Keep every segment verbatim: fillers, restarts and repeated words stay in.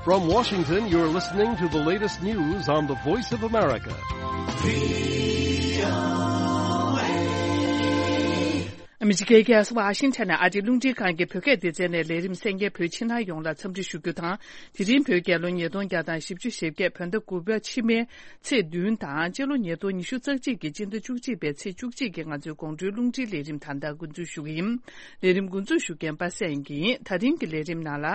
From Washington, you're listening to the latest news on the Voice of America. ཨ་མི་རི་ཀའི་རྒྱལ་ས་ཝ་ཤིང་ཊོན་ནས་ཨ་རིའི་རླུང་འཕྲིན་ཁང་གི་བོད་སྐད་སྡེ་ཚན་ནས་ལས་རིམ་གསན་མཁན་བོད་ཕྱི་ནང་ཡོངས་ལ་འཚམས་འདྲི་ཞུ་རྒྱུ་དང་། དེ་རིང་བོད་རྒྱལ་ལོ་ཉིས་སྟོང་བརྒྱ་དང་བཞི་བཅུ་ཞེ་བརྒྱད། བོད་ཟླ་དགུ་པ་ཕྱི་མའི་ཚེས་བདུན་དང་། སྤྱི་ལོ་ཉིས་སྟོང་ཉི་ཤུ་རྩ་གཅིག་གི་སྤྱི་ཟླ་བཅུ་གཅིག་པའི་ཚེས་བཅུ་གཅིག་གི་ང་ཚོའི་དགོང་དྲོའི་རླུང་འཕྲིན་ལས་རིམ་ད་ལྟ་འགོ་འཛུགས་ཞུ་གི་ཡིན། ལས་རིམ་འགོ་འཛུགས་ཞུ་མཁན་པ་སངས་ཡིན། ད་རིང་གི་ལས་རིམ་ནང་ལ།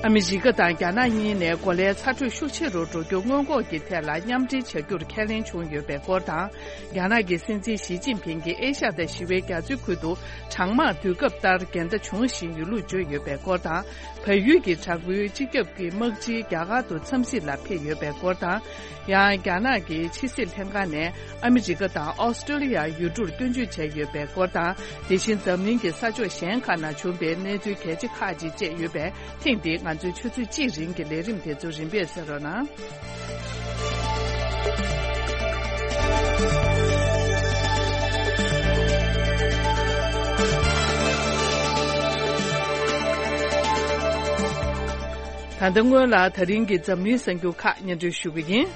ཨ་མི་རི་ཀ་དང་རྒྱ་ནག་གཉིས་ནས་གོ་ལའི་ཚ་དྲོད་ཤུགས་ཆེ་རུ་འགྲོ་རྒྱུ་སྔོན་འགོག་གི་ཐད་ལ་མཉམ་འབྲེལ་བྱ་རྒྱུར་ཁས་ལེན་བྱུང་ཡོད་པའི་སྐོར་དང་། རྒྱ་ནག་གི་སྲིད་འཛིན་ཞི་ཅིན་ཕིང་གིས་ཨེ་ཤ་ཡ་དང་ཞི་བའི་རྒྱ་མཚོའི་ཁུལ་དུ་གྲང་དམག་དུས་སྐབས་ལྟར་འགལ་ཟླ་བྱུང་བཞིན་ཡོད་ལུགས་བརྗོད་ཡོད་པའི་སྐོར་དང་། བལ་ཡུལ་གྱི་དྲག་པོའི་སྤྱི་ཁྱབ་ཀྱི་དམག་སྤྱི་རྒྱ་གར་དུ་འཚམས་གཟིགས་ལ་ཕེབས་ཡོད་པའི་སྐོར་དང་། ཡང་རྒྱ་ནག་གི་ཕྱི་སྲིད་ལྷན་ཁང་ནས་ཨ་མི་རི་ཀ་དང་ཨོ་སི་ཀྲོ་ལི་ཡར་ཡུལ་གྲུར་སྐྱོན་བརྗོད་བྱས་ཡོད་པའི་སྐོར་དང་། དེ་བཞིན་འཛམ་གླིང་གི་ས་ཕྱོགས་གཞན་ཁག་ན་བྱུང་བའི་གནས་ཚུལ་གལ་ཆེ་ཁག་ཅིག་བཅས་ཡོད་པས། ཐེངས་འདིའི་ང་ཚོའི་ཆུ་ཚོད་གཅིག་རིང་གི་ལས་རིམ་དེ་ཚོ་རིམ་པས་གསན་རོགས་གནང་། ད་ལྟ་སྔོན་ལ་ད་རིང་གི་འཛམ་གླིང་གསར་འགྱུར་ཁག་སྙན་སྒྲོན་ཞུ་གི་ཡིན།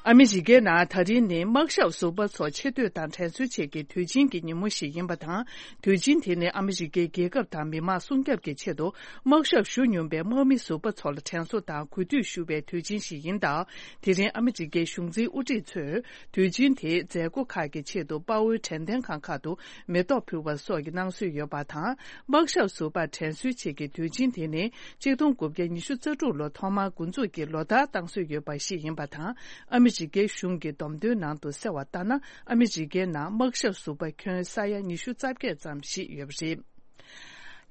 ཨ་མི་རི་ཀའི་ནང་ད་རིང་ནི་དམག་ཞབས་ཟུར་པ་ཚོ་ཆེ་བསྟོད་དང་དྲན་གསོའི་ཆེད་ཀྱི་དུས་ཆེན་གྱི་ཉིན་མོ་ཞིག་ཡིན་པ་དང་། དུས་ཆེན་དེ་ནི་ཨ་མི་རི་ཀའི་རྒྱལ་ཁབ་དང་མི་དམངས་སྲུང་སྐྱོབ་ཀྱི་ཆེད་དུ་དམག་ཞབས་ཞུ་མྱོང་པའི་དམག་མི་ཟུར་པ་ཚོ་ལ་དྲན་གསོ་དང་གུས་འདུད་ཞུ་བའི་དུས་ཆེན་ཞིག་ཡིན་སྟབས། དེ་རིང་ཨ་མི་རི་ཀའི་གཞུང་འཛིན་དབུ་ཁྲིད་ཚོས་དུས་ཆེན་དེའི་མཛད་སྒོ་ཁག་གི་ཆེད་དུ་དཔའ་བོའི་དྲན་རྟེན་ཁང་ཁག་ཏུ་མེ་ཏོག་ཕུལ་བ་སོགས་ཀྱི་གནང་སྲོལ་ཡོད་པ་དང་། དམག་ཞབས་ཟུར་པ་དྲན་གསོའི་ཆེད་ཀྱི་དུས་ཆེན་དེ་ནི་ཆིག་སྟོང་དགུ་བརྒྱ་ཉི་ཤུ་རྩ་དྲུག་ལོ་ཐོག་མར་འགོ་འཛུགས་ཀྱིས་ལོ་ལྟར་བཏང་སྲོལ་ཡོད་པ་ཞིག་ཡིན་པ་དང་། ཨ་མི་རི་ཀའི་གཞུང་གི་བསྡོམས་ཐོན་ནང་དུ་གསལ་བ་ལྟར་ན། ཨ་མི་རི་ཀའི་ནང་དམག་ཞབས་ཟུར་པ་ཁྱོན་ས་ཡ་ཉི་ཤུ་རྩ་བརྒྱད་ཙམ་ཞིག་ཡོད་པ་རེད།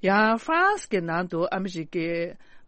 ཡང་ཧྥ་རན་སི་གི་ནང་དུ་ཨ་མི་རི་ཀའི་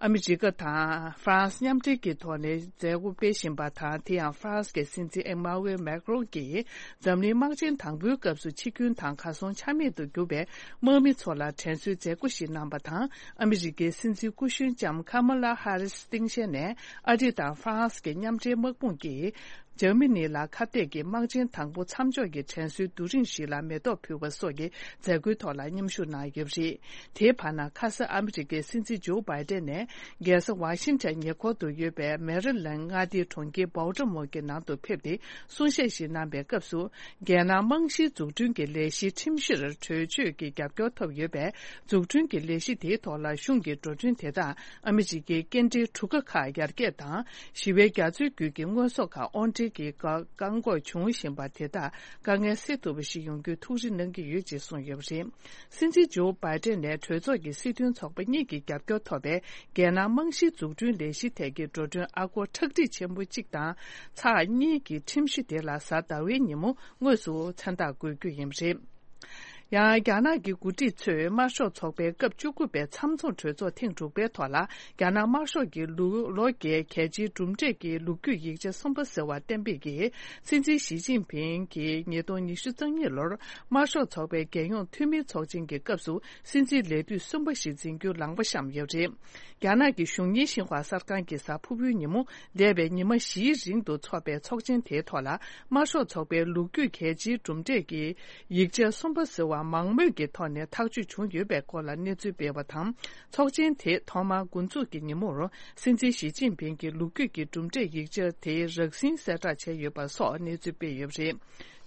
ཨ་མི་རི་ཀ་དང་ཧྥ་རན་སི་མཉམ་འབྲེལ་གྱི་ཐོག་ནས་མཛད་སྒོ་སྤེལ་བཞིན་པ་དང་། དེ་ཡང་ཧྥ་རན་སི་གི་སྲིད་འཛིན་ཨེ་མ་ཝེལ་མེག་རོན་གྱིས་འཛམ་གླིང་དམག་ཆེན་དང་པོའི་སྐབས་སུ་འཆི་སྐྱོན་དང་གར་སོང་ཆ་མེད་དུ་གྱུར་པའི་དམག་མི་ཚོ་ལ་དྲན་གསོའི་མཛད་སྒོ་ཞིག་གནང་བ་དང་། ཨ་མི་རི་ཀའི་སྲིད་འཛིན་སྐུ་གཞོན་ལྕམ་ཁ་མ་ལ་ཧ་རི་སི་སྟངས་དཔྱལ་ནས་ཨ་རི་དང་ཧྥ་རན་སི་གི་མཉམ་འབྲེལ་དམག་དཔུང་གིས། འཇར་མ་ནི་ལ་ཁ་གཏད་ཀྱི་དམག་ཆེན་དང་པོ་མཚམས་འཇོག་གི་དྲན་གསོའི་རྡོ་རིང་ཞིག་ལ་མེ་ཏོག་ཕུལ་བ་སོགས་ཀྱི་མཛད་སྒོའི་ཐོག་ལ་མཉམ་ཞུགས་གནང་ཡོད་པ་རེད། དེའི་བར་ན་ཁ་ས་ཨ་མི་རི་ཀའི་སྲིད་འཛིན་ཇོ་བྷའི་ཏན་ནས་རྒྱལ་ས་ཝ་ཤིང་ཊོན་ཉེ་འཁོར་དུ་ཡོད་པའི་མེ་རི་ལན་མངའ་སྡེའི་གྲོང་ཁྱེར་བྷོལ་ཊི་མོར་གྱི་ནང་དུ་ཕེབས་ཏེ་གསུང་བཤད་ཞིག་གནང་པའི་སྐབས་སུ། རྒྱལ་ནང་རྨང་གཞིའི་འཛུགས་སྐྲུན་གྱི་ལས་གཞིའི་ཁྲིམས་གཞིར་གྲོས་ཆོད་ཀྱི་རྒྱབ་སྐྱོར་ཐོབ་ཡོད་པས། འཛུགས་སྐྲུན་གྱི་ལས་གཞི་དེའི་ཐོག་ལ་གཞུང་གི་འགྲོ་གྲོན་དེ་དག་ཨ་མི་རི་ཀའི་སྐྱེལ་འདྲེན་གྲུ་ཁ་ཁག་ཡར་རྒྱས་དང་། ཞི་བའི་རྒྱ་མཚོའི་རྒྱུད་ཀྱི་དངོས་ཟོག་ཁག་དབོར་འདྲེན་གྱི་བཀག་འགོག་འབྱུང་བཞིན་པ་དེ་དག་དཀའ་ངལ་སེལ་ཐུབ་པ་ཞིག་ཡོང་རྒྱུའི་ཐུགས་རེ་གནང་གི་ཡོད་ཅེས་གསུངས་ཡོད་པ་རེད། སྲིད་འཛིན་ཇོ་བྷའི་ཏན་ནས་གྲོས་ཚོགས་ཀྱི་སྲིད་དོན་ཚོགས་པ་གཉིས་ཀྱི་རྒྱབ་སྐྱོར་ཐོབ་པའི་རྒྱལ་ནང་རྨང་གཞིའི་འཛུགས་སྐྲུན་ལས་གཞི་ཐད་ཀྱི་འགྲོ་གྲོན་ཨ་སྒོར་ཁྲག་ཁྲིག་ཆེན་པོ་གཅིག་དང་ཚེག་གཉིས་ཀྱི་ཁྲིམས་གཞི་དེ་ལ་གཟའ་ཟླ་བའི་ཉིན་མོ་དངོས་སུ་མཚན་རྟགས་འགོད་རྒྱུ་ཡིན་པ་རེད། ཡང་རྒྱ་ནག་གི་འགོ་ཁྲིད་ཚོས་དམར་ཤོག་ཚོགས་པའི་སྐབས་བཅུ་དགུ་པའི་མཚམས་འཛོམས་གྲོས་ཚོགས་ཐེངས་དྲུག་པའི་ཐོག་ལ། རྒྱ་ནག་དམར་ཤོག་གི་ལོ་ལོ་བརྒྱའི་གལ་ཆེའི་གྲུབ་འབྲས་ཀྱི་ལོ་རྒྱུས་ཡིག་ཆ་གསུམ་པ་ཟེར་བ་གཏན་འབེབས་ཀྱིས། སྲིད་འཛིན་ཞི་ཅིན་ཕིང་གིས་ཉིས་སྟོང་ཉི་ཤུ་རྩ་གཉིས་ལོར་དམར་ཤོག་ཚོགས་པའི་རྒྱལ་ཡོངས་འཐུས་མིའི་ཚོགས་ཆེན་གྱི་སྐབས་སུ་སྲིད་འཛིན་ལས་དུས་གསུམ་པ་ཞིག་འཛིན་རྒྱུའི་ལངས་པ་བཤམས་ཡོད་པ་རེད། རྒྱ་ནག་གི་གཞུང་གཉེར་ཤིན་ཧྭ་གསར་ཁང་གི་གཟའ་ཕུར་བུའི་ཉིན་མོ་འདས་པའི་ཉི་མ་བཞིའི་རིང་དུ་འཚོགས་པའི་ཚོགས་ཆེན་དེའི་ཐོག་ལ། དམར་ཤོག་ཚོགས་པའི་ལོ་རྒྱུས་གལ་ཆེའི་གྲུབ་འབྲས་ཀྱི་ཡིག་ཆ་གསུམ་པ་ཟེར་བ་མང་མོས་ཀྱི་ཐོག་ནས་ཐག་གཅོད་བྱུང་ཡོད་པའི་སྐོར་ལ་གནས་ཚུལ་སྤེལ་བ་དང་། ཚོགས་ཆེན་དེ་ཐོག་མར་འགོ་འཛུགས་ཀྱི་ཉིན་མོར། སྲིད་འཛིན་ཞི་ཅིན་ཕིང་གིས་ལོ་རྒྱུས་ཀྱི་གྲུབ་འབྲས་ཡིག་ཆ་དེ་རགས་ཟིན་གསལ་བསྒྲགས་བྱས་ཡོད་པ་སོགས་གནས་ཚུལ་སྤེལ་ཡོད་པ་རེད།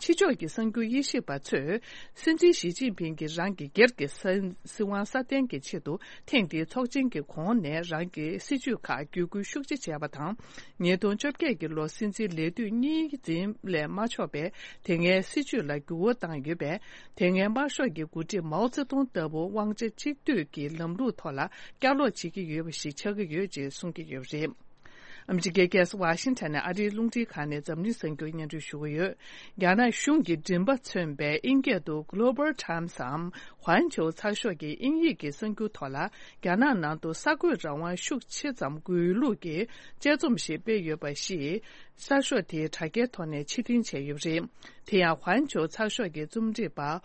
ཕྱི་ཕྱོགས་ཀྱི་གསར་འགྱུར་དབྱེ་ཞིབ་པ་ཚོས། སྲིད་འཛིན་ཞི་ཅིན་ཕིང་གིས་རང་གི་སྒེར་གྱི་སྲིད་དབང་སྲ་བརྟན་གྱི་ཆེད་དུ། ཐེངས་འདིའི་ཚོགས་ཆེན་གྱི་གོང་ནས་རང་གི་སྲིད་བྱུས་ཁག་བརྒྱུད་སྐུལ་ཤུགས་ཆེ་བྱས་པ་དང་། ཉིས་སྟོང་བཅོ་བརྒྱད་ཀྱི་ལོ་སྲིད་འཛིན་ལས་དུས་གཉིས་འཛིན་ལས་མ་ཆོག་པའི་དེ་སྔའི་སྲིད་བྱུས་ལ་འགྱུར་བ་བཏང་ཡོད་པས། དེ་སྔའི་དམར་ཤོག་གི་འགོ་ཁྲིད་མའོ་ཙེ་ཏུང་ལྟ་བུ་དབང་ཆ་གཅིག་སྡུད་ཀྱི་ལམ་ལུགས་ཐོག་ལ་བསྐྱར་ལོག་བྱེད་ཀྱི་ཡོད་པ་ཞིག་ཆགས་ཀྱི་ཡོད་ཅེས་གསུང་གི་ཡོད་པ་རེད། ཨ་མི་རི་ཀའི་རྒྱལ་ས་ཝ་ཤིང་ཊོན་ནས་ཨ་རིའི་རླུང་འཕྲིན་ཁང་ནས་འཛམ་གླིང་གསར་འགྱུར་སྙན་སྒྲོན་ཞུ་གི་ཡོད། རྒྱ་ནག་གཞུང་གི་མགྲིན་པ་མཚོན་པའི་ཨིན་སྐད་དུ་Global Timesའམ་ཧུན་ཆོའུ་ཚགས་ཤོག་གི་དབྱིན་ཡིག་གི་གསར་འགྱུར་ཐོག་ལ། རྒྱ་ནག་ནང་དུ་གསར་འགོད་རང་དབང་ཤུགས་ཆེ་ཙམ་དགོས་ལུགས་ཀྱི་དཔྱད་རྩོམ་ཞིག་སྤེལ་ཡོད་པ་ཞིག་གསར་ཤོག་དེའི་དྲ་རྒྱའི་ཐོག་ནས་ཕྱིར་འཐེན་བྱས་ཡོད་པ་རེད། དེ་ཡང་ཧུན་ཆོའུ་ཚགས་ཤོག་གི་རྩོམ་སྒྲིག་པ།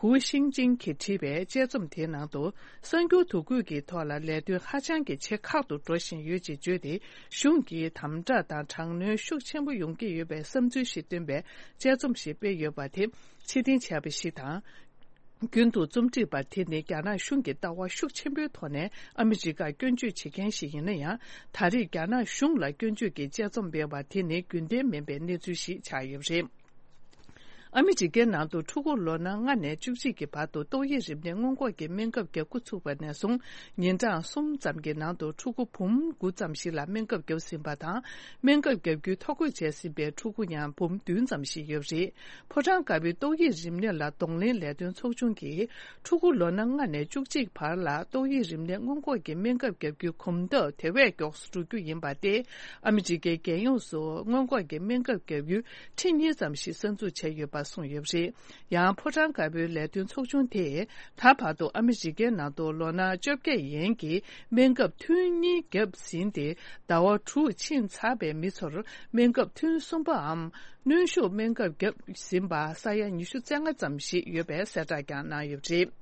ཧུའུ་ཤིང་ཅིང་གིས་བྲིས་པའི་དཔྱད་རྩོམ་དེའི་ནང་དུ། གསར་འགྱུར་དོ་བརྒྱུད་ཀྱི་ཐོག་ལ་ལས་དོན་ཧ་ཅང་གི་ཆེ་ཁག་ཏུ་འགྲོ་བཞིན་ཡོད་ཅེས་བརྗོད་དེ། གཞུང་གིས་དམ་དྲག་དང་དྲག་གནོན་ཤུགས་ཆེན་པོ་ཡོང་གི་ཡོད་པའི་བསམ་ཚུལ་ཞིག་བཏོན་པའི་དཔྱད་རྩོམ་ཞིག་སྤེལ་ཡོད་པ་དེ་ཕྱིར་འཐེན་བྱས་པ་ཞིག་དང་། རྒྱུན་དུ་རྩོམ་སྒྲིག་པ་དེ་ནི་རྒྱ་ནག་གཞུང་གི་ལྟ་བ་ཤུགས་ཆེན་པོའི་ཐོག་ནས་ཨ་མི་རི་ཀར་སྐྱོན་བརྗོད་བྱེད་མཁན་ཞིག་ཡིན་ན་ཡང་། ད་རེས་རྒྱ་ནག་གཞུང་ལ་སྐྱོན་བརྗོད་ཀྱི་དཔྱད་རྩོམ་སྤེལ་བ་དེ་ནི་རྒྱུན་ལྡན་མིན་པའི་གནས་ཚུལ་ཞིག་ཆགས་ཡོད་པ་རེད། ཨ་མི་རི་ཀའི་ནང་དུ་ཕྲུ་གུ་ལོ་ན་ལྔ་ནས་བཅུ་གཅིག་གི་བར་དུ་ཏོག་དབྱིབས་རིམས་ནད་སྔོན་འགོག་གི་སྨན་ཁབ་བརྒྱབ་འགོ་ཚུགས་པ་ནས་བཟུང་ཉིན་གྲངས་གསུམ་ཙམ་གྱི་ནང་དུ་ཕྲུ་གུ་འབུམ་དགུ་ཙམ་ཞིག་ལ་སྨན་ཁབ་བརྒྱབ་ཟིན་པ་དང་། སྨན་ཁབ་བརྒྱབ་རྒྱུའི་ཐོ་འགོད་བྱས་ཟིན་པའི་ཕྲུ་གུ་ཡང་འབུམ་བདུན་ཙམ་ཞིག་ཡོད་པ་རེད། ཕོ་བྲང་དཀར་པོའི་ཏོག་དབྱིབས་རིམས་ནད་ལ་གདོང་ལེན་ལས་དོན་ཚོགས་ཆུང་གིས། ཕྲུ་གུ་ལོ་ན་ལྔ་ནས་བཅུ་གཅིག་བར་ལ་ཏོག་དབྱིབས་རིམས་ནད་སྔོན་འགོག་གི་སྨན་ཁབ་བརྒྱབ་རྒྱུའི་གོམ་སྟབས་དེ་བས་མགྱོགས་སུ་འགྲོ་རྒྱུ་ཡིན་པ་སྟེ། ཨ་མི་རི་ཀའི་རྒྱལ་ཡོངས་སུ་སྔོན་འགོག་གི་སྨན་ཁབ་བརྒྱབ་ཡུལ་ཁྲི་གཉིས་ཙམ་ཞིག་གསར་འཛུགས་བྱས་ཡོད་པ་གསུངས་ཡོད་པ་རེད། ཡང་ཕོ་བྲང་དཀར་པོའི་ལས་དོན་ཚོགས་ཆུང་དེས་ད་བར་དུ་ཨ་མི་རི་ཀའི་ནང་དུ་ལོ་ན་བཅོ་བརྒྱད་ཡན་གྱི་སྨན་ཁབ་ཐུན་གཉིས་བརྒྱབ་ཟིན་ཏེ། ཟླ་བ་དྲུག་ཕྱིན་ཚར་བའི་མི་ཚོར་སྨན་ཁབ་ཐུན་གསུམ་པའམ། གནོན་ཤུགས་སྨན་ཁབ་བརྒྱབ་ཟིན་པ་ས་ཡ་ཉི་ཤུ་རྩ་ལྔ་ཙམ་ཞིག་ཡོད་པའི་གསལ་བསྒྲགས་ཀྱང་གནང་ཡོད་པ་རེད།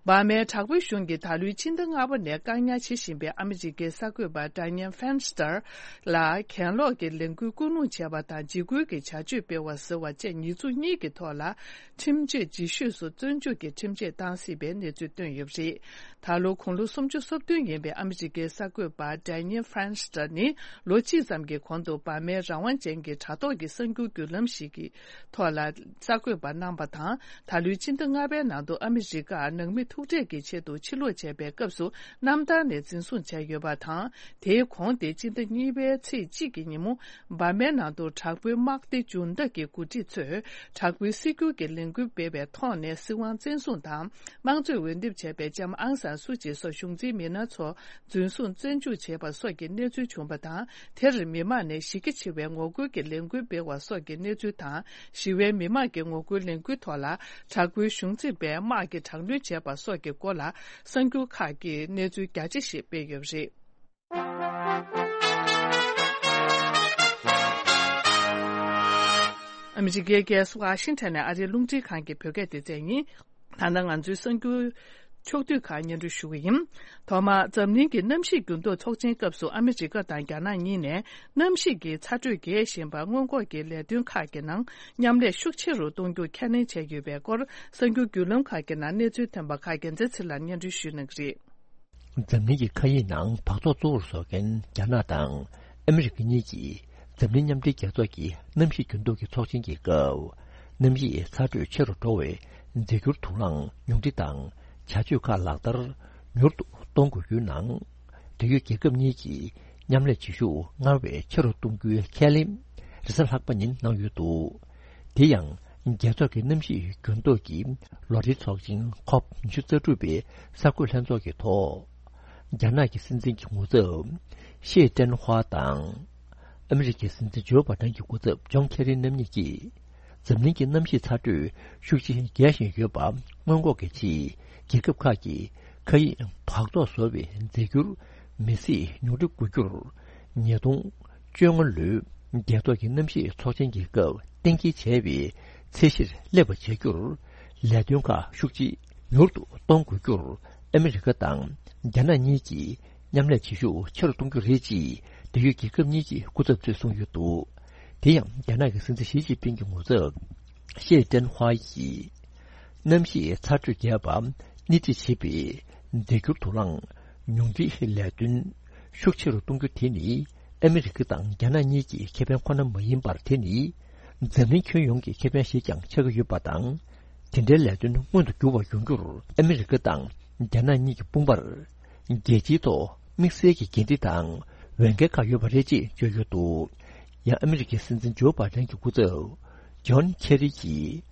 འབར་མའི་དྲག་པོའི་གཞུང་གིས་ད་ལོའི་སྤྱི་ཟླ་ལྔ་པ་ནས་བཀག་ཉར་བྱེད་བཞིན་པའི་ཨ་མི་རི་ཀའི་གསར་འགོད་པ་Dianne Feinstein ལ་གྱེན་ལོག་གི་ལས་འགུལ་སྐུལ་སློང་བྱས་པ་དང་། འཇིགས་སྐུལ་གྱི་བྱ་སྤྱོད་སྤེལ་བ་ཟེར་བ་བཅས་ཉེས་འཛུགས་གཉིས་ཀྱི་ཐོག་ལ། ཁྲིམས་གཅོད་རྗེས་ཤོས་སུ་བཙོན་འཇུག་གི་ཁྲིམས་ཆད་བཏང་སྲིད་པའི་གནས་ཚུལ་བཏོན་ཡོད་པ་རེད། ད་ལོ་དགུང་ལོ་སུམ་ཅུ་སོ་བདུན་ཡིན་པའི་ཨ་མི་རི་ཀའི་གསར་འགོད་པ་Dianne Feinstein ནི་ལོ་གཅིག་ཙམ་གྱི་གོང་དུ་འབར་མའི་རང་དབང་ཅན་གྱི་དྲ་ཐོག་གི་གསར་འགྱུར་བརྒྱུད་ལམ་ཞིག་གི་ཐོག་ལ་གསར་འགོད་པ་གནང་པ་དང་། ད་ལོའི་སྤྱི་ཟླ་ལྔ་པའི་ནང་དུ་ཨ་མི་རི་ཀར་ནང་མི་ཐུག་འཕྲད་ཀྱི་ཆེད་དུ་ཕྱིར་ལོག་བྱས་པའི་སྐབས་སུ་གནམ་ཐང་ནས་འཛིན་བཟུང་བྱས་ཡོད་པ་དང་། དེའི་གོང་དེ་སྤྱི་ཟླ་གཉིས་པའི་ཚེས་གཅིག་གི་ཉིན་མོ། འབར་མའི་ནང་དུ་དྲག་པོའི་དམག་སྡེ་འཇུ་བདག་གི་འགོ་ཁྲིད་ཚོས་དྲག་པོའི་སྲིད་སྒྱུར་གྱི་ལས་འགུལ་སྤེལ་བའི་ཐོག་ནས་སྲིད་དབང་བཙན་བཟུང་དང་། དམངས་གཙོས་འོས་འདེམས་བྱས་པའི་ལྕམ་ཨང་སན་སུ་ཅི་སོགས་གཞུང་འཛིན་མི་སྣ་ཚོ་འཛིན་བཟུང་བཙོན་འཇུག་བྱས་པ་སོགས་ཀྱི་གནས་ཚུལ་བྱུང་བ་དང་། དེར་མི་མང་ནས་གཞི་རྒྱ་ཆེ་བའི་ངོ་རྒོལ་གྱི་ལས་འགུལ་སྤེལ་བ་སོགས་ཀྱི་གནས་ཚུལ་དང་། ཞི་བའི་མི་མང་གི་ངོ་རྒོལ་ལས་འགུལ་ཐོག་ལ་དྲག་པོའི་གཞུང་འཛིན་པས་དམག་གིས་དྲག་གནོན་བྱས་པ་སོགས་ཀྱི་སྐོར་ལ་གསར་འགྱུར་ཁག་གིས་གནས་ཚུལ་རྒྱ་ཆེ་ཞིག་སྤེལ་ཡོད་པ་རེད། ཨ་མི་རི་ཀའི་རྒྱལ་ས་ཝ་ཤིང་ཊོན་ནས་ཨ་རིའི་རླུང་འཕྲིན་ཁང་གི་བོད་སྐད་སྡེ་ཚན་ཡིན། ད་ལྟ་ང་ཚོའི་གསར་འགྱུར་ཕྱོགས་བསྡུས་ཁག་སྙན་སྒྲོན་ཞུ་གི་ཡིན། ཐོག་མར་འཛམ་གླིང་གི་གནམ་གཤིས་འགྱུར་ལྡོག་ཚོགས་ཆེན་སྐབས་སུ་ཨ་མི་རི་ཀ་དང་རྒྱ་ནག་གཉིས་ནས་གནམ་གཤིས་ཀྱི་ཚ་དྲོད་རྒྱས་བཞིན་པར་སྔོན་འགོག་གི་ལས་དོན་ཁག་གི་ནང་མཉམ་ལས་ཤུགས་ཆེ་རུ་གཏོང་རྒྱུ་ཁས་ལེན་བྱས་ཡོད་པའི་སྐོར། གསར་འགྱུར་བརྒྱུད་ལམ་ཁག་གི་ནང་གནས་ཚུལ་ཐོན་པ་ཁག་རྒྱལ་མཚན་ཚེ་ལགས་སྙན་སྒྲོན་ཞུ་གནང་གི་རེད། འཛམ་གླིང་གི་མཁའ་དབྱིངས་ནང་འབག་བཙོག་གཙོ་བོར་བཟོ་མཁན་རྒྱ་ནག་དང་ཨ་མི་རི་ཀ་གཉིས་ཀྱིས་འཛམ་གླིང་མཉམ་འབྲེལ་རྒྱལ་ཚོགས་ཀྱི་གནམ་གཤིས་འགྱུར་ལྡོག་གི་ཚོགས་ཆེན་གྱི་སྐབས། གནམ་གཤིས་ཚ་དྲོད་ཆེ་རུ་འགྲོ་བའི་རྫས་འགྱུར་དུག་རླངས་ཉུང་འཕྲི་དང་བྱ་སྤྱོད་ཁག་ལག་བསྟར་མྱུར་དུ་གཏོང་དགོས་རྒྱུའི་ནང་། འབྲེལ་ཡོད་རྒྱལ་ཁབ་གཉིས་ཀྱིས་མཉམ་ལས་བྱེད་ཤུགས་སྔར་བས་ཆེ་རུ་གཏོང་རྒྱུའི་ཁས་ལེན་རེས་གཟའ་ལྷག་པ་ཉིན་གནང་ཡོད་འདུག་དེ་ཡང་། རྒྱལ་ཚོགས་ཀྱི་གནམ་གཤིས་འགྱུར་ལྡོག་གི་ལོ་རེའི་ཚོགས་ཆེན་ཁོབ་ཉི་ཤུ་རྩ་དྲུག་པའི་གསར་འགོད་ལྷན་ཚོགས་ཀྱི་ཐོག་རྒྱ་ནག་གི་སྲིད་འཛིན་གྱི་ངོ་ཚབ་ཤེ་ཀྲེན་ཧྭ་དང་། ཨ་མི་རི་ཀའི་སྲིད་འཛིན་ཇོ་བྷ་ཌེན་གྱི་སྐུ་ཚབ་ཇོན་ཁེ་རི་རྣམ་གཉིས་ཀྱིས། འཛམ་གླིང་གི་གནམ་གཤིས་ཚ་དྲོད་ཤུགས་ཆེན་རྒྱས་བཞིན་ཡོད་པ་སྔོན་འགོག་གི་ཆེད། རྒྱལ་ཁབ་ཁག་གིས་མཁའ་དབྱིངས་འབག་བཙོག་བཟོ་བའི་རྫས་འགྱུར་མེ་བསྲེགས་ཉུང་འཕྲི་དགོས་རྒྱུར། ཉིས་སྟོང་བཅོ་ལྔ་ལོའི་རྒྱལ་ཚོགས་ཀྱི་གནམ་གཤིས་ཚོགས་ཆེན་གྱི་སྐབས་གཏན་འཁེལ་བྱས་པའི་ཚད་གཞིར་སླེབས་པ་བྱ་རྒྱུར། ལས་དོན་ཁག་ཤུགས་ཆེ་མྱུར་དུ་གཏོང་དགོས་རྒྱུར། ཨ་མི་རི་ཀ་དང་རྒྱ་ནག་གཉིས་ཀྱིས་མཉམ་ལས་བྱེད་ཤུགས་ཆེ་རུ་གཏོང་རྒྱུ་རེད་ཅེས་འབྲེལ་ཡོད་རྒྱལ་ཁབ་གཉིས་ཀྱི་སྐུ་ཚབ་ཚོས་གསུངས་ཡོད་འདུག་དེ་ཡང་རྒྱ་ནག་གི་སྲིད་འཛིན་ཞི་ཅིན་ཕིང་གི་ངོ་ཚབ་ཤེ་ཀྲེན་ཧྭ་ཡིས། གནམ་གཤིས་ཚ་དྲོད་རྒྱས་པ་སྣེ་ཁྲིད་བྱེད་པའི་རྫས་འགྱུར་དུག་རླངས་ཉུང་འཕྲིའི་ལས་དོན་ཤུགས་ཆེ་རུ་གཏོང་རྒྱུ་དེ་ནི་ཨ་མི་རི་ཀ་དང་རྒྱ་ནག་གཉིས་ཀྱི་ཁེ་ཕན་ཁོ་ན་མ་ཡིན་པར། དེ་ནི་འཛམ་གླིང་ཁྱོན་ཡོངས་ཀྱི་ཁེ་ཕན་ཞིག་ཀྱང་ཆགས་ཀྱི་ཡོད་པ་དང་། དེ་འདྲའི་ལས་དོན་མངོན་དུ་འགྱུར་བ་ཡོང་རྒྱུར་ཨ་མི་རི་ཀ་དང་རྒྱ་ནག་གཉིས་ཀྱི་དཔུང་པར་རྒྱལ་སྤྱིའི་ཐོག་དམིགས་བསལ་གྱི་འགན་འཁྲི་དང་འོས་འགན་ཁག་ཡོད་པ་རེད་ཅེས་བརྗོད་ཡོད་འདུག་ཡང་ཨ་མི་རི་ཀའི་སྲིད་འཛིན་ཇོ་བྷ་ཌེན་གྱི་སྐུ་ཚབ་ཇོན་ཁེ་རི་གྱིས།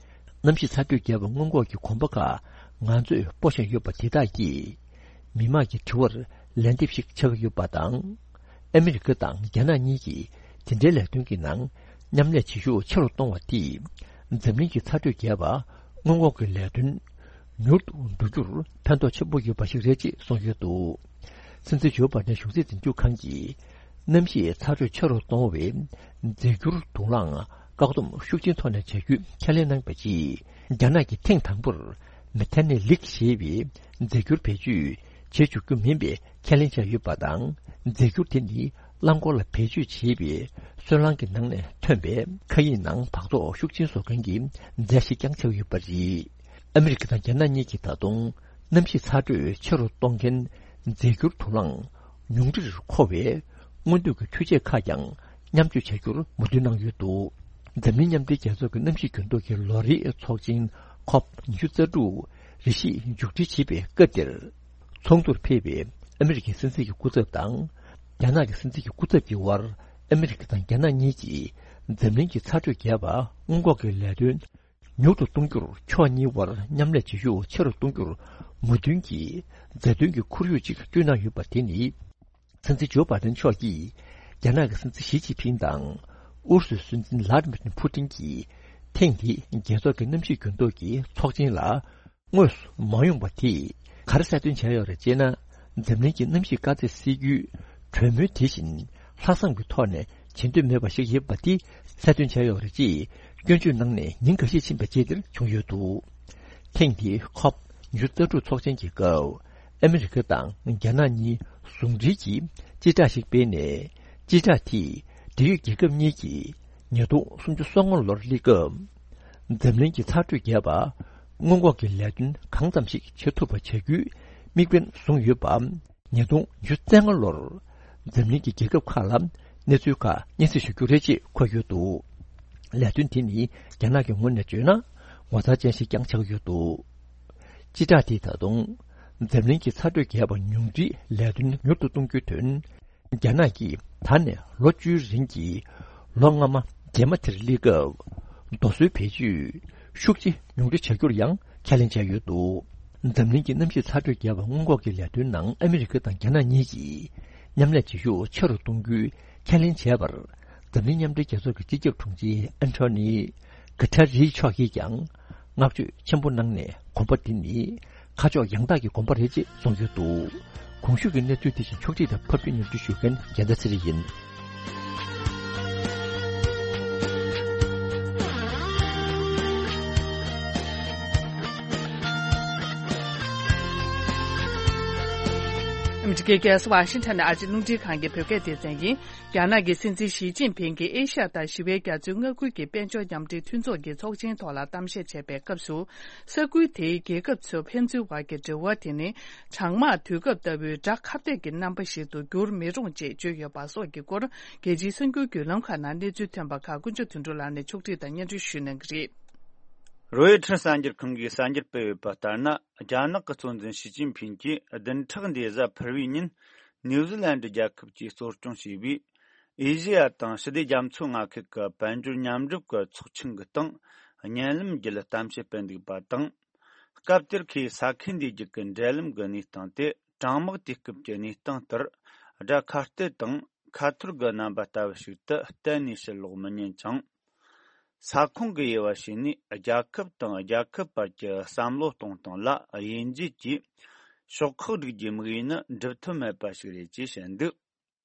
གནམ་གཤིས་ཚ་དྲོད་རྒྱས་པ་སྔོན་འགོག་གི་གོམ་པ་ཁག་ང་ཚོས་སྤོ་བཞིན་ཡོད་པ་དེ་དག་གིས། མི་མང་གི་དྲི་བར་ལན་འདེབས་ཤིག་ཆགས་ཀྱི་ཡོད་པ་དང་། ཨ་མི་རི་ཀ་དང་རྒྱ་ནག་གཉིས་ཀྱིས་དེ་འབྲེལ་ལས་དོན་གྱི་ནང་མཉམ་ལས་བྱེད་ཤུགས་ཆེ་རུ་གཏོང་བ་དེས། འཛམ་གླིང་གི་ཚ་དྲོད་རྒྱས་པ་སྔོན་འགོག་གི་ལས་དོན་མྱུར་དུ་བསྡུ་རྒྱུར་ཕན་ཐོགས་ཆེན་པོ་ཡོད་པ་ཞིག་རེད་ཅེས་གསུངས་ཡོད་འདུག་སྲིད་འཛིན་ཇོ་བྷ་ཌེན་གཞུང་སྲིད་འཛིན་སྐྱོང་ཁང་གིས། གནམ་གཤིས་ཚ་དྲོད་ཆེ་རུ་གཏོང་བའི་རྫས་འགྱུར་དུག་རླངས་བཀག་སྡོམ་ཤུགས་ཆེན་ཐོག་ནས་བྱ་རྒྱུའི་ཁས་ལེན་གནང་བ་རྗེས། རྒྱ་ནག་གིས་ཐེངས་དང་པོར་ མེ་ཐན་ནེ་ལིག་ཞེས་པའི་རྫས་འགྱུར་བེད་སྤྱོད་བྱེད་འཇུག་རྒྱུ་མིན་པའི་ཁས་ལེན་བྱས་ཡོད་པ་དང་། རྫས་འགྱུར་དེ་ནི་རླངས་འཁོར་ལ་བེད་སྤྱོད་བྱེད་པའི་སོལ་རླངས་ཀྱི་ནང་ནས་ཐོན་པའི་མཁའ་དབྱིངས་ནང་འབག་བཙོག་ཤུགས་ཆེན་བཟོ་མཁན་གྱི་རྫས་ཤིག་ཀྱང་ཆགས་ཡོད་པ་རེད། ཨ་མི་རི་ཀ་དང་རྒྱ་ནག་གཉིས་ཀྱིས་ད་དུང་གནམ་གཤིས་ཚ་དྲོད་ཆེ་རུ་གཏོང་མཁན་རྫས་འགྱུར་དུག་རླངས་ཉུང་འཕྲིར་མཁོ་བའི་སྔོན་དུས་ཀྱི་འཕྲུལ་ཆས་ཁག་ཀྱང་མཉམ་སྤྱོད་བྱ་རྒྱུར་མོས་མཐུན་གནང་ཡོད་འདུག། འཛམ་གླིང་མཉམ་འབྲེལ་རྒྱལ་ཚོགས་ཀྱི་གནམ་གཤིས་འགྱུར་ལྡོག་གི་ལོ་རེའི་ཚོགས་ཆེན་ཁོབ་ཉི་ཤུ་རྩ་དྲུག་རེ་ཞིག་མཇུག་སྒྲིལ་བྱེད་པའི་སྐབས་འདིར། ཚོགས་འདུར་ཕེབས་པའི་ཨ་མི་རི་ཀའི་སྲིད་འཛིན་གྱི་སྐུ་ཚབ་དང་། རྒྱ་ནག་གི་སྲིད་འཛིན་གྱི་སྐུ་ཚབ་ཀྱི་དབར། ཨ་མི་རི་ཀ་དང་རྒྱ་ནག་གཉིས་ཀྱིས་འཛམ་གླིང་གི་ཚ་དྲོད་རྒྱས་པ་སྔོན་འགོག་གི་ལས་དོན་མྱུར་དུ་གཏོང་རྒྱུར་ཕྱོགས་གཉིས་དབར་མཉམ་ལས་བྱེད་ཤུགས་ཆེ་རུ་གཏོང་རྒྱུར་མོས་མཐུན་གྱི་མཛའ་མཐུན་གྱི་ཁོར་ཡུག་ཅིག་བསྐྲུན་གནང་ཡོད་པ་དེ་ནི། སྲིད་འཛིན་ཇོ་བྷའི་ཏན་མཆོག་གིས་རྒྱ་ནག་གི་སྲིད་འཛིན་ཞི་ཅིན་ཕིང་དང་ཨུ་རུ་སུའི་སྲིད་འཛིན་ལྷ་ཌི་མིར་ཕུ་ཏིན་གྱིས་ཐེངས་འདིའི་རྒྱལ་ཚོགས་ཀྱི་གནམ་གཤིས་འགྱུར་ལྡོག་གི་ཚོགས་ཆེན་ལ་དངོས་སུ་མ་ཡོང་པ་དེས་ག་རེ་གསལ་སྟོན་བྱས་ཡོད་རེད་ཅེ་ན། འཛམ་གླིང་གི་གནམ་གཤིས་དཀའ་ཚེགས་སེལ་རྒྱུའི་གྲོས་མོལ་དེ་བཞིན་ལྷག་བསམ་གྱི་ཐོག་ནས་བྱེད་འདོད་མེད་པ་ཞིག་ཡིན་པ་དེ་གསལ་སྟོན་བྱས་ཡོད་རེད་ཅེས་སྐྱོན་བརྗོད་གནང་ནས་ཉིན་འགའ་ཤས་ཕྱིན་པའི་རྗེས་དེར་བྱུང་ཡོད་འདུག། ཐེངས་འདིའི་ཁོབ་ཉི་ཤུ་རྩ་དྲུག་ཚོགས་ཆེན་གྱི་སྐབས། ཨ་མི་རི་ཀ་དང་རྒྱ་ནག་གཉིས་ཟུང་འབྲེལ་གྱིས་སྤྱི་བསྒྲགས་ཤིག་སྤེལ་ནས། སྤྱི་བསྒྲགས་དེས་འབྲེལ་ཡོད་རྒྱལ་ཁབ་གཉིས་ཀྱིས་ཉིས་སྟོང་སུམ་ཅུ་སོ་ལྔ་ལོར་སླེབས་སྐབས། འཛམ་གླིང་གི་ཚ་དྲོད་རྒྱས་པ་སྔོན་འགོག་གི་ལས་དོན་གང་ཙམ་ཞིག་བྱེད་ཐུབ་པ་བྱ་རྒྱུའི་དམིགས་འབེན་བཟུང་ཡོད་པ། ཉིས་སྟོང་ཉི་ཤུ་རྩ་ལྔ་ལོར་འཛམ་གླིང་གི་རྒྱལ་ཁབ་ཁག་ལ་གནས་ཚུལ་ཁག་སྙན་སེང་ཞུ་རྒྱུ་རེད་ཅེས་འཁོད་ཡོད་འདུག། ལས་དོན་དེ་ནི་རྒྱ་ནག་གི་ངོས་ནས་བརྗོད་ན་ངོ་མཚར་ཅན་ཞིག་ཀྱང་ཆགས་ཡོད་འདུག། སྤྱི་བསྒྲགས་དེས་ད་དུང་འཛམ་གླིང་གི་ཚ་དྲོད་རྒྱས་པ་ཉུང་འཕྲིའི་ལས་དོན་མྱུར་དུ་གཏོང་རྒྱུའི་དོན། རྒྱ་ནག་གིས་ད་ནས་ལོ་བཅུའི་རིང་གི་ལོ་སྔ་མ་རྗེས་མ་དེར་སླེབས་སྐབས། རྡོ་སོལ་བེད་སྤྱོད་ཤུགས་ཆེ་ཉུང་འཕྲི་བྱ་རྒྱུར་ཡང་ཁས་ལེན་བྱས་ཡོད་འདུག། འཛམ་གླིང་གི་གནམ་གཤིས་ཚ་དྲོད་རྒྱས་པ་སྔོན་འགོག་གི་ལས་དོན་ནང་ཨ་མི་རི་ཀ་དང་རྒྱ་ནག་གཉིས་ཀྱིས་མཉམ་ལས་བྱེད་ཤུགས་ཆེ་རུ་གཏོང་རྒྱུའི་ཁས་ལེན་བྱས་པར། འཛམ་གླིང་མཉམ་འབྲེལ་རྒྱལ་ཚོགས་ཀྱི་སྤྱི་ཁྱབ་དྲུང་ཆེ་ཨན་ཐོ་ནི་གྷ་ཐ་རི་མཆོག་གིས་ཀྱང་བསྔགས་བརྗོད་ཆེན་པོ་གནང་ནས། གོམ་པ་འདི་ནི་ཁ་ཕྱོགས་ཡང་དག་གི་གོམ་པ་རེད་ཅེས་གསུངས་ཡོད་འདུག། གོང་ཞུས་ཀྱི་གནས་ཚུལ་དེ་བཞིན་ཕྱོགས་སྒྲིག་དང་ཕབ་སྒྱུར་སྙན་སྒྲོན་ཞུ་མཁན་རྒྱལ་མཚན་ཚེ་རིང་ཡིན། ཨ་མི་རི་ཀའི་རྒྱལ་ས་ཝ་ཤིང་ཊོན་ནས་ཨ་རིའི་རླུང་འཕྲིན་ཁང་གི་བོད་སྐད་སྡེ་ཚན་ཡིན། རྒྱ་ནག་གི་སྲིད་འཛིན་ཞི་ཅིན་ཕིང་གིས་ཨེ་ཤ་ཡ་དང་ཞི་བའི་རྒྱ་མཚོའི་མངའ་ཁུལ་གྱི་དཔལ་འབྱོར་མཉམ་འབྲེལ་མཐུན་ཚོགས་ཀྱི་ཚོགས་ཆེན་ཐོག་ལ་གཏམ་བཤད་བྱས་པའི་སྐབས་སུ། ས་ཁུལ་དེའི་རྒྱལ་ཁབ་ཚོ་ཕན་ཚུན་བར་གྱི་འབྲེལ་བ་དེ་ནི་གྲང་དམག་དུས་སྐབས་ལྟ་བུའི་དགྲ་ཁ་གཏད་ཀྱི་རྣམ་པ་ཞིག་ཏུ་འགྱུར་མི་རུང་ཅེས་བརྗོད་ཡོད་པ་སོགས་ཀྱི་སྐོར། རྒྱལ་སྤྱིའི་གསར་འགྱུར་བརྒྱུད་ལམ་ཁག་ནང་གནས་ཚུལ་ཐོན་པ་ཁག་དཀོན་མཆོག་དོན་གྲུབ་ལགས་ནས་ཕྱོགས་སྒྲིག་དང་སྙན་སྒྲོན་ཞུ་གནང་གི་རེད། རོའི་ཊར་གསར་འགྱུར་ཁང་གིས་གསར་འགྱུར་སྤེལ་ཡོད་པ་ལྟར་ན། རྒྱ་ནག་གི་གཙོ་འཛིན་ཞི་ཅིན་ཕིང་གིས་བདུན་ཕྲག་འདིའི་གཟའ་ཕུར་བུའི་ཉིན་ནིའུ་ཛི་ལན་ཌི་རྒྱལ་ཁབ་ཀྱིས་གཙོ་སྐྱོང་བྱས་པའི་ཨེ་ཤེ་ཡ་དང་ཞི་བདེ་རྒྱ་མཚོ་མངའ་ཁུལ་གྱི་དཔལ་འབྱོར་མཉམ་སྒྲུབ་ཀྱི་ཚོགས་ཆེན་གྱི་སྟེང་བརྙན་ལམ་བརྒྱུད་གཏམ་བཤད་སྤེལ་འདུག་པ་དང་། སྐབས་དེར་ཁོས་ས་ཁུལ་འདིའི་རྒྱུད་ཀྱི་འབྲེལ་ལམ་གྱི་གནས་སྟངས་དེ་གྲང་དམག་དུས་སྐབས་ཀྱི་གནས་སྟངས་ལྟར་དགྲ་ཁ་གཏད་དང་ཁ་ཐོར་གྱི་རྣམ་པ་ལྟ་བུ་ཞིག་ཏུ་གཏན་ནས་ཕྱིར་ལོག་མི་ཉན་ཅིང་། ས་ཁོངས་ཀྱི་དབྱེ་བ་ཕྱེ་ནས་རྒྱལ་ཁབ་དང་རྒྱལ་ཁབ་བར་གྱི་བསམ་བློ་གཏོང་སྟངས་ལ་དབྱེ་འབྱེད་ཀྱིས་ཕྱོགས་ཁག་སྒྲིག་རྒྱུའི་དམིགས་ཡུལ་ནི་འགྲུབ་ཐབས་མེད་པ་ཞིག་རེད་ཅེས་བཤད་འདུག།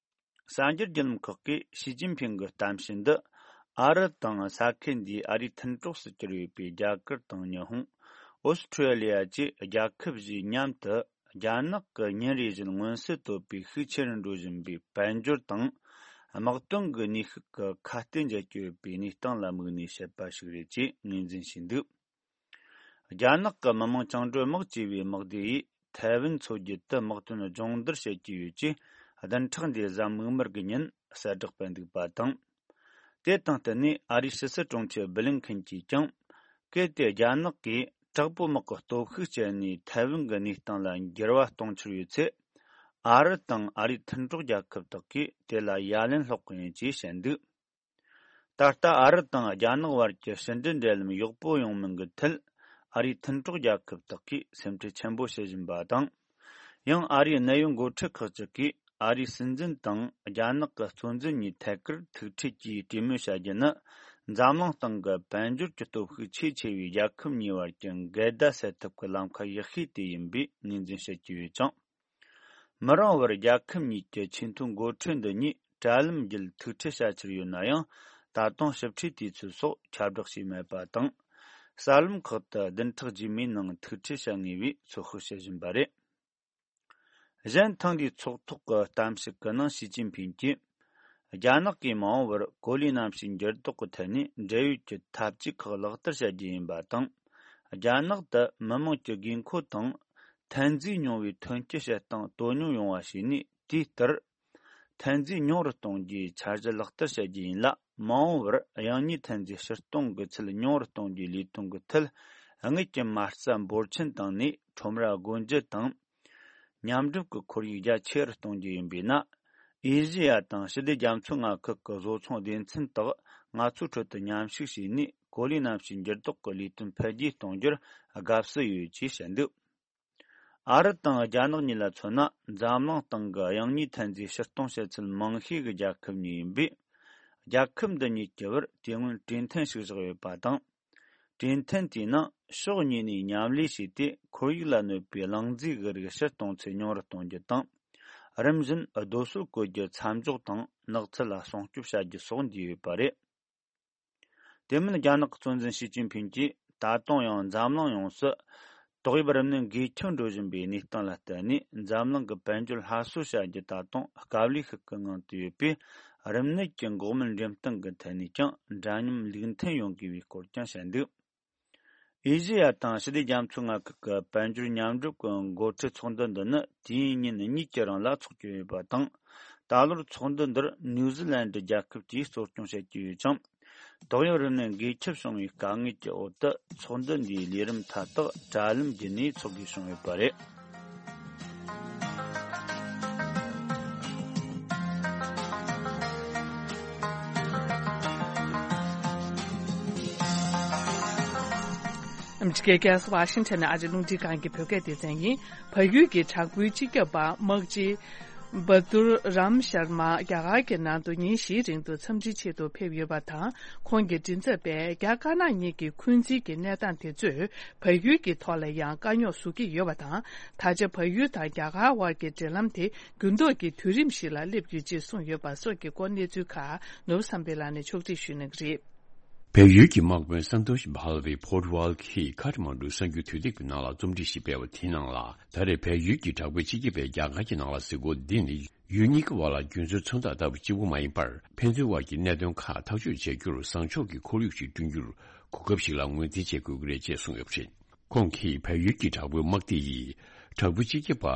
གསར་འགྱུར་བརྒྱུད་ལམ་ཁག་གིས་ཞི་ཅིན་ཕིང་གི་གཏམ་བཤད་འདི་ཨ་རི་དང་ས་ཁུལ་འདིའི་ཨ་རིའི་མཐུན་གྲོགས་སུ་གྱུར་ཡོད་པའི་རྒྱ་གར་དང་ཉི་ཧོང་། ཨོ་སི་ཁྲུ་ལི་ཡ་བཅས་རྒྱལ་ཁབ་བཞིའི་མཉམ་དུ། རྒྱ་ནག་གིས་ཉིན་རེ་བཞིན་མངོན་གསལ་དོད་པོས་ཤུགས་ཆེ་རུ་འགྲོ་བཞིན་པའི་དཔལ་འབྱོར་དང་དམག་དོན་གྱི་ནུས་ཤུགས་ཀྱི་ཁ་གཏད་འཇལ་གྱི་ཡོད་པའི་གནས་སྟངས་ལ་དམིགས་ནས་བཤད་པ་ཞིག་རེད་ཅེས་ངོས་འཛིན་བྱས་འདུག། རྒྱ་ནག་གི་མི་དམངས་བཅིངས་འགྲོལ་དམག་ཅེས་པའི་དམག་སྡེ་ཡིས་ཐའེ་ཝན་མཚོ་རྒྱུད་དུ་དམག་དོན་སྦྱོང་བརྡར་བྱེད་ཀྱི་ཡོད་ཅེས་བདུན་ཕྲག་འདིའི་གཟའ་མིག་དམར་གྱི་ཉིན་གསལ་བསྒྲགས་སྤེལ་འདུག་པ་དང་། དེ་དང་བསྟུན་ནས་ཨ་རིའི་ཕྱི་སྲིད་དྲུང་ཆེ་སྦི་ལིན་ཁིན་གྱིས་ཀྱང་། གལ་ཏེ་རྒྱ་ནག་གིས་དྲག་པོའི་དམག་གི་སྟོབས་ཤུགས་སྤྱད་ནས་ཐའེ་ཝན་གྱི་གནས་སྟངས་ལ་འགྱུར་བ་གཏོང་འཆར་ཡོད་ཚེ། ཨ་རི་དང་ཨ་རིའི་མཐུན་གྲོགས་རྒྱལ་ཁབ་དག་གིས་དེ་ལ་ཡ་ལན་སློག་གི་ཡིན་ཅེས་བཤད་འདུག། ད་ལྟ་ཨ་རི་དང་རྒྱ་ནག་བར་གྱི་ཕྱི་འབྲེལ་འབྲེལ་ལམ་ཡག་པོ་ཡོང་མིན་གྱི་ཐད། ཨ་རིའི་མཐུན་གྲོགས་རྒྱལ་ཁབ་དག་གིས་སེམས་ཁྲལ་ཆེན་པོ་བྱེད་བཞིན་པ་དང་། ཡང་ཨ་རིའི་གནད་ཡོད་འགོ་ཁྲིད་ཁག་ཅིག་གིས་ཨ་རིའི་སྲིད་འཛིན་དང་རྒྱ་ནག་གི་གཙོ་འཛིན་གཉིས་ཐད་ཀར་ཐུག་འཕྲད་ཀྱིས་གྲོས་མོལ་བྱ་རྒྱུ་ནི། འཛམ་གླིང་སྟེང་གི་དཔལ་འབྱོར་གྱི་སྟོབས་ཤུགས་ཆེས་ཆེ་བའི་རྒྱལ་ཁབ་གཉིས་བར་གྱི་འགལ་ཟླ་སེལ་ཐབས་ཀྱི་ལམ་ཁ་ཡག་ཤོས་དེ་ཡིན་པའི་ངོས་འཛིན་བྱེད་ཀྱི་ཡོད་ཅིང་། མི་རིང་བར་རྒྱལ་ཁབ་གཉིས་ཀྱི་ཆེས་མཐོའི་འགོ་ཁྲིད་འདི་གཉིས་དྲ་ལམ་བརྒྱུད་ཐུག་འཕྲད་བྱ་འཆར་ཡོད་ན་ཡང་། ད་དུང་ཞིབ་ཕྲའི་དུས་ཚོད་སོགས་ཁྱབ་བསྒྲགས་བྱས་མེད་པ་དང་། གསར་ལམ་ཁག་ཏུ་བདུན་ཕྲག་རྗེས་མའི་ནང་ཐུག་འཕྲད་བྱ་ངེས་པའི་ཚོད་དཔག་བྱེད་བཞིན་པ་རེད། གཞན་ཐེངས་འདིའི་ཚོགས་ཐོག་གི་གཏམ་བཤད་ཀྱི་ནང་ཞི་ཅིན་ཕིང་གིས། རྒྱ་ནག་གིས་མ་འོངས་པར་གོ་ལའི་གནམ་གཤིས་འགྱུར་ལྡོག་གི་ཐད་ནས་འབྲེལ་ཡོད་ཀྱི་འཐབ་ཇུས་ཁག་ལག་བསྟར་བྱ་རྒྱུ་ཡིན་པ་དང་། རྒྱ་ནག་ཏུ་མི་དམངས་ཀྱི་དགོས་མཁོ་དང་། ཐོན་རྫས་ཉུང་བའི་ཐོན་སྐྱེད་བྱེད་སྟངས་དོ་སྙོམས་ཡོང་བ་བྱས་ནས། དེའི་ལྟར། ཐོན་རྫས་ཉུང་རུ་གཏོང་རྒྱུའི་འཆར་གཞི་ལག་བསྟར་བྱ་རྒྱུ་ཡིན་ལ། མ་འོངས་པར་ཡང་སྙིང་ཐོན་རྫས་ཕྱིར་གཏོང་གི་ཚད་ཉུང་རུ་གཏོང་རྒྱུའི་ལས་དོན་གྱི་ཐད། དངུལ་གྱི་མ་རྩ་འབོར་ཆེན་བཏང་ནས་ཁྲོམ་ར་སྒོ་འབྱེད་དང་། མཉམ་སྒྲུབ་ཀྱི་ཁོར་ཡུག་རྒྱ་ཆེ་རུ་གཏོང་རྒྱུ་ཡིན་པས་ན། ཨེ་ཤེ་ཡ་དང་ཞི་བདེ་རྒྱ་མཚོའི་མངའ་ཁུལ་གྱི་བཟོ་ཚོང་སྡེ་ཚན་དག་ང་ཚོའི་ཁྲོད་དུ་མཉམ་ཞུགས་བྱས་ནས། གོ་ལའི་གནམ་གཤིས་འགྱུར་ལྡོག་གི་ལས་དོན་འཕེལ་རྒྱས་གཏོང་རྒྱུར་དགའ་བསུ་ཡོད་ཅེས་བཤད་འདུག་ཨ་རི་དང་རྒྱ་ནག་གཉིས་ལ་མཚོན་ན། འཛམ་གླིང་སྟེང་གི་དབྱང་གཉིས་ཐོན་རྫས་ཕྱིར་གཏོང་བྱེད་ཚད་མང་ཤོས་ཀྱི་རྒྱལ་ཁབ་གཉིས་ཡིན་པས། རྒྱལ་ཁབ་འདི་གཉིས་ཀྱི་བར་དེ་སྔོན་གྲོས་མཐུན་ཞིག་བཞག་ཡོད་པ་དང་། གྲོས་མཐུན་དེའི་ནང་ཕྱོགས་གཉིས་ནས་མཉམ་ལས་བྱས་ཏེ། ཁོར་ཡུག་ལ་གནོད་པའི་རླུང་རྫས་ཀྱི་རིགས་ཕྱིར་གཏོང་ཚད་ཉུང་རུ་གཏོང་རྒྱུ་དང་། རིམ་བཞིན་རྡོ་སོལ་བཀོལ་རྒྱུ་མཚམས་འཇོག་དང་། ནགས་ཚལ་ལ་སྲུང་སྐྱོབ་བྱ་རྒྱུ་སོགས་འདུས་ཡོད་པ་རེད། དེ་མིན། རྒྱ་ནག་གི་གཙོ་འཛིན་ཞི་ཅིན་ཕིང་གིས། ད་དུང་ཡང་འཛམ་གླིང་ཡོངས་སུ་ཏོག་དབྱིབས་རིམས་ནད་འགོས་ཁྱབ་འགྲོ་བཞིན་པའི་གནས་སྟངས་ལ་བརྟེན་ནས། འཛམ་གླིང་གི་དཔལ་འབྱོར་སླར་གསོ་བྱ་རྒྱུ་ད་དུང་དཀའ་ལས་ཤིག་གི་ངང་དུ་ཡོད་པས། རིམས་ནད་ཀྱི་འགོག་སྨན་འགྲེམས་སྟོན་གྱི་ཐད་ནས་ཀྱང་འདྲ་མཉམ་ལུགས་མཐུན་ཡོང་དགོས་པའི་སྐོར་ཀྱང་བཤད་འདུག་ཨེ་ཤེ་ཡ་དང་ཞི་བདེ་རྒྱ་མཚོའི་མངའ་ཁུལ་གྱི་དཔལ་འབྱོར་མཉམ་སྒྲུབ་ཀྱི་འགོ་ཁྲིད་ཚོགས་འདུ་འདི་ནི་དུས་ཡུན་ཉིན་གཉིས་ཀྱི་རིང་ལ་འཚོགས་རྒྱུ་ཡོད་པ་དང་། ད་ལོར་ཚོགས་འདུ་འདིར་ནིའུ་ཛི་ལན་ཌི་རྒྱལ་ཁབ་ཀྱིས་གཙོ་སྐྱོང་བྱེད་ཀྱི་ཡོད་ཅིང་། ཏོག་དབྱིབས་རིམས་ནད་འགོས་ཁྱབ་བྱུང་བའི་དཀའ་ངལ་གྱི་འོག་ཏུ། ཚོགས་འདུ་འདིའི་ལས་རིམ་མཐའ་དག་དྲ་ལམ་བརྒྱུད་ནས་འཚོགས་དགོས་བྱུང་ཡོད་པ་རེད། ཨ་མི་རི་ཀའི་རྒྱལ་ས་ཝ་ཤིང་ཊོན་ནས་ཨ་རིའི་རླུང་འཕྲིན་ཁང་གི་བོད་སྐད་སྡེ་ཚན་ཡིན། བལ་ཡུལ་གྱི་དྲག་པོའི་སྤྱི་ཁྱབ་པ་དམག་སྤྱི་བ་དུར་རམ་ཤར་མ་རྒྱ་གར་གྱི་ནང་དུ་ཉིན་བཞིའི་རིང་དུ་འཚམས་འདྲིའི་ཆེད་དུ་ཕེབས་ཡོད་པ་དང་། ཁོང་གི་མགྲིན་ཚབ་པས་རྒྱ་དཀར་ནག་གཉིས་ཀྱི་འཁོན་འཛིན་གྱི་གནས་སྟངས་དེ་ཚོས་བལ་ཡུལ་གྱི་ཐོག་ལ་ཡང་དཀའ་རྙོག་བཟོ་གི་ཡོད་པ་དང་། ད་ཆ་བལ་ཡུལ་དང་རྒྱ་གར་དབར་གྱི་འབྲེལ་ལམ་དེ་འགྱུར་ལྡོག་གི་དུས་རིམ་ཞིག་ལ་སླེབས་ཡོད་ཅེས་གསུངས་ཡོད་པ་སོགས་ཀྱི་སྐོར་གནས་ཚུལ་ཁག་ནོར་བུ་བསམ་འཕེལ་ལགས་ནས་ཕྱོགས་སྒྲིག་ཞུ་གནང་གི་རེད། བལ་ཡུལ་གྱི་དམག་དཔོན་སན་ཏོ་ཤི་བྷ་ལ་བི་པོར་ཊུ་གལ་གྱི་ཁ་ཐ་མན་ཌུ་གསར་འགྱུར་དུས་དེབ་ཀྱི་ནང་ལ་རྩོམ་སྒྲིག་ཞིག་སྤེལ་བ་དེའི་ནང་ལ། ད་རེས་བལ་ཡུལ་གྱི་དྲག་པོའི་སྤྱི་ཁྱབ་པས་རྒྱ་གར་གྱི་ནང་ལ་གཟིགས་སྐོར་འདི་ནི་ཡུལ་གཉིས་ཀྱི་དབར་ལ་རྒྱུན་སྲོལ་མཚོན་རྟགས་ལྟ་བུ་གཅིག་པུ་མ་ཡིན་པར། ཕན་ཚུན་དབར་གྱི་གནད་དོན་ཁག་ཐག་གཅོད་བྱེད་རྒྱུར་བཟང་ཕྱོགས་ཀྱི་ཁོར་ཡུག་ཅིག་བསྐྲུན་རྒྱུར་གོ་སྐབས་ཤིག་ལ་ངོས་འཛིན་བྱེད་དགོས་ཀྱི་རེད་ཅེས་གསུངས་ཡོད་པ་རེད། ཁོང་གིས་བལ་ཡུལ་གྱི་དྲག་པོའི་དམག་སྡེ་ཡིས་དྲག་པོའི་སྤྱི་ཁྱབ་པ་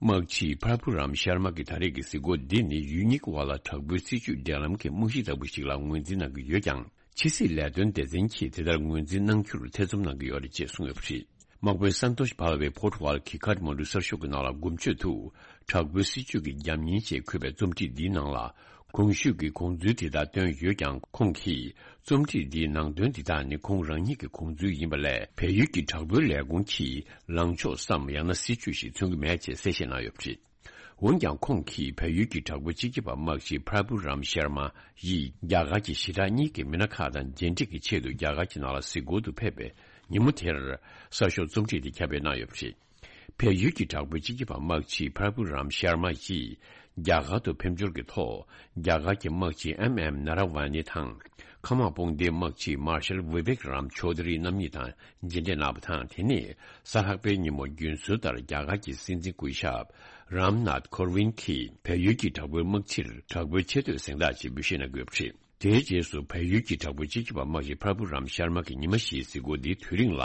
དམག་སྤྱི་པྲ་བྷུ་རམ་ཤར་མ་གི་ད་རེས་ཀྱི་གཟིགས་སྐོར་འདི་ནི་ཡུལ་གཉིས་ཀྱི་དབར་ལ་དྲག་པོའི་སྲིད་ཇུས་འབྲེལ་ལམ་གྱི་རྨང་གཞི་ལྟ་བུ་ཞིག་ལ་ངོས་འཛིན་གནང་གི་ཡོད་ཀྱང་། ཕྱི་སྲིད་ལས་དོན་སྡེ་ཚན་གྱིས་དེ་ལྟར་ངོས་འཛིན་གནང་རྒྱུར་ཐེ་ཚོམ་གནང་གི་ཡོད་རེད་ཅེས་གསུངས་ཡོད་པ་རེད། དམག་དཔོན་སན་ཏོ་ཤི་བྷ་ལ་བི་པོར་ཊུ་གལ་གྱི་ཁ་ཐ་མན་ཌུ་གསར་ཤོག་གི་ནང་ལ་དགུ་མཆོད་དུ། དྲག་པོའི་སྲིད་ཇུས་ཀྱི་རྒྱབ་གཉེར་ཅེས་འཁོད་པའི་རྩོམ་སྒྲིག་འདིའི་ནང་ལ། གོང་ཞུས་ཀྱི་དགོངས་ཚུལ་དེ་དག་བཏོན་ཡོད་ཀྱང་། ཁོང་གིས་རྩོམ་སྒྲིག་འདིའི་ནང་དོན་འདི་དག་ནི་ཁོང་རང་ཉིད་ཀྱི་དགོངས་ཚུལ་ཡིན་པ་ལས། བལ་ཡུལ་གྱི་དྲག་པོའི་ལས་ཁུངས་ཀྱི་ལངས་ཕྱོགས་སམ། ཡང་ན་སྲིད་ཇུས་ཤིག་མཚོན་གྱི་མེད་ཅེས་གསལ་བཤད་གནང་ཡོད་པ་རེད། འོན་ཀྱང་། ཁོང་གིས་བལ་ཡུལ་གྱི་དྲག་པོའི་སྤྱི་ཁྱབ་པ་དམག་སྤྱི་པྲ་བྷུ་རམ་ཤར་མ་ཡིས་རྒྱ་གར་གྱི་ཞི་དྲག་གཉིས་ཀྱི་མི་སྣ་ཁག་དང་མཇལ་འཕྲད་ཀྱི་ཆེད་དུ་རྒྱ་གར་གྱི་ནང་ལ་གཟིགས་སྐོར་དུ་ཕེབས་པའི་ཉིན་མོ་དེར། གསར་ཤོག་རྩོམ་སྒྲིག་དེ་ཁྱབ་སྤེལ་གནང་ཡོད་པ་རེད། བལ་ཡུལ་གྱི་དྲག་པོའི་སྤྱི་ཁྱབ་པ་དམག་སྤྱི་པྲ་བྷུ་རམ་ཤར་མ་ཡིས་རྒྱ་གར་དུ་ཕེབས་འབྱོར་གྱི་ཐོག་རྒྱ་གར་གྱི་དམག་སྤྱི་ཨེམ་ཨེམ་ན་ར་ཝ་ནི་དང་། མཁའ་དམག་དཔུང་སྡེའི་དམག་སྤྱི་མར་ཤལ་བི་བེག་རམ་ཆོ་དྷ་རི་རྣམ་གཉིས་དང་མཇལ་འཕྲད་གནང་བ་དང་། དེ་ནས་གཟའ་ལྷག་པའི་ཉིན་མོ་རྒྱུན་སྲོལ་ལྟར་རྒྱ་གར་གྱི་སྲིད་འཛིན་སྐུ་ཞབས་རམ་ནཱཐ་ཁོར་ཝིན་གྱིས་བལ་ཡུལ་གྱི་དྲག་པོའི་དམག་སྤྱིར་དྲག་པོའི་ཆེ་བསྟོད་གཟེངས་རྟགས་ཅིག་འབུལ་བཞེས་གནང་དགོས་པ་རེད། དེའི་རྗེས་སུ་བལ་ཡུལ་གྱི་དྲག་པོའི་སྤྱི་ཁྱབ་པ་དམག་སྤྱི་པྲ་བྷུ་རམ་ཤར་མ་གི་ཉི་མ་བཞིའི་གཟིགས་སྐོར་འདིའི་དུས་རིང་ལ།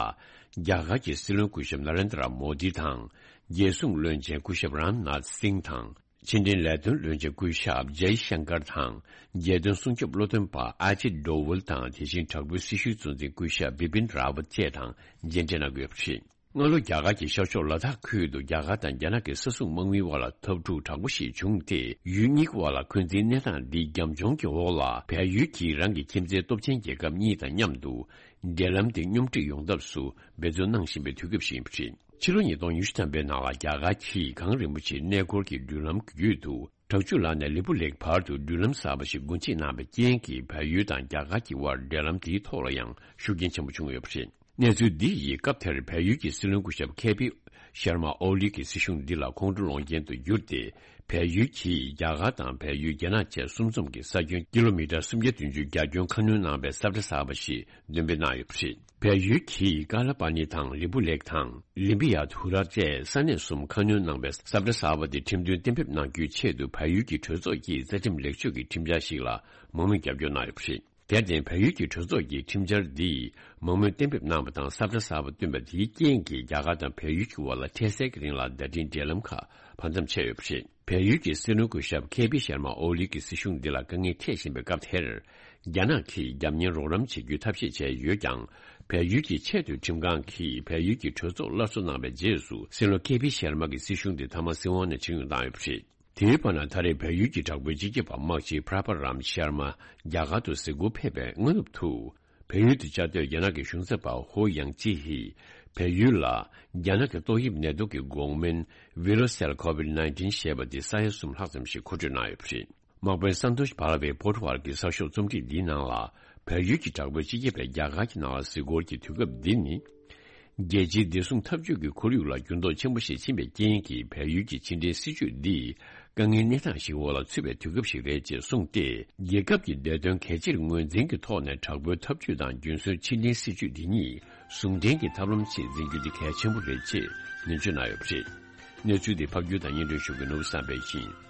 རྒྱ་གར་གྱི་སྲིད་བློན་སྐུ་ཞབས་ན་རེན་དྲ་མོ་དི་དང་། རྒྱལ་སྲུང་བློན་ཆེན་སྐུ་ཞབས་རམ་ནཱཐ་སིང་དང་། ཕྱི་འབྲེལ་ལས་དོན་བློན་ཆེན་སྐུ་ཞབས་ཇའི་ཤང་ཀར་དང་། རྒྱལ་དོན་སྲུང་སྐྱོབ་བློ་འདོན་པ་ཨ་ཇིད་ཌོ་ཝལ་དང་། དེ་བཞིན་དྲག་པོའི་སྲི་ཞུའི་གཙོ་འཛིན་སྐུ་ཞབས་བི་པིན་རཱ་ཝད་བཅས་དང་མཇལ་འཕྲད་གནང་དགོས་པ་རེད། སྔ་ལོ་རྒྱ་གར་གྱི་ཤར་ཕྱོགས་ལ་དྭགས་ཁུལ་དུ་རྒྱ་གར་དང་རྒྱ་ནག་གི་ས་སྲུང་དམག་མིའི་དབར་ལ་འཐབ་འཁྲུག་དྲག་པོ་ཞིག་བྱུང་སྟེ། ཡུལ་གཉིས་ཀྱི་དབར་ལ་འཁོན་འཛིན་གནས་སྟངས་འདིའི་རྒྱབ་ལྗོངས་ཀྱི་འོག་ལ། བལ་ཡུལ་གྱིས་རང་གི་ཁྱིམ་མཚེས་སྟོབས་ཆེན་རྒྱལ་ཁབ་གཉིས་དང་མཉམ་དུ་འབྲེལ་ལམ་དེ་སྙོམས་སྒྲིག་ཡོང་ཐབས་སུ་འབད་བརྩོན་གནང་བཞིན་པའི་དུས་སྐབས་ཤིག་ཡིན་པ་རེད། ཕྱི་ལོ་ཉིས་སྟོང་ཉི་ཤུ་ཐམ་པའི་ནང་ལ་རྒྱ་གར་གྱིས་གངས་རིན་པོ་ཆེའི་གནས་སྐོར་གྱི་མདུན་ལམ་གྱི་ཡུལ་དུ། དྲག་ཆུ་ལ་ནས་ལི་པུ་ལེགས་བར་དུ་མདུན་ལམ་གསར་པ་ཞིག་སྒོ་འབྱེད་གནང་བའི་རྐྱེན་གྱིས། བལ་ཡུལ་དང་རྒྱ་གར་གྱི་དབར་འབྲེལ་ལམ་དེའི་ཐོག་ལ་ཡང་ཤུགས་རྐྱེན་ཆེན་པོ་བྱུང་ཡོད་པ་རེད། གནས་ཚུལ་འདི་ཡིས་སྐབས་དེར་བལ་ཡུལ་གྱི་སྲིད་བློན་སྐུ་ཞབས་ཁེ་པི་ ཤར་མ་ཨོ་ལི་གིས་སྲིད་གཞུང་འདི་ལ་ཁོང་ཁྲོ་སློང་རྐྱེན་དུ་གྱུར་ཏེ། བལ་ཡུལ་གྱིས་རྒྱ་གར་དང་བལ་ཡུལ་རྒྱ་ནག་བཅས་གསུམ་འཛོམས་ཀྱི་ས་ཁྱོན་ཀི་ལོ་མི་ཊར་སུམ་བརྒྱ་བདུན་ཅུ་རྒྱ་ཁྱོན་ཁ་སྣོན་གནང་བའི་ས་བཀྲ་གསར་པ་ཞིག་འདོན་སྤེལ་གནང་ཡོད་པ་རེད། བལ་ཡུལ་གྱིས་ཀ་ལ་པ་ནི་དང་ལི་པུ་ལེག་དང་ལི་པི་ཡ་དྷུ་ར་བཅས་ས་གནས་གསུམ་ཁ་སྣོན་གནང་བའི་ས་བཀྲ་གསར་པ་དེ་ཁྲིམས་མཐུན་གཏན་འབེབས་གནང་རྒྱུའི་ཆེད་དུ་བལ་ཡུལ་གྱི་གྲོས་ཚོགས་ཀྱི་རྩ་ཁྲིམས་ལེགས་བཅོས་ཀྱི་ཁྲིམས་འཆར་ཞིག་ལ་མང་མོས་རྒྱབ་སྐྱོར་གནང་ཡོད་པ་རེད། དེར་བརྟེན་བལ་ཡུལ་གྱི་གྲོས་ཚོགས་ཀྱིས་ཁྲིམས་འཆར་འདི་མང་མོས་གཏན་འབེབས་གནང་བ་དང་ས་བཀྲ་གསར་པ་བཏོན་པ་དེའི་རྐྱེན་གྱིས་རྒྱ་གར་དང་བལ་ཡུལ་གྱི་དབར་ལ་འཕྲལ་སེལ་གྱི་རིང་ལ་བརྡ་འཕྲིན་འབྲེལ་ལམ་ཁག་བར་མཚམས་ཆད་ཡོད་པ་རེད། བལ་ཡུལ་གྱི་སྲིད་བློན་སྐུ་ཞབས་ཁེ་པི་ཤར་མ་ཨོ་ལི་གི་སྲིད་གཞུང་འདི་ལ་དཀའ་ངལ་འཕྲད་བཞིན་པའི་སྐབས་དེར། རྒྱ་ནག་གིས་རྒྱབ་གཉེར་རོགས་རམ་བྱེད་རྒྱུའི་ཐབས་ཤེས་བྱས་ཡོད་ཀྱང་། བལ་ཡུལ་གྱི་ཆེས་མཐོའི་ཁྲིམས་ཁང་གིས་བལ་ཡུལ་གྱི་གྲོས་ཚོགས་སླར་གསོ་གནང་བའི་རྗེས་སུ་སྲིད་བློན་ཁེ་པི་ཤར་མ་གི་སྲིད་གཞུང་དེ་མཐའ་མ་སྲིད་དབང་ནས་ཕྱིར་འོང་བཏང་ཡོད་པ་རེད། དེའི་བར་ན་ད་རེས་བལ་ཡུལ་གྱི་དྲག་པོའི་སྤྱི་ཁྱབ་པ་དམག་སྤྱི་པྲ་པ་རམ་ཤར་མ་རྒྱ་གར་དུ་གཟིགས་སྐོར་ཕེབས་པའི་སྔ་ནུབ་ཏུ། བལ་ཡུལ་དུ་བཅའ་སྡོད་རྒྱ་ནག་གི་གཞུང་ཚབ་པ་ཧོ་ཡང་ཅི་ཧི། བལ་ཡུལ་ལ་རྒྱ་ནག་གི་ཏོག་དབྱིབས་ནད་དུག་གི་འགོག་སྨན་Virocell COVID nineteen ཞེས་པ་དེ་ས་ཡ་གསུམ་ལྷག་ཙམ་ཞིག་མཁོ་སྤྲོད་གནང་ཡོད་པ་རེད། དམག་དཔོན་སན་ཏོཤ་བྷ་ལ་ཝེ་པོར་ཊ་བར་གྱི་གསར་ཤོག་རྩོམ་སྒྲིག་འདིའི་ནང་ལ། བལ་ཡུལ་གྱི་དྲག་པོའི་སྤྱི་ཁྱབ་པས་རྒྱ་གར་གྱི་ནང་ལ་གཟིགས་སྐོར་གྱི་དུས་སྐབས་འདི་ནི། རྒྱལ་སྤྱིའི་བདེ་སྲུང་འཐབ་ཇུས་ཀྱི་ཁོར་ཡུག་ལ་འགྱུར་ལྡོག་ཆེན་པོ་ཞིག་ཕྱིན་པའི་རྐྱེན་གྱིས་བལ་ཡུལ་གྱི་ཕྱི་འབྲེལ་སྲིད་ཇུས་འདི་དཀའ་ངལ་གནས་སྟངས་ཤིག་འོག་ལ་ཚུད་པའི་དུས་སྐབས་ཤིག་རེད་ཅེས་གསུངས་ཏེ། རྒྱལ་ཁབ་ཀྱི་བདེ་དོན་གལ་ཆེར་ངོས་འཛིན་གྱི་ཐོག་ནས་དྲག་པོའི་འཐབ་ཇུས་དང་རྒྱུན་སྲོལ་ཕྱི་འབྲེལ་སྲིད་ཇུས་འདི་གཉིས་ཟུང་འབྲེལ་གྱི་ཐབས་ལམ་ཞིག་འཛིན་རྒྱུ་འདི་གལ་ཆེན་པོ་རེད་ཅེས་ནན་བརྗོད་གནང་ཡོད་པ་རེད། གནས་ཚུལ་འདི་ཕབ་སྒྱུར་དང་སྙན་སྒྲོན་ཞུ་མཁན་ནོར་བུ་བསམ་འཕེལ་ཡིན།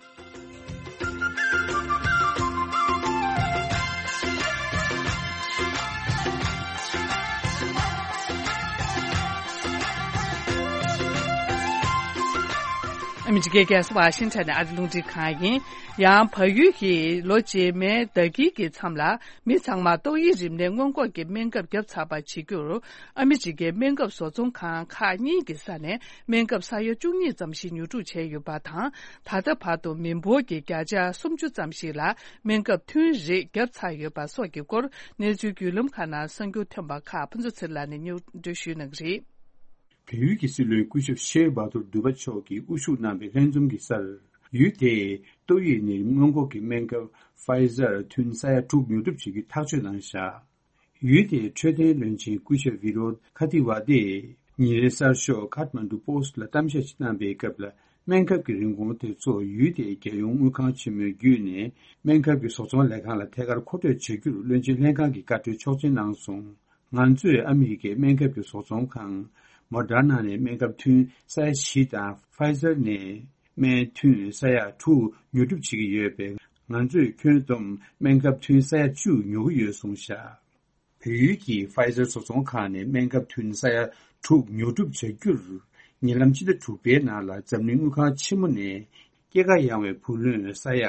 ཨ་མི་རི་ཀའི་རྒྱལ་ས་ཝ་ཤིང་ཊོན་ནས་ཨ་རི་རླུང་འཕྲིན་ཁང་ཡིན། ཡང་བལ་ཡུལ་གྱིས་ལོ་རྗེས་མའི་ཟླ་དཀྱིལ་གྱི་མཚམས་ལ་མི་ཚང་མར་ཏོག་དབྱིབས་རིམས་ནད་སྔོན་འགོག་གི་སྨན་ཁབ་བརྒྱབ་ཚར་བར་བྱེད་རྒྱུར། ཨ་མི་རི་ཀའི་སྨན་ཁབ་བཟོ་ཚོང་ཁང་ཁག་གཉིས་ཀྱི་ས་ནས་སྨན་ཁབ་ས་ཡ་བཅུ་གཉིས་ཙམ་ཞིག་ཉོ་སྒྲུབ་བྱས་ཡོད་པ་དང་། ད་ལྟ་བར་དུ་མི་འབོར་གྱི་བརྒྱ་ཆ་སུམ་ཅུ་ཙམ་ཞིག་ལ་སྨན་ཁབ་ཐུན་རེ་བརྒྱབ་ཚར་ཡོད་པ་སོགས་ཀྱི་སྐོར། གནས་ཚུལ་བརྒྱུད་ལམ་ཁག་ནང་གསར་འགྱུར་ཐོན་པ་ཁག་ཕུན་ཚོགས་ཚེ་རིང་ལགས་ནས་སྙན་སྒྲོན་ཞུ་གནང་གི་རེད། བལ་ཡུལ་གྱི་སྲིད་བློན་སྐུ་ཞབས་ཤེ་བྷ་དུར་དུ་བྷ་མཆོག་གིས་དབུ་བཞུགས་གནང་བའི་ལྷན་འཛོམས་ཀྱི་སར། ཡུལ་དེས་ཏོག་དབྱིབས་ནད་རིམས་སྔོན་འགོག་གི་སྨན་ཁབ་Pfizer ཐུན་ས་ཡ་དྲུག་ཉོ་སྒྲུབ་བྱེད་རྒྱུའི་ཐག་གཅོད་གནང་བཞག་ཡུལ་དེའི་འཕྲོད་བསྟེན་བློན་ཆེན་སྐུ་ཞབས་བི་རོད་ཁ་ཏི་ཝ་དེས་ཉིན་རེའི་གསར་ཤོག་ཁཱཐ་མན་ཌུ་པོ་སི་ཊི་ལ་གཏམ་བཤད་ཅིག་གནང་པའི་སྐབས་ལ། སྨན་ཁབ་ཀྱི་རིན་གོང་དེ་ཚོ་ཡུལ་དེའི་རྒྱལ་ཡོངས་དངུལ་ཁང་ཆེན་མོའི་བརྒྱུད་ནས་སྨན་ཁབ་ཀྱི་བཟོ་ཚོང་ལས་ཁང་ལ་ཐད་ཀར་མཁོ་སྤྲོད་བྱ་རྒྱུར་བློན་ཆེན་ལྷན་ཁང་གི་བཀའ་འཁྲོལ་ཆོག་མཆན་གནང་སོང་། ང་ཚོས་ཨ་མི་རི་ཀའི་སྨན་ཁབ་ཀྱི་བཟོ་ཚོང་ཁང་Moderna ནས་སྨན་ཁབ་ཐུན་ས་ཡ་བཞི་དང་Pfizer ནས་སྨན་ཐུན་ས་ཡ་དྲུག་ཉོ་སྒྲུབ་བྱེད་ཀྱི་ཡོད་པས། ང་ཚོས་ཁྱོན་བསྡོམས་སྨན་ཁབ་ཐུན་ས་ཡ་བཅུ་ཉོ་གི་ཡོད་གསུངས་བཞག་བལ་ཡུལ་གྱི་Pfizer བཟོ་ཚོང་ཁང་ནས་སྨན་ཁབ་ཐུན་ས་ཡ་དྲུག་ཉོ་སྒྲུབ་བྱ་རྒྱུར་ཉེ་ལམ་ཕྱི་ཟླ་དྲུག་པའི་ནང་ལ་འཛམ་གླིང་དངུལ་ཁང་ཆེན་མོ་ནས་སྐྱེད་ཀ་ཡངས་པའི་བུ་ལོན་ས་ཡ་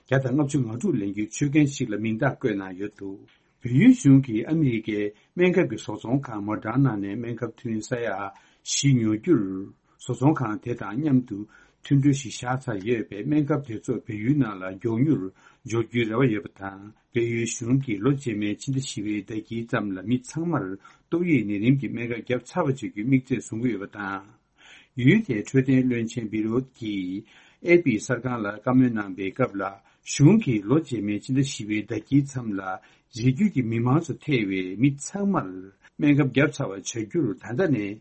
བརྒྱ་དང་ལྔ་བཅུ་ང་དྲུག་ལེན་རྒྱུའི་ཆོད་གན་ཞིག་ལ་མིང་རྟགས་བཀོད་གནང་ཡོད་འདུག་བལ་ཡུལ་གཞུང་གིས་ཨ་མི་རི་ཀའི་སྨན་ཁབ་ཀྱི་བཟོ་ཚོང་ཁང་Moderna ནས་སྨན་ཁབ་ཐུན་ས་ཡ་བཞི་ཉོ་རྒྱུར། བཟོ་ཚོང་ཁང་དེ་དང་མཉམ་དུ་མཐུན་གྲོས་ཤིག་བཞག་ཚར་ཡོད་པས། སྨན་ཁབ་དེ་ཚོ་བལ་ཡུལ་ནང་ལ་མགྱོགས་མྱུར་འབྱོར་རྒྱུའི་རེ་བ་ཡོད་པ་དང་། བལ་ཡུལ་གཞུང་གིས་ལོ་རྗེས་མའི་ཕྱི་ཟླ་བཞི་པའི་ཟླ་དཀྱིལ་ཙམ་ལ་མི་ཚང་མར་ཏོག་དབྱིབས་ནད་རིམས་ཀྱི་སྨན་ཁབ་བརྒྱབ་ཚར་བ་བྱེད་རྒྱུའི་དམིགས་ཚད་བཟུང་གི་ཡོད་པ་དང་། ཡུལ་དེའི་འཕྲོད་བསྟེན་བློན་ཆེན་བི་རོད་ཀྱིས་ཨེ་པི་གསར་ཁང་ལ་བཀའ་མོལ་གནང་པའི་སྐབས་ལ། གཞུང་གིས་ལོ་རྗེས་མའི་ཕྱི་ཟླ་བཞི་པའི་ཟླ་དཀྱིལ་མཚམས་ལ། རི་རྒྱུད་ཀྱི་མི་མང་ཚོ་ཐེ་བའི་མི་ཚང་མར་སྨན་ཁབ་བརྒྱབ་ཚར་བ་བྱ་རྒྱུར་ད་ལྟ་ནས་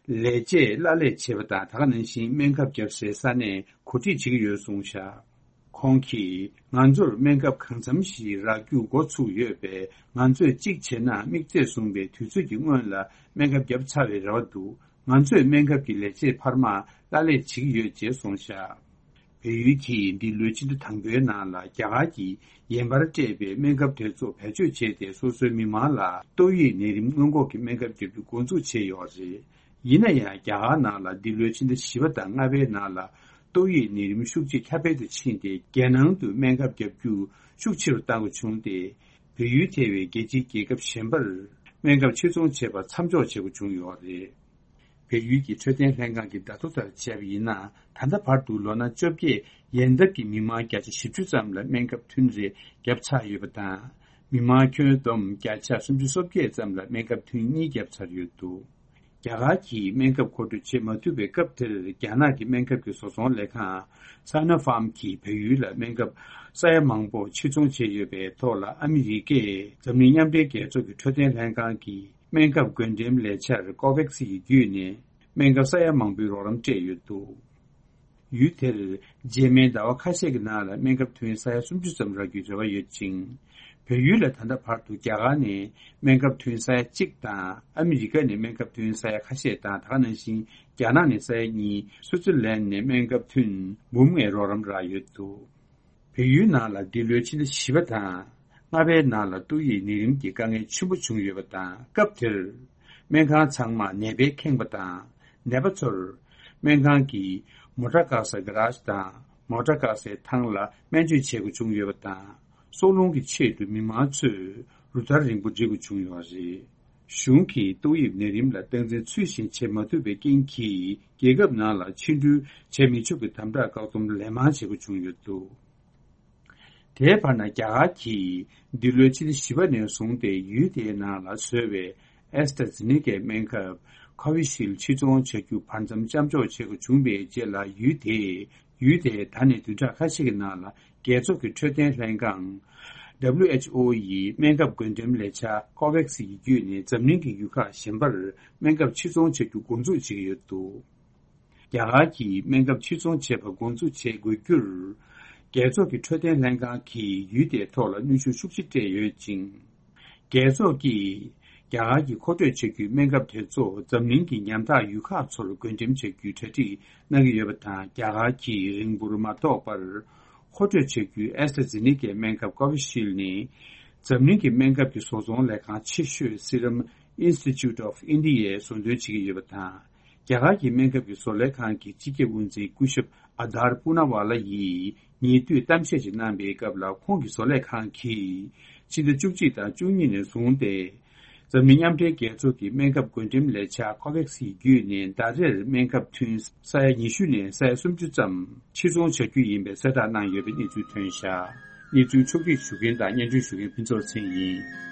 ལས་བྱེད་གླ་ལས་བྱེད་པ་དང་། ད་ག་ནང་བཞིན་སྨན་ཁབ་བརྒྱབ་སའི་ས་གནས་གོ་སྒྲིག་བྱེད་ཀྱི་ཡོད་གསུངས་བཞག་ཁོང་གིས་ང་ཚོར་སྨན་ཁབ་གང་འཚམ་ཞིག་རག་རྒྱུ་འགོ་ཚུགས་ཡོད་པས། ང་ཚོས་གཅིག་བྱས་ན་དམིགས་ཚད་བཟུང་བའི་དུས་ཚོད་ཀྱི་སྔོན་ལ་སྨན་ཁབ་བརྒྱབ་ཚར་བའི་རེ་བ་འདུག་ང་ཚོས་སྨན་ཁབ་ཀྱི་ལས་བྱེད་འཕར་མ་གླ་ལས་བྱེད་ཀྱི་ཡོད་ཅེས་གསུངས་བཞག་བལ་ཡུལ་གྱིས་འདི་ལོའི་ཕྱི་ཟླ་དང་པོའི་ནང་ལ་རྒྱ་གར་གྱིས་ཡན་པར་སྤྲད་པའི་སྨན་ཁབ་དེ་ཚོ་བེད་སྤྱོད་བྱས་ཏེ། སོ་སོའི་མི་མང་ལ་ཏོག་དབྱིབས་ནད་རིམས་སྔོན་འགོག་གི་སྨན་ཁབ་བརྒྱབ་རྒྱུ་འགོ་འཛུགས་བྱས་ཡོད་རེད། ཡིན་ན་ཡང་། རྒྱ་གར་ནང་ལ་འདི་ལོའི་ཕྱི་ཟླ་བཞི་པ་དང་ལྔ་པའི་ནང་ལ་ཏོག་དབྱིབས་ནད་རིམས་ཤུགས་ཆེ་ཁྱབ་སྤེལ་དུ་ཕྱིན་ཏེ། རྒྱལ་ནང་དུ་སྨན་ཁབ་བརྒྱབ་རྒྱུ་ཤུགས་ཆེ་རུ་བཏང་དགོས་བྱུང་སྟེ། བལ་ཡུལ་ཐེ་བའི་རྒྱལ་སྤྱིའི་རྒྱལ་ཁབ་གཞན་པར་སྨན་ཁབ་ཕྱིར་ཚོང་བྱེད་པར་མཚམས་འཇོག་བྱེད་དགོས་བྱུང་ཡོད་རེད། བལ་ཡུལ་གྱི་འཕྲོད་བསྟེན་ལྷན་ཁང་གིས་བརྡ་ཐོ་ལྟར་བྱས་པ་ཡིན་ན། ད་ལྟ་བར་དུ་ལོ་ན་བཅོ་བརྒྱད་ཡན་འདབ་ཀྱི་མི་མང་བརྒྱ་ཆ་བཞི་བཅུ་ཙམ་ལ་སྨན་ཁབ་ཐུན་རེ་བརྒྱབ་ཚར་ཡོད་པ་དང་། མི་མང་ཁྱོན་བསྡོམས་བརྒྱ་ཆ་སུམ་ཅུ་སོ་བརྒྱད་ཙམ་ལ་སྨན་ཁབ་ཐུན་གཉིས་བརྒྱབ་ཚར་ཡོད་འདུག་རྒྱ་གར་གྱིས་སྨན་ཁབ་མཁོ་སྤྲོད་བྱེད་མ་ཐུབ་པའི་སྐབས་དེར། རྒྱ་ནག་གི་སྨན་ཁབ་ཀྱི་བཟོ་ཚོང་ལས་ཁང་Sinopharm གྱིས་བལ་ཡུལ་ལ་སྨན་ཁབ་ས་ཡ་མང་པོ་ཕྱིར་ཚོང་བྱས་ཡོད་པའི་ཐོག་ལ། ཨ་མི་རི་ཀས་འཛམ་གླིང་མཉམ་འབྲེལ་རྒྱལ་ཚོགས་ཀྱི་འཕྲོད་བསྟེན་ལྷན་ཁང་གི་སྨན་ཁབ་བགོ་འགྲེམས་ལས་འཆར་COVAX ཡི་བརྒྱུད་ནས། སྨན་ཁབ་ས་ཡ་མང་པོའི་རོགས་རམ་སྤྲད་ཡོད་འདུག་ཡུལ་དེར་རྗེས་མའི་ཟླ་བ་ཁ་ཤས་ཀྱི་ནང་ལ་སྨན་ཁབ་ཐོན་ས་ཡ་སུམ་ཅུ་ཙམ་རག་རྒྱུའི་རེ་བ་ཡོད་ཅིང་། བལ་ཡུལ་ལ་ད་ལྟ་བར་དུ་རྒྱ་གར་ནས་སྨན་ཁབ་ཐོན་ས་ཡ་གཅིག་དང་ཨ་མི་རི་ཀ་ནས་སྨན་ཁབ་ཐོན་ས་ཡ་ཁ་ཤས་དང་། ད་ག་ནང་བཞིན་རྒྱ་ནག་ནས་ས་ཡ་གཉིས། སུའུ་ཙི་ལན་ནས་སྨན་ཁབ་ཐོན་འབུམ་ལྔའི་རོགས་རམ་རག་ཡོད་འདུག་བལ་ཡུལ་ནང་ལ་འདི་ལོའི་ཕྱི་ཟླ་བཞི་པ་དང་ལྔ་པའི་ནང་ལ་ཏོག་དབྱིབས་ནད་རིམས་ཀྱི་དཀའ་ངལ་ཆེན་པོ་བྱུང་ཡོད་པ་དང་། སྐབས་དེར་སྨན་ཁང་ཚང་མ་ནད་པས་ཁེངས་པ་དང་། ནད་པ་ཚོར་སྨན་ཁང་གི་མོ་ཊ་བཀག་སའི་གྷ་རཱཇ་དང་མོ་ཊ་བཀག་སའི་ཐང་ལ་སྨན་བཅོས་བྱེད་དགོས་བྱུང་ཡོད་པ་དང་། སྲོག་སློང་གི་ཆེད་དུ་མི་མང་ཚོས་རུ་སྟར་རིང་པོ་སྒྲིག་དགོས་བྱུང་ཡོད་པ་རེད། གཞུང་གིས་ཏོག་དབྱིབས་ནད་རིམས་ལ་སྟངས་འཛིན་ཚུལ་བཞིན་བྱེད་མ་ཐུབ་པའི་རྐྱེན་གྱིས། རྒྱལ་ཁབ་ནང་ལ་ཕྱི་འགྲུལ་བྱེད་མི་ཆོག་པའི་དམ་དྲག་བཀག་སྡོམ་ལན་མང་བྱེད་དགོས་བྱུང་ཡོད་འདུག་དེའི་བར་ན། རྒྱ་གར་གྱིས་འདི་ལོའི་ཕྱི་ཟླ་བཞི་པ་ནས་བཟུང་སྟེ་ཡུལ་དེའི་ནང་ལ་བཟོས་པའི་ཨེ་སི་ཏྲ་ཛེ་ནི་ཀའི་སྨན་ཁབ་ཁོ་བི་ཤིལ་ཕྱིར་ཚོང་བྱ་རྒྱུ་བར་མཚམས་མཚམས་འཇོག་བྱེད་དགོས་བྱུང་བའི་རྗེས་ལ། ཡུལ་དེས་ཡུལ་དེའི་ད་ནས་བདུན་ཕྲག་ཁ་ཤས་ཀྱི་ནང་ལ་རྒྱལ་ཚོགས་ཀྱི་འཕྲོད་བསྟེན་ལྷན་ཁང་། W H O ཡི་སྨན་ཁབ་བགོ་འགྲེམས་ལས་འཆར་ཀོ་ཝེག་སི་ཡི་བརྒྱུད་ནས་འཛམ་གླིང་གི་ཡུལ་ཁག་གཞན་པར་སྨན་ཁབ་ཕྱིར་ཚོང་བྱ་རྒྱུ་འགོ་འཛུགས་བྱེད་ཀྱི་ཡོད་འདུག་རྒྱ་གར་གྱིས་སྨན་ཁབ་ཕྱིར་ཚོང་བྱེད་པ་འགོ་འཛུགས་བྱེད་དགོས་རྒྱུར། རྒྱལ་ཚོགས་ཀྱི་འཕྲོད་བསྟེན་ལྷན་ཁང་གིས་ཡུལ་དེའི་ཐོག་ལ་གནོན་ཤུགས་ཤུགས་ཆེ་སྤྲད་ཡོད་ཅིང་། རྒྱལ་ཚོགས་ཀྱིས་རྒྱ་གར་གྱིས་མཁོ་སྤྲོད་བྱ་རྒྱུའི་སྨན་ཁབ་དེ་ཚོ་འཛམ་གླིང་གི་ཉམ་ཐག་ཡུལ་ཁག་ཚོར་བགོ་འགྲེམས་བྱ་རྒྱུའི་གྲ་སྒྲིག་གནང་གི་ཡོད་པ་དང་། རྒྱ་གར་གྱིས་རིང་པོར་མ་ཐོགས་པར་མཁོ་སྤྲོད་བྱ་རྒྱུའི་ཨེ་སི་ཏྲ་ཛེ་ནི་ཀའི་སྨན་ཁབ་ཀོ་བི་ཤིལ་ནི། འཛམ་གླིང་གི་སྨན་ཁབ་ཀྱི་བཟོ་ཚོང་ལས་ཁང་ཆེ་ཤོས་Serum Institute of India ཡས་བཟོ་འདོན་བྱེད་ཀྱི་ཡོད་པ་དང་། རྒྱ་གར་གྱི་སྨན་ཁབ་ཀྱི་བཟོ་ལས་ཁང་གི་སྤྱི་ཁྱབ་དབུ་འཛིན་སྐུ་ཞབས་ཨ་དར་པུ་ན་ཝ་ལ་ཡིས་ཉེ་དུས་གཏམ་བཤད་ཅིག་གནང་པའི་སྐབས་ལ། ཁོང་གི་བཟོ་ལས་ཁང་གིས་ཕྱི་ཟླ་བཅུ་གཅིག་དང་བཅུ་གཉིས་ནས་བཟུང་སྟེ། འཛམ་གླིང་མཉམ་འབྲེལ་རྒྱལ་ཚོགས་ཀྱི་སྨན་ཁབ་བགོ་འགྲེམས་ལས་འཆར་ཀོ་ཝེག་སི་ཡི་བརྒྱུད་ནས་ཟླ་རེར་སྨན་ཁབ་ཐུན་ས་ཡ་ཉི་ཤུ་ནས་ས་ཡ་སུམ་ཅུ་ཙམ་ཕྱིར་ཚོང་བྱ་རྒྱུ་ཡིན་པའི་གསལ་བསྒྲགས་གནང་ཡོད་པའི་གནས་ཚུལ་ཐོན་བཞག་གནས་ཚུལ་ཕྱོགས་སྒྲིག་ཞུ་མཁན་དང་སྙན་སྒྲོན་ཞུ་མཁན་ཕུན་ཚོགས་ཚེ་རིང་ཡིན།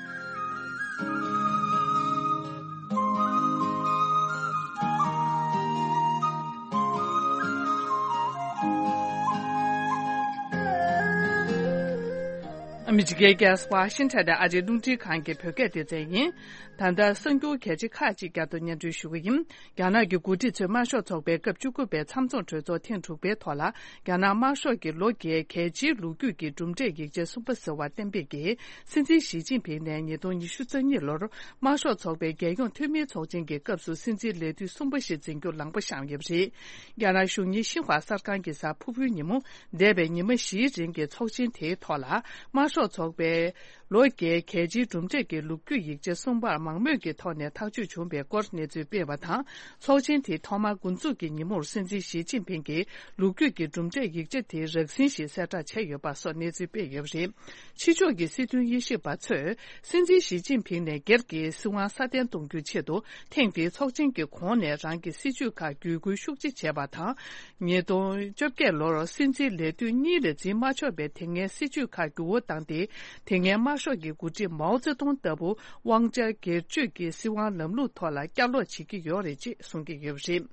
ཨ་མི་རི་ཀའི་རྒྱལ་ས་ཝ་ཤིང་ཊོན་ནས་ཨ་རིའི་རླུང་འཕྲིན་ཁང་གི་བོད་སྐད་སྡེ་ཚན་ཡིན། ད་ལྟ་གསར་འགྱུར་གལ་ཆེ་ཁག་ཅིག་བསྐྱར་དུ་སྙན་སྒྲོན་ཞུ་གི་ཡིན། རྒྱ་ནག་གི་འགོ་ཁྲིད་ཚོས་དམར་ཤོག་ཚོགས་པའི་སྐབས་བཅུ་དགུ་པའི་མཚམས་འཛོམས་གྲོས་ཚོགས་ཐེངས་དྲུག་པའི་ཐོག་ལ། རྒྱ་ནག་དམར་ཤོག་གི་ལོ་བརྒྱའི་གལ་ཆེའི་ལོ་རྒྱུས་ཀྱི་གྲུབ་འབྲས་ཡིག་ཆ་གསུམ་པ་ཟེར་བ་གཏན་འབེབས་ཀྱིས། སྲིད་འཛིན་ཞི་ཅིན་ཕིང་ནས་ཉིས་སྟོང་ཉི་ཤུ་རྩ་གཉིས་ལོར་དམར་ཤོག་ཚོགས་པའི་རྒྱལ་ཡོངས་འཐུས་མིའི་ཚོགས་ཆེན་གྱི་སྐབས་སུ་སྲིད་འཛིན་ལས་དུས་གསུམ་པ་ཞིག་འཛིན་རྒྱུར་ལངས་པ་བཤམས་ཡོད་པ་རེད། རྒྱ་ནག་གཞུང་ཉིད་ཤིན་ཧྭ་གསར་ཁང་གི་གཟའ་ཕུར་བུའི་ཉིན་མོ། འདས་པའི་ཉི་མ་བཞིའི་རིང་གི་ཚོགས་ཆེན་དེའི་ཐོག་ལ། དམར་ཤོག་ཚོགས་པའི་ལོ་བརྒྱའི་གལ་ཆེའི་གྲུབ་འབྲས་ཀྱི་ལོ་རྒྱུས་ཡིག་ཆ་གསུམ་པར་མང་མོས་ཀྱི་ཐོག་ནས་ཐག་གཅོད་བྱུང་བའི་སྐོར་གནས་ཚུལ་སྤེལ་བ་དང་། ཚོགས་ཆེན་དེའི་ཐོག་མར་འགོ་འཛུགས་ཀྱི་ཉིན་མོར་སྲིད་འཛིན་ཞི་ཅིན་ཕིང་གིས་ལོ་རྒྱུས་ཀྱི་གྲུབ་འབྲས་ཡིག་ཆ་དེ་རགས་ཟིན་ཞིག་གསལ་བསྒྲགས་བྱས་ཡོད་པ་སོགས་གནས་ཚུལ་སྤེལ་ཡོད་པ་རེད། ཕྱི་ཕྱོགས་ཀྱི་སྲིད་དོན་དབྱེ་ཞིབ་པ་ཚོས། སྲིད་འཛིན་ཞི་ཅིན་ཕིང་ནས་སྒེར་གྱི་སྲིད་དབང་སྲ་བརྟན་གཏོང་རྒྱུའི་ཆེད་དུ། ཐེངས་འདིའི་ཚོགས་ཆེན་གྱི་གོང་ནས་རང་གི་སྲིད་ཇུས་ཁག་བརྒྱུད་སྐུལ་ཤུགས་ཆེ་བྱས་པ་དང་། ཉིས་སྟོང་བཅོ་བརྒྱད་ལོར་སྲིད་འཛིན་ལས་དུས་གཉིས་ལས་འཛིན་མ་ཆོག་པའི་དེ་སྔའི་སྲིད་ཇུས་ཁག་འགྱུར་བ་བཏང་སྟེ། དེ་སྔའི་དམར་ཤོག་གི་འགོ་ཁྲིད་མའོ་ཙེ་ཏུང་ལྟ་བུ་དབང་ཆ་སྒེར་གཅོད་ཀྱི་སྲིད་དབང་ལམ་ལུགས་ཐོག་ལ་བསྐྱར་ལོག་བྱེད་ཀྱི་ཡོད་རེད་ཅེས་གསུང་གི་ཡོད་པ་རེད།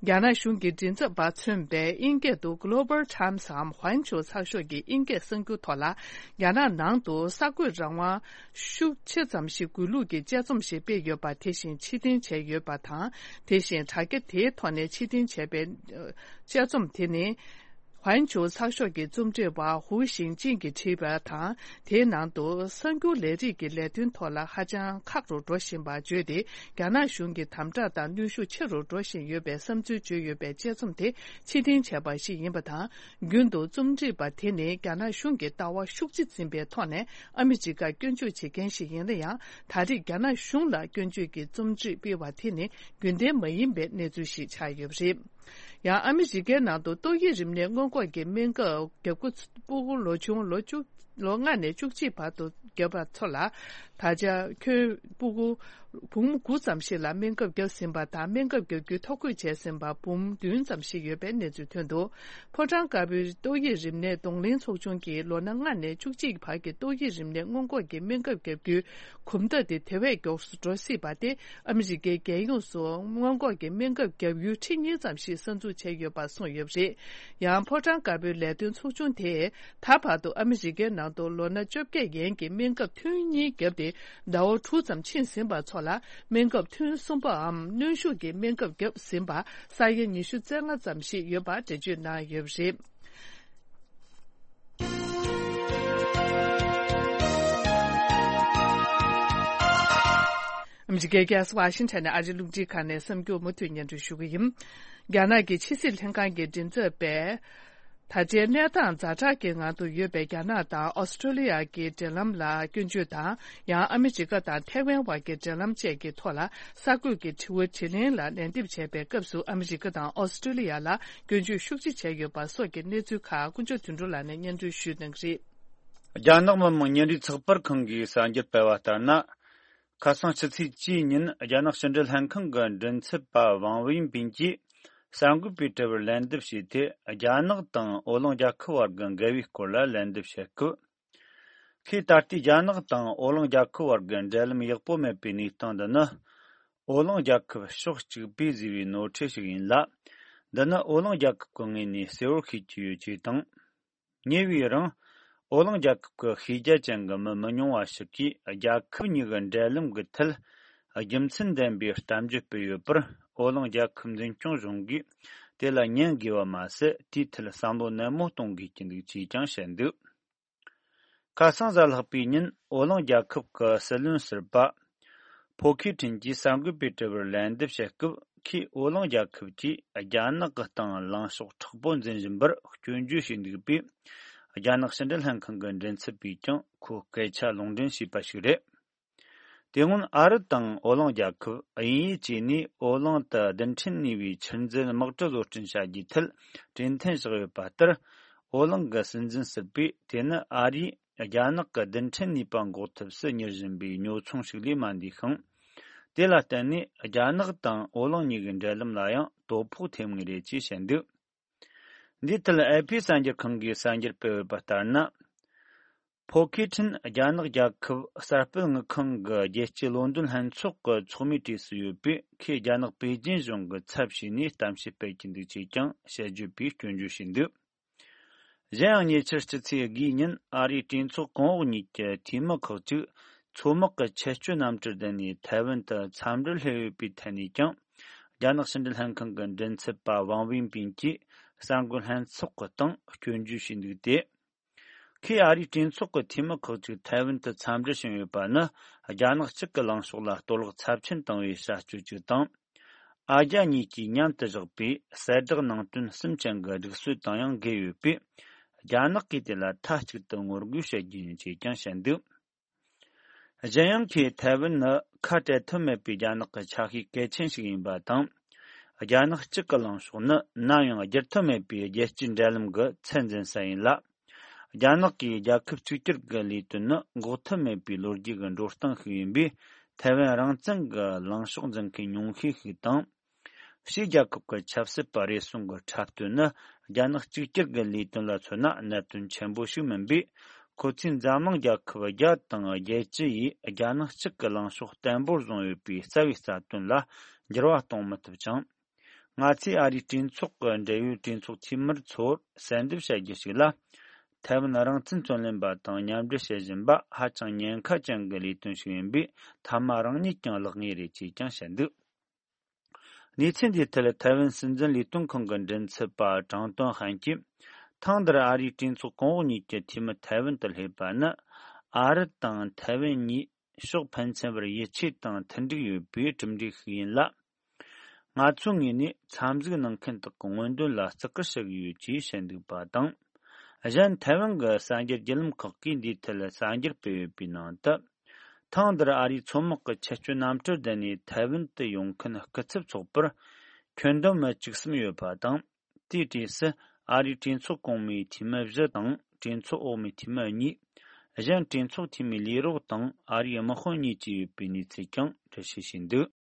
རྒྱ་ནག་གཞུང་གི་མགྲིན་ཚབ་པ་མཚོན་པའི་དབྱིན་སྐད་དུ་Global Timesའམ་ཧོན་ཆུ་ཚགས་ཤོག་གི་དབྱིན་སྐད་གསར་འགྱུར་ཐོག་ལ། རྒྱ་ནག་ནང་དུ་གསར་འགོད་རང་དབང་ཤུགས་ཆེ་ཙམ་ཞིག་དགོས་ལུགས་ཀྱི་དཔྱད་རྩོམ་ཞིག་སྤེལ་ཡོད་པ་དེ་བཞིན་ཕྱིར་འཐེན་བྱས་ཡོད་པ་དང་། དེ་བཞིན་དྲ་རྒྱ་དེའི་ཐོག་ནས་ཕྱིར་འཐེན་བྱས་པའི་དཔྱད་རྩོམ་དེ་ནི། ཧོན་ཆུ་ཚགས་ཤོག་གི་རྩོམ་སྒྲིག་པ་ཧུའུ་ཞིང་ཅིན་གྱིས་བྲིས་པ་དང་། དེའི་ནང་དུ་གསར་འགྱུར་ལས་རིགས་ཀྱི་ལས་དོན་ཐོག་ལ་ཧ་ཅང་ཁག་རུ་འགྲོ་བཞིན་པ་བརྗོད་དེ། རྒྱ་ནག་གཞུང་གི་དམ་དྲག་དང་གནོན་ཤུགས་ཆེ་རུ་འགྲོ་བཞིན་ཡོད་པའི་བསམ་ཚུལ་བརྗོད་ཡོད་པའི་དཔྱད་རྩོམ་དེ་ཕྱིར་འཐེན་བྱས་པ་ཞིག་ཡིན་པ་དང་། རྒྱུན་དུ་རྩོམ་སྒྲིག་པ་དེ་ནི་རྒྱ་ནག་གཞུང་གི་ལྟ་བ་ཤུགས་ཆེ་འཛིན་པའི་ཐོག་ནས་ཨ་མི་རི་ཀར་སྐྱོན་བརྗོད་བྱེད་མཁན་ཞིག་ཡིན་ན་ཡང་། ད་རེས་རྒྱ་ནག་གཞུང་ལ་སྐྱོན་བརྗོད་ཀྱི་རྩོམ་སྒྲིག་སྤེལ་བ་དེ་ནི་རྒྱུན་ལྡན་མ་ཡིན་པའི་གནས་ཚུལ་ཞིག་ཆགས་ཡོད་པ་རེད། ཡང་ཨ་མི་རི་ཀའི་ནང་དུ་ཏོག་དབྱིབས་རིམས་ནད་སྔོན་འགོག་གི་སྨན་ཁབ་བརྒྱབ་འགོ་ཕྲུ་གུ་ལོ་ཆུང་ལོ་བཅུ། ལོ་ལྔ་ནས་བཅུ་གཅིག་བར་དུ་བརྒྱབ་པ་ཚོ་ལ། ད་ཆ་ཁྱོན་ཕྲུ་གུ་འབུམ་དགུ་ཙམ་ཞིག་ལ་སྨན་ཁབ་བརྒྱབ་ཟིན་པ་དང་། སྨན་ཁབ་བརྒྱབ་རྒྱུའི་ཐོ་འགོད་བྱས་ཟིན་པ་འབུམ་བདུན་ཙམ་ཞིག་ཡོད་པའི་གནས་ཚུལ་ཐོན་འདུག་ཕོ་བྲང་དཀར་པོའི་ཏོག་དབྱིབས་རིམས་ནད་གདོང་ལེན་ཚོགས་ཆུང་གིས་ལོ་ན་ལྔ་ནས་བཅུ་གཅིག་བར་གྱི་ཏོག་དབྱིབས་རིམས་ནད་སྔོན་འགོག་གི་སྨན་ཁབ་བརྒྱབ་རྒྱུའི་གོམ་སྟབས་དེ་དེ་བས་མགྱོགས་སུ་འགྲོ་སྲིད་པ་སྟེ། ཨ་མི་རི་ཀའི་རྒྱལ་ཡོངས་སུ་སྔོན་འགོག་གི་སྨན་ཁབ་བརྒྱབ་ཡུལ་ཁྲི་གཉིས་ཙམ་ཞིག་གསར་འཛུགས་བྱས་ཡོད་པ་གསུངས་ཡོད་པ་རེད། ཡང་ཕོ་བྲང་དཀར་པོའི་ལས་དོན་ཚོགས་ཆུང་དེས་ད་བར་དུ་ཨ་མི་རི་ཀའི་ནང་། ནང་དུ་ལོ་ན་བཅོ་བརྒྱད་ཡན་གྱི་སྨན་ཁབ་ཐུན་གཉིས་བརྒྱབ་སྟེ་ཟླ་བ་དྲུག་ཙམ་ཕྱིན་ཟིན་པ་ཚོ་ལ་སྨན་ཁབ་ཐུན་གསུམ་པའམ་གནོན་ཤུགས་ཀྱི་སྨན་ཁབ་བརྒྱབ་ཟིན་པ་ས་ཡ་ཉི་ཤུ་རྩ་ལྔ་ཙམ་ཞིག་ཡོད་པ་འགྲེལ་བརྗོད་གནང་ཡོད་པ་རེད། ཨ་མི་རི་ཀའི་རྒྱལ་ས་ཝ་ཤིང་ཊོན་ནས་ཨ་རིའི་རླུང་འཕྲིན་ཁང་ནས་གསར་འགྱུར་མུ་མཐུད་སྙན་སྒྲོན་ཞུ་གི་ཡིན། རྒྱ་ནག་གི་ཕྱི་སྲིད་ལྷན་ཁང་གི་མགྲིན་ཚབ་པས། ད་ལྟའི་གནས་སྟངས་ཛ་དྲག་གི་ངང་དུ་ཡོད་པའི་རྒྱ་ནག་དང་ཨོ་སི་ཀྲོ་ལི་ཡ་གི་འབྲེལ་ལམ་ལ་སྐྱོན་བརྗོད་དང་། ཡང་ཨ་མི་རི་ཀ་དང་ཐའེ་ཝན་བར་གྱི་འབྲེལ་ལམ་བཅས་ཀྱི་ཐོག་ལ་གསར་འགོད་ཀྱི་དྲི་བ་དྲིས་ལན་ལ་ལན་འདེབས་བྱས་པའི་སྐབས་སུ། ཨ་མི་རི་ཀ་དང་ཨོ་སི་ཀྲོ་ལི་ཡ་ལ་སྐྱོན་བརྗོད་ཤུགས་ཆེ་བྱས་ཡོད་པ་སོགས་ཀྱི་གནས་ཚུལ་ཁག་དཀོན་མཆོག་དོན་གྲུབ་ལགས་ནས་སྙན་སྒྲོན་ཞུས་གནང་གི་རེད། རྒྱ་ནག་མི་དམངས་ཉིན་རེའི་ཚགས་པར་ཁང་གིས་གསར་འགྱུར་སྤེལ་བ་ལྟར་ན། ཁ་སང་ཕྱི་ཚེས་བཅུའི་ཉིན་རྒྱ་ནག་ཕྱི་འབྲེལ་ལྷན་ཁང་གི་མགྲིན་ཚབ་པ་ཝང་ཝེན་པིན་གྱིས་གསར་འགོད་པའི་དྲི་བར་ལན་འདེབས་བྱས་ཏེ། རྒྱ་ནག་དང་ཨོ་གླིང་རྒྱལ་ཁབ་བར་གྱི་འགལ་བའི་སྐོར་ལ་ལན་འདེབས་བྱེད་སྐབས། ཁོས་ད་ལྟའི་རྒྱ་ནག་དང་ཨོ་གླིང་རྒྱལ་ཁབ་བར་གྱི་འབྲེལ་ལམ་ཡག་པོ་མེད་པའི་གནས་སྟངས་འདི་ནི། ཨོ་གླིང་རྒྱལ་ཁབ་ཕྱོགས་གཅིག་པས་བཟོས་པའི་ནོར་འཁྲུལ་ཞིག་ཡིན་ལ། འདི་ནི་ཨོ་གླིང་རྒྱལ་ཁབ་ཀྱི་ངོས་ནས་གསལ་བོར་ཤེས་ཀྱི་ཡོད་ཅེས་དང་། ཉེ་བའི་རིང་། ཨོ་གླིང་རྒྱལ་ཁབ་ཀྱི་ཤེས་རྒྱ་ཅན་གྱི་མི་མི་ཉུང་བ་ཞིག་གིས་རྒྱལ་ཁབ་གཉིས་ཀྱི་འབྲེལ་ལམ་གྱི་ཐད། རྒྱུ་མཚན་ལྡན་པའི་གཏམ་བརྗོད་སྤེལ་ཡོད་པར། ཨོ་གླིང་རྒྱལ་ཁབ་འཛིན་སྐྱོང་གཞུང་གིས་དེ་ལ་ཉན་དགོས་པ་མ་ཟད། དེའི་ཐད་བསམ་བློ་ནན་མོ་གཏོང་དགོས་ཀྱི་འདུག་ཅེས་ཀྱང་བཤད་འདུག་ཁ་སང་གཟའ་ལྷག་པའི་ཉིན་ཨོ་གླིང་རྒྱལ་ཁབ་ཀྱི་སྲིད་བློན་ཟུར་པ། ཕོ་ཁི་ཁྲིན་གྱིས་གསར་འགོད་པའི་དྲི་བར་ལན་འདེབས་བྱེད་སྐབས། ཁོས་ཨོ་གླིང་རྒྱལ་ཁབ་ཀྱིས་རྒྱ་ནག་གི་སྟེང་ལངས་ཕྱོགས་མཁྲེགས་པོ་འཛིན་བཞིན་པར་སྐྱོན་བརྗོད་བྱས་འདུག་པས། རྒྱ་ནག་ཕྱི་འབྲེལ་ལྷན་ཁང་གི་མགྲིན་ཚབ་པས་ཀྱང་ཁོའི་སྐད་ཆ་ལུང་འདྲེན་བྱས་པ་ཞིག་རེད། དེ་སྔོན་ཨ་རི་དང་ཨོ་གླིང་རྒྱལ་ཁབ་དབྱིན་ཡུལ་བཅས་ནས་ཨོ་གླིང་དུ་རྡུལ་ཕྲན་གནས་པའི་ཆུ་འཛིན་དམག་གྲུ་བཟོ་སྐྲུན་བྱ་རྒྱུའི་ཐད་གྲོས་མཐུན་བཞག་ཡོད་པ་ལྟར། ཨོ་གླིང་གི་སྲིད་འཛིན་ཟུར་པས་དེ་ནི་ཨ་རིས་རྒྱ་ནག་གི་རྡུལ་ཕྲན་ནུས་པ་འགོག་ཐབས་སུ་གཉེར་བཞིན་པའི་ཉོ་ཚོང་ཞིག་ལས་མ་འདས་ཤིང་། དེ་ལ་བརྟེན་ནས་རྒྱ་ནག་དང་ཨོ་གླིང་གཉིས་ཀྱི་འབྲེལ་ལམ་ལ་ཡང་དོ་ཕོག་ཐེབས་ངེས་རེད་ཅེས་བཤད་འདུག་འདིའི་ཐད་ཨེ་ཕི་གསར་འགྱུར་ཁང་གིས་གསར་འགྱུར་སྤེལ་ཡོད་པ་ལྟར་ན། ཕོ་ཁི་ཁྲིན་རྒྱ་ནག་རྒྱལ་ཁབ་གསར་སྤེལ་དངུལ་ཁང་གི་རྒྱལ་སྤྱིའི་ལོ་འདོན་ལྷན་ཚོགས་ཀྱི་ཚོགས་མིའི་གྲས་སུ་ཡོད་པས། ཁོས་རྒྱ་ནག་པེ་ཅིན་གཞུང་གི་ཚབ་བྱས་ནས་གཏམ་བཤད་སྤེལ་གྱི་འདུག་ཅེས་ཀྱང་ཞལ་བརྗོད་པས་སྐྱོན་བརྗོད་བྱས་འདུག་གཞན་ཡང་ཉེ་ཆར་སྤྱི་ཚེས་དགུའི་ཉིན་ཨ་རིའི་གྲོས་ཚོགས་གོང་འོག་གཉིས་ཀྱི་འཐུས་མི་ཁག་ཅིག་མཚོ་དམག་གི་ཆེད་སྤྱོད་གནམ་གྲུར་བསྡད་ནས་ཐའེ་ཝན་དུ་འཚམས་འདྲིར་སླེབས་ཡོད་པའི་ཐད་ནས་ཀྱང་། རྒྱ་ནག་ཕྱི་འབྲེལ་ལྷན་ཁང་གི་མགྲིན་ཚབ་པ་ཝང་ཝེན་པིན་གྱིས་གསར་འགོད་ལྷན་ཚོགས་ཀྱི་སྟེང་སྐྱོན་བརྗོད་བྱས་འདུག་སྟེ། ཁོས་ཨ་རིའི་གྲོས་ཚོགས་ཀྱི་འཐུས་མི་ཁག་ཅིག་ཐའེ་ཝན་དུ་འཚམས་འདྲིར་ཕྱིན་ཡོད་པ་ནི། རྒྱ་ནག་གཅིག་གི་ལངས་ཕྱོགས་ལ་གཏོར་བརླག་ཚབས་ཆེན་བཏང་བའི་བྱ་སྤྱོད་ཅིག་དང་། ཨ་རྒྱ་གཉིས་ཀྱིས་མཉམ་དུ་བཞག་པའི་གསལ་བསྒྲགས་ནང་དོན་གསུམ་ཅན་གྱི་སྒྲིག་སྲོལ་དང་ཡང་འགལ་ཡོད་པས། རྒྱ་ནག་གིས་དེ་ལ་མཐའ་གཅིག་ཏུ་ངོ་རྒོལ་བྱེད་རྒྱུ་ཡིན་ཅེས་ཀྱང་བཤད་འདུག་གཞན་ཡང་ཁོས་ཐའེ་ཝན་ནི་ཁ་བྲལ་ཐབས་མེད་པའི་རྒྱ་ནག་གི་ཆ་ཤས་གལ་ཆེན་ཞིག་ཡིན་པ་དང་། རྒྱ་ནག་གཅིག་གི་ལངས་ཕྱོགས་ནི་ནམ་ཡང་བསྒྱུར་ཐབས་མེད་པའི་རྒྱལ་སྤྱིའི་འབྲེལ་ལམ་གྱི་ཚད་འཛིན་ས་ཡིན་ལ། རྒྱ་ནག་གིས་རྒྱལ་ཁབ་གཅིག་གྱུར་གྱི་ལས་དོན་ནི་འགོག་ཐབས་མེད་པའི་ལོ་རྒྱུས་ཀྱི་འགྲོ་སྟངས་ཤིག་ཡིན་པས། ཐའེ་ཝན་རང་བཙན་གྱི་ལངས་ཕྱོགས་འཛིན་མཁན་ཉུང་ཤས་ཤིག་དང་། ཕྱིའི་རྒྱལ་ཁབ་ཀྱི་ཆབ་སྲིད་པ་རེ་ཟུང་གི་འཁྲབ་སྟོན་ནི་རྒྱ་ནག་གཅིག་གྱུར་གྱི་ལས་དོན་ལ་མཚོན་ན་གནད་དོན་ཆེན་པོ་ཞིག་མིན་པས། ཁོ་ཚོས་འཛམ་གླིང་རྒྱལ་ཁབ་བརྒྱ་དང་བརྒྱད་ཅུ་ཡིས་རྒྱ་ནག་གཅིག་གི་ལངས་ཕྱོགས་བརྟན་པོར་བཟུང་ཡོད་པའི་རྩ་བའི་རྩ་དོན་ལ་འགྱུར་བ་གཏོང་མི་ཐུབ་ཅིང་། ང་ཚོས་ཨ་རིའི་གྲོས་ཚོགས་ཀྱི་འབྲེལ་ཡོད་གྲོས་ཚོགས་འཐུས་མི་ཚོར་གསལ་འདེབས་བྱ་རྒྱུ་ཞིག་ལ། ཐའེ་ཝན་རང་བཙན་རྩོད་ལེན་པ་དང་མཉམ་འབྲེལ་བྱེད་བཞིན་པ་ཧ་ཅང་ཉེན་ཁ་ཅན་གྱི་ལས་དོན་ཞིག་ཡིན་པས། མཐའ་མ་རང་ཉིད་ཀྱང་བརླག་ངེས་རེད་ཅེས་ཀྱང་བཤད་འདུག་གནས་ཚུལ་འདིའི་ཐད་ཐའེ་ཝན་སྲིད་འཛིན་ལས་དོན་ཁང་གི་མགྲིན་ཚབ་པ་ཀྲང་ཏོན་ཧན་གྱིས། ཐེངས་འདིར་ཨ་རིའི་གྲོས་ཚོགས་གོང་འོག་གཉིས་ཀྱི་འཐུས་མི་ཐའེ་ཝན་དུ་སླེབས་པ་ནི། ཨ་རི་དང་ཐའེ་ཝན་གཉིས་ཕྱོགས་ཕན་ཚུན་བར་ཡིད་ཆེས་དང་མཐུན་འགྲིག་ཡོད་པའི་གྲུབ་འབྲས་ཤིག་ཡིན་ལ། ང་ཚོའི་ངོས་ནས་འཚམས་གཟིགས་གནང་མཁན་དག་གི་མངོན་འདོད་ལ་བརྩི་བཀུར་ཞུ་གི་ཡོད་ཅེས་བཤད་འདུག་པ་དང་། གཞན་ཐའེ་ཝན་གྱི་གསར་འགྱུར་བརྒྱུད་ལམ་ཁག་གིས་འདིའི་ཐད་གསར་འགྱུར་སྤེལ་ཡོད་པའི་ནང་དུ། ཐེངས་འདིར་ཨ་རིའི་མཚོ་དམག་གི་ཆེད་སྤྱོད་གནམ་གྲུར་བསྡད་ནས་ཐའེ་ཝན་དུ་ཡོང་མཁན་སྐུ་ཚབ་ཚོགས་པར་ཁྱོན་བསྡོམས་མི་བཅུ་གསུམ་ཡོད་པ་དང་། དེའི་གྲས་སུ་ཨ་རིའི་གྲོས་ཚོགས་གོང་མའི་འཐུས་མི་བཞི་དང་གྲོས་ཚོགས་འོག་མའི་འཐུས་མི་གཉིས། གཞན་གྲོས་ཚོགས་འཐུས་མིའི་ལས་རོགས་དང་ཨ་རིའི་དམག་དཔོན་གཉིས་བཅས་ཡོད་པའི་གནས་ཚུལ་ཀྱང་འགྲེལ་བཤད་བྱས་འདུག་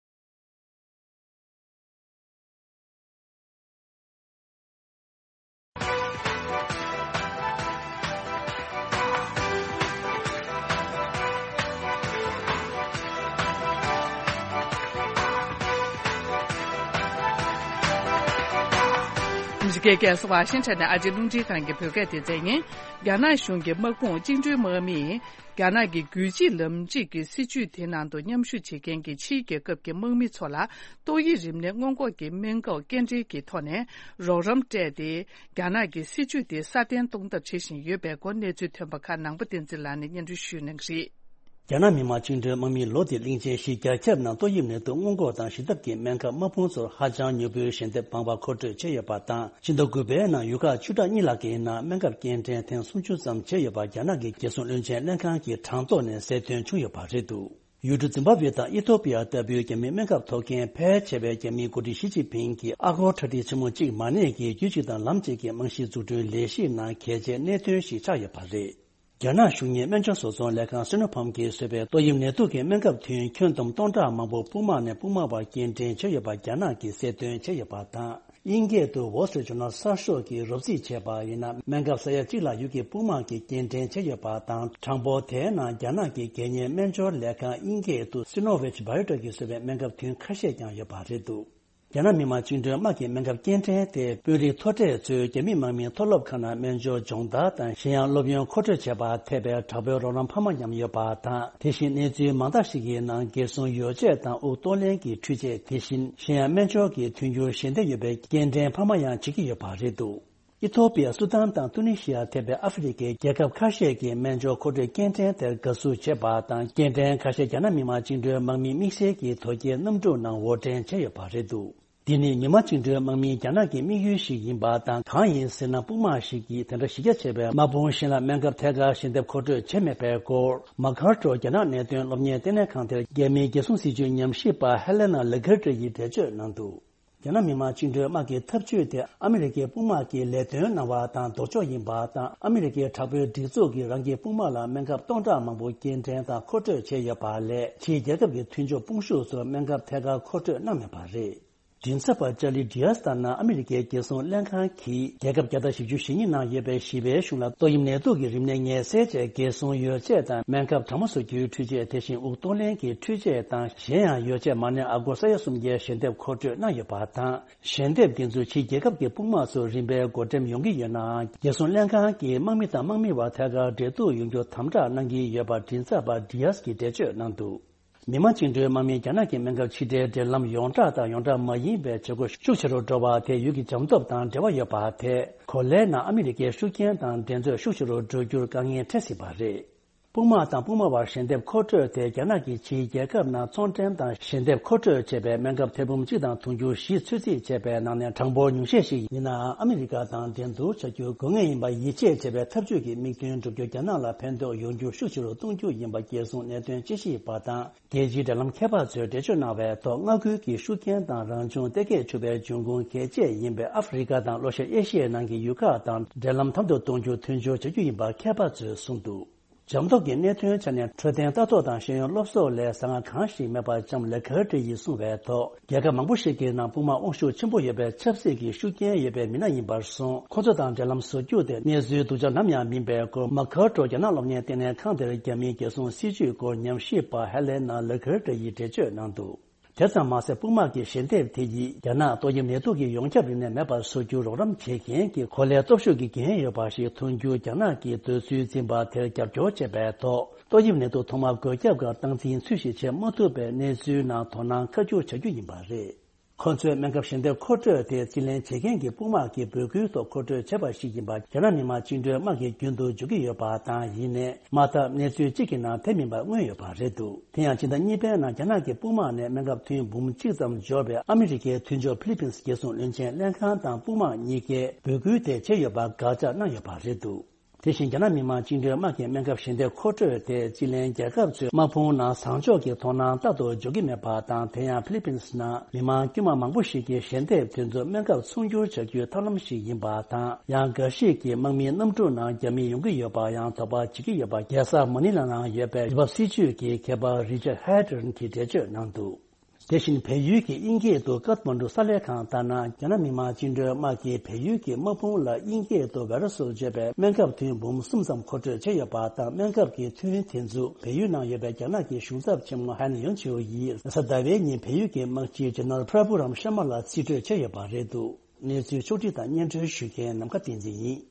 འདི་ག་ཝ་ཤིང་ཊོན་ནས་ཨ་རིའི་རླུང་འཕྲིན་ཁང་གི་བོད་སྐད་སྡེ་ཚན་ཡིན། རྒྱ་ནག་གཞུང་གི་དམག་དཔུང་བཅིངས་འགྲོལ་དམག་མིས་རྒྱ་ནག་གི་རྒྱུད་གཅིག་ལམ་གཅིག་གི་སྲིད་བྱུས་དེ་ནང་དུ་མཉམ་ཞུགས་བྱེད་མཁན་གྱི་ཕྱིའི་རྒྱལ་ཁབ་ཀྱི་དམག་མི་ཚོ་ལ་ཏོག་དབྱིབས་རིམས་ནད་སྔོན་འགོག་གི་སྨན་ཁབ་སྐྱེལ་འདྲེན་གྱི་ཐོག་ནས་རོགས་རམ་སྤྲད་དེ། རྒྱ་ནག་གི་སྲིད་བྱུས་དེ་སྲ་བརྟན་གཏོང་ཐབས་བྱེད་བཞིན་ཡོད་པའི་སྐོར་གནས་ཚུལ་ཐོན་པ་ཁག་ནང་པ་བསྟན་འཛིན་ལགས་ནས་སྙན་སྒྲོན་ཞུ་གནང་གི་རེད། རྒྱ་ནག་མི་དམངས་བཅིངས་འགྲོལ་དམག་མིས་ལོ་འདིའི་གླིང་ཆེན་བཞི་རྒྱ་ཁྱབ་ནང་ཏོག་དབྱིབས་ནད་དུག་སྔོན་འགོག་དང་ཞི་འཐབ་ཀྱི་སྨན་ཁབ་དམག་དཔུང་ཚོར་ཧ་ཅང་མྱུར་པོའི་ཞལ་འདེབས་མང་བ་མཁོ་སྤྲོད་བྱས་ཡོད་པ་དང་། ཕྱི་ཟླ་དགུ་པའི་ནང་ཡུལ་ཁག་བཅུ་ཕྲག་གཉིས་ལྷག་གི་ནང་སྨན་ཁབ་སྐྱེལ་འདྲེན་ཐེངས་སུམ་ཅུ་ཙམ་བྱས་ཡོད་པ་རྒྱ་ནག་གི་རྒྱལ་སྲུང་བློན་ཆེན་ལྷན་ཁང་གི་གྲངས་ཐོ་ནས་གསལ་སྟོན་བྱུང་ཡོད་པ་རེད་འདུག་ཡུལ་གྲུ་ཛིམ་བྷབ་ཝེ་དང་ཨི་ཐོ་པི་ཡ་ལྟ་བུའི་རྒྱ་མིའི་སྨན་ཁབ་ཐོབ་མཁན་ཕལ་ཆེ་བས་རྒྱ་མིའི་འགོ་ཁྲིད་ཞི་ཅིན་ཕིང་གིས་ཨ་སྒོར་ཁྲ་ཁྲིག་ཆེན་མོ་གཅིག་མ་གནས་ཀྱི་རྒྱུད་གཅིག་དང་ལམ་གཅིག་གི་རྨང་གཞི་འཛུགས་སྐྲུན་ལས་གཞིའི་ནང་གལ་ཆེའི་གནད་དོན་ཞིག་ཆགས་ཡོད་པ་རེད། རྒྱ་ནག་གཞུང་གཉེར་སྨན་བཅོས་བཟོ་ཚོང་ལས་ཁང་སི་ནོ་ཕམ་གྱིས་བཟོས་པའི་ཏོག་དབྱིབས་ནད་དུག་གི་སྨན་ཁབ་ཐུན་ཁྱོན་བསྡོམས་སྟོང་ཕྲག་མང་པོ་སྤུ་མ་ནས་སྤུ་མ་བར་སྐྱེལ་འདྲེན་བྱས་ཡོད་པ་རྒྱ་ནག་གིས་གསལ་སྟོན་བྱས་ཡོད་པ་དང་། དབྱིན་སྐད་དུ་Wall Street Journal གསར་ཤོག་གིས་རོབ་རྩིས་བྱས་པ་ཡིན་ན། སྨན་ཁབ་ས་ཡ་གཅིག་ལྷག་ཡུལ་གྱི་སྤུ་མ་གིས་སྐྱེལ་འདྲེན་བྱས་ཡོད་པ་དང་། གྲངས་འབོར་དེའི་ནང་རྒྱ་ནག་གི་སྒེར་གཉེར་སྨན་སྦྱོར་ལས་ཁང་དབྱིན་སྐད་དུ་Sinovac Biotech གིས་བཟོས་པའི་སྨན་ཁབ་ཐུན་ཁ་ཤས་ཀྱང་ཡོད་པ་རེད་འདུག་རྒྱ་ནག་མི་དམངས་བཅིངས་འགྲོལ་དམག་གི་སྨན་ཁབ་སྐྱེལ་འདྲེན་དེ་དཔོན་རིགས་མཐོ་གྲས་ཚོས་རྒྱ་མི་དམག་མིའི་མཐོ་སློབ་ཁང་ནང་སྨན་སྦྱོར་སྦྱོང་བརྡར་དང་གཞན་ཡང་སློབ་ཡོན་མཁོ་སྤྲོད་བྱེད་པར་ཐེབས་པའི་དྲག་པོའི་རོགས་རམ་འཕར་མ་ཉམས་ཡོད་པ་དང་། དེ་བཞིན་གནས་ཚུལ་མང་དག་ཞིག་གི་ནང་རྒྱལ་སྲུང་ཡོ་བྱད་དང་དབུགས་གཏོང་ལེན་གྱི་འཕྲུལ་ཆས། དེ་བཞིན་གཞན་ཡང་སྨན་སྦྱོར་གྱི་མཐུན་འགྱུར་ཞལ་འདེབས་ཡོད་པའི་སྐྱེལ་འདྲེན་འཕར་མ་ཡང་བྱེད་ཀྱི་ཡོད་པ་རེད་འདུག་ཨི་ཐོ་པི་ཡ། སུ་དཱན་དང་ཏུ་ནི་ཤི་ཡར་ཐེ་བའི་ཨ་ཧྥེ་རི་ཁའི་རྒྱལ་ཁབ་ཁ་ཤས་ཀྱིས་སྨན་སྦྱོར་མཁོ་སྤྲོད་སྐྱེལ་འདྲེན་དེར་དགའ་བསུ་བྱས་པ་དང་། སྐྱེལ་འདྲེན་ཁ་ཤས་རྒྱ་ནག་མི་དམངས་བཅིངས་འགྲོལ་དམག་མི་དམིགས་བསལ་གྱི་དོལ་རྒྱལ་གནམ་གྲུ་ནང་འོར་འདྲེན་བྱས་ཡོད་པ་རེད་འདུག་འདི་ནི་མི་དམངས་བཅིངས་འགྲོལ་དམག་མིའི་རྒྱ་ནག་གི་དམིགས་ཡུལ་ཞིག་ཡིན་པ་དང་། གང་ཡིན་ཟེར་ན། དཔུང་དམག་ཞིག་གིས་དེ་འདྲ་གཞི་རྒྱ་ཆེ་བའི་དམག་དཔུང་གཞན་ལ་སྨན་ཁབ་ཐད་ཀར་ཞལ་འདེབས་མཁོ་སྤྲོད་བྱས་མེད་པའི་སྐོར། མ་ཁར་ཀྲོ་རྒྱ་ནག་གནད་དོན་སློབ་གཉེར་ལྟེ་གནས་ཁང་དེར་རྒྱ་མིའི་རྒྱལ་སྲུང་སྲིད་བྱུས་ཉམས་ཞིབ་པ་ཧེ་ལེ་ན་ལེ་གྷར་ཏྲི་ཡིས་འགྲེལ་བརྗོད་གནང་འདུག་རྒྱ་ནག་མི་དམངས་བཅིངས་འགྲོལ་དམག་གི་འཐབ་ཇུས་དེ་ཨ་མི་རི་ཀའི་དཔུང་དམག་གིས་ལས་དོན་གནང་བ་དང་ལྡོག་ཕྱོགས་ཡིན་པ་དང་། ཨ་མི་རི་ཀའི་དྲག་པོའི་སྒྲིག་འཛུགས་ཀྱིས་རང་གི་དཔུང་དམག་ལ་སྨན་ཁབ་སྟོང་ཕྲག་མང་པོ་སྐྱེལ་འདྲེན་དང་མཁོ་སྤྲོད་བྱས་ཡོད་པ་ལས། ཕྱིའི་རྒྱལ་ཁབ་ཀྱི་མཐུན་ཕྱོགས་དཔུང་ཤུགས་ཚོར་སྨན་ཁབ་ཐད་ཀར་མཁོ་སྤྲོད་གནང་མེད་པ་རེད། མགྲིན་ཚབ་པ་ཅར་ལི་ཌི་ཡས་ལྟར་ན། ཨ་མི་རི་ཀའི་རྒྱལ་སྲུང་ལྷན་ཁང་གིས་རྒྱལ་ཁབ་བརྒྱ་དང་བཞི་བཅུ་ཞེ་གཉིས་ནང་ཡོད་པའི་བཞི་པའི་གཞུང་ལ་ཏོག་དབྱིབས་ནད་དུག་གི་རིམས་ནད་ངལ་སེལ་ཆེད་རྒྱལ་སྲུང་ཡོ་བྱད་དང་སྨན་ཁབ་གྲང་མོ་བཟོ་རྒྱུའི་འཕྲུལ་ཆས། དེ་བཞིན་དབུགས་གཏོང་ལེན་གྱི་འཕྲུལ་ཆས་དང་། གཞན་ཡང་ཡོ་བྱད་མ་ཎི་ཨ་སྒོར་ས་ཡ་སུམ་བརྒྱའི་ཞལ་འདེབས་མཁོ་སྤྲོད་གནང་ཡོད་པ་དང་། ཞལ་འདེབས་འདི་ཚོ་ཕྱིའི་རྒྱལ་ཁབ་ཀྱི་དཔུང་དམག་ཚོར་རིམ་པས་བགོ་འགྲེམས་ཡོང་གི་ཡོད་ནའང་། རྒྱལ་སྲུང་ལྷན་ཁང་གིས་དམག་མི་དང་དམག་མི་བར་ཐད་ཀར་འབྲེལ་གཏུག་ཡོང་རྒྱུ་དམ་དྲག་གནང་གི་ཡོད་པ་མགྲིན་ཚབ་པ་ཌི་ཡས་ཀྱིས་འགྲེལ་བརྗོད་གནང་འདུག་མི་དམངས་བཅིངས་འགྲོལ་དམག་མིས་རྒྱ་ནག་གི་སྨན་ཁབ་ཕྱི་འབྲེལ་འབྲེལ་ལམ་ཡོངས་གྲགས་དང་ཡོངས་གྲགས་མ་ཡིན་པའི་བྱེད་སྒོ་ཤུགས་ཆེ་རུ་འགྲོ་བ་དེ་ཡུལ་གྱི་འཇམ་སྟོབས་དང་འབྲེལ་བ་ཡོད་པ་དེས། གོ་ལའི་ནང་ཨ་མི་རི་ཀའི་ཤུགས་རྐྱེན་དང་འགྲན་རྩོད་ཤུགས་ཆེ་རུ་འགྲོ་རྒྱུར་དཀའ་ངལ་འཕྲད་སྲིད་པ་རེད། དཔུང་དམག་དང་དཔུང་དམག་བར་ཞལ་འདེབས་མཁོ་སྤྲོད་དེ་རྒྱ་ནག་གིས་ཕྱིའི་རྒྱལ་ཁབ་ནང་ཚོང་འབྲེལ་དང་ཞལ་འདེབས་མཁོ་སྤྲོད་བྱས་པའི་སྨན་ཁབ་ཐེར་འབུམ་གཅིག་དང་དུང་ཕྱུར་བཞི་ཚོད་རྩིས་བྱས་པའི་ནང་ནས་གྲངས་འབོར་ཉུང་ཤས་ཤིག་ཡིན་ནའང་། ཨ་མི་རི་ཀ་དང་འགྲན་བསྡུར་བྱ་རྒྱུ་དགོས་ངེས་ཡིན་པ་ཡིད་ཆེས་བྱེད་པའི་འཐབ་ཇུས་ཀྱི་དམིགས་དོན་འགྲུབ་རྒྱུར་རྒྱ་ནག་ལ་ཕན་ཐོགས་ཡོང་རྒྱུ་ཤུགས་ཆེ་རུ་གཏོང་རྒྱུ་ཡིན་པ་རྒྱལ་སྲུང་གནད་དོན་དཔྱད་ཞིབ་པ་དང་། རྒྱལ་སྤྱིའི་འབྲེལ་ལམ་མཁས་པ་ཚོས་འགྲེལ་བརྗོད་གནང་བའི་ཐོག་མངའ་ཁུལ་གྱི་ཤུགས་རྐྱེན་དང་རང་བྱུང་གཏེར་ཁའི་ཕྱུག་པའི་འབྱུང་ཁུངས་གལ་ཆེ་ཡིན་པའི་ཨ་ཧྥེ་རི་ཀ་དང་ལྷོ་ཤར་ཨེ་ཤི་ཡའི་ནང་གི་ཡུལ་ཁག་དང་འབྲེལ་ལམ་དམ་དུ་གཏོང་རྒྱུ་མཐུན་སྦྱོར་བྱ་རྒྱུ་ཡིན་པ་མཁས་པ་ཚོས་གསུངས་འདུག་འཇམ་སྟོབས་ཀྱི་གནད་དོན་ཆ་ནས་འཕྲོད་བསྟེན་ལྟ་རྟོག་དང་ཤེས་ཡོན་སློབ་གསོ་ལས་ཟ་ངག་གང་ཞིག་མེད་པ་ཙམ་ལས། ཁ་ཏྲི་ཡིས་གསུངས་པའི་ཐོག་རྒྱལ་ཁབ་མང་པོ་ཞིག་གི་ནང་དཔུང་དམག་དབང་ཤུགས་ཆེན་པོ་ཡོད་པའི་ཆབ་སྲིད་ཀྱི་ཤུགས་རྐྱེན་ཡོད་པའི་མི་སྣ་ཡིན་པར་སོང་། ཁོ་ཚོ་དང་འབྲེལ་ལམ་བཟོ་རྒྱུ་དེ་གནས་ཚུལ་སྡུག་ཅག་ནམ་ཡང་མིན་པའི་སྐོར། མ་ཁར་ཀྲོ་རྒྱ་ནག་སློབ་གཉེར་ལྟེ་གནས་ཁང་དེར་རྒྱ་མིའི་རྒྱལ་སྲུང་སྲིད་བྱུས་སྐོར་ཉམས་ཞིབ་པ་ཧེ་ལེ་ན་ལེ་ཁར་ཏྲ་ཡིས་འགྲེལ་བརྗོད་གནང་འདུག་དེ་ཙམ་མ་ཟད། དཔུང་དམག་གི་ཞལ་འདེབས་དེ་ཡིས་རྒྱ་ནག་ཏོག་དབྱིབས་ནད་དུག་གི་ཡོངས་ཁྱབ་རིམས་ནད་མེད་པར་བཟོ་རྒྱུར་རོགས་རམ་བྱེད་མཁན་གྱི་གོ་ལའི་སྟོབས་ཤུགས་ཀྱི་འགན་ཡོད་པ་ཞིག་མཐོང་རྒྱུར། རྒྱ་ནག་གིས་འདོད་ཚུལ་འཛིན་པ་དེར་རྒྱབ་སྐྱོར་བྱས་པའི་ཐོག་ཏོག་དབྱིབས་ནད་དུག་ཐོག་མར་འགོས་ཁྱབ་སྐབས་སྟངས་འཛིན་ཚུལ་བཞིན་བྱེད་མ་ཐུབ་པའི་གནས་ཚུལ་ནང་དོ་སྣང་བཀའ་བསྒྱུར་བྱ་རྒྱུ་ཡིན་པ་རེད། ཁོ་ཚོས་སྨན་ཁབ་ཞལ་འདེབས་མཁོ་སྤྲོད་དེ་རྩིས་ལེན་བྱེད་མཁན་གྱི་དཔུང་དམག་གི་འབོད་སྐུལ་ཐོག་མཁོ་སྤྲོད་བྱས་པ་ཞིག་ཡིན་པ་རྒྱ་ནག་མི་དམངས་བཅིངས་འགྲོལ་དམག་གིས་རྒྱུན་དུ་བརྗོད་ཀྱི་ཡོད་པ་དང་། ཡིན་ནའི་མ་མཐའ་གནས་ཚུལ་གཅིག་གི་ནང་དེ་མིན་པ་མངོན་ཡོད་པ་རེད་འདུག་དེ་ཡང་ཕྱི་ཟླ་གཉིས་པའི་ནང་རྒྱ་ནག་གི་དཔུང་དམག་ནས་སྨན་ཁབ་ཐུན་འབུམ་གཅིག་ཙམ་འབྱོར་བའི་ཨ་མི་རི་ཀའི་མཐུན་ཕྱོགས་ཕི་ལི་པིན་སི་རྒྱལ་སྲུང་བློན་ཆེན་ལྷན་ཁང་དང་དཔུང་དམག་གཉིས་ཀས་འབོད་སྐུལ་དེ་བྱས་ཡོད་པ་དགག་བྱ་གནང་ཡོད་པ་རེད་འདུག་དེ་བཞིན་རྒྱ་ནག་མི་དམངས་བཅིངས་འགྲོལ་དམག་གིས་སྨན་ཁབ་ཞལ་འདེབས་མཁོ་སྤྲོད་དེ་རྩིས་ལེན་རྒྱལ་ཁབ་ཚོས་དམག་དཔུང་ནང་བཟང་ཕྱོགས་ཀྱི་དོ་སྣང་རྟག་ཏུ་འཇོག་གི་མེད་པ་དང་། དེ་ཡང་ཕི་ལི་པིན་སི་ནང་མི་དམངས་དཀྱུས་མ་མང་པོ་ཞིག་གིས་ཞལ་འདེབས་དེ་ཚོ་སྨན་ཁབ་ཚོང་སྒྱུར་བྱ་རྒྱུའི་ཐབས་ལམ་ཞིག་ཡིན་པ་དང་། ཡང་འགའ་ཞིག་གིས་དམག་མིའི་གནམ་གྲུ་ནང་རྒྱ་མི་ཡོང་གི་ཡོད་པར་ཡང་དོགས་པ་བྱེད་ཀྱི་ཡོད་པ། རྒྱལ་ས་མ་ནི་ལ་ནང་ཡོད་པའི་ཡུལ་བབ་སྲིད་བྱུས་ཀྱི་མཁས་པ་རི་ཅར་ཧེ་ཏྲན་གྱིས་འགྲེལ་བརྗོད་གནང་འདུག་དེ་བཞིན་བལ་ཡུལ་གྱི་དབྱིན་སྐད་དུ་ཀཏ་མན་ཌུ་གསར་ལས་ཁང་ལྟར་ན། རྒྱ་ནག་མི་དམངས་བཅིངས་འགྲོལ་དམག་གིས་བལ་ཡུལ་གྱི་དམག་དཔུང་ལ་དབྱིན་སྐད་དུ་བྷའི་རུ་སིལ་བརྗོད་པའི་སྨན་ཁབ་ཐུན་འབུམ་གསུམ་ཙམ་མཁོ་སྤྲོད་བྱས་ཡོད་པ་དང་། སྨན་ཁབ་ཀྱི་ཐུན་དེ་ཚོ་བལ་ཡུལ་ནང་ཡོད་པའི་རྒྱ་ནག་གི་གཞུང་ཚབ་ཆེན་མོ་ཧན་ཡོན་ཆིའུ་ཡིས་གཟའ་ཟླ་བའི་ཉིན་བལ་ཡུལ་གྱི་དམག་སྤྱི་ཇེ་ནེ་རལ་པྲ་བྷུ་རམ་ཤར་མ་ལ་རྩིས་སྤྲོད་བྱས་ཡོད་པ་རེད་འདུག་གནས་ཚུལ་ཕྱོགས་སྒྲིག་དང་སྙན་སྒྲོན་ཞུ་མཁན་ནམ་མཁའ་བསྟན་འཛིན་ཡིན།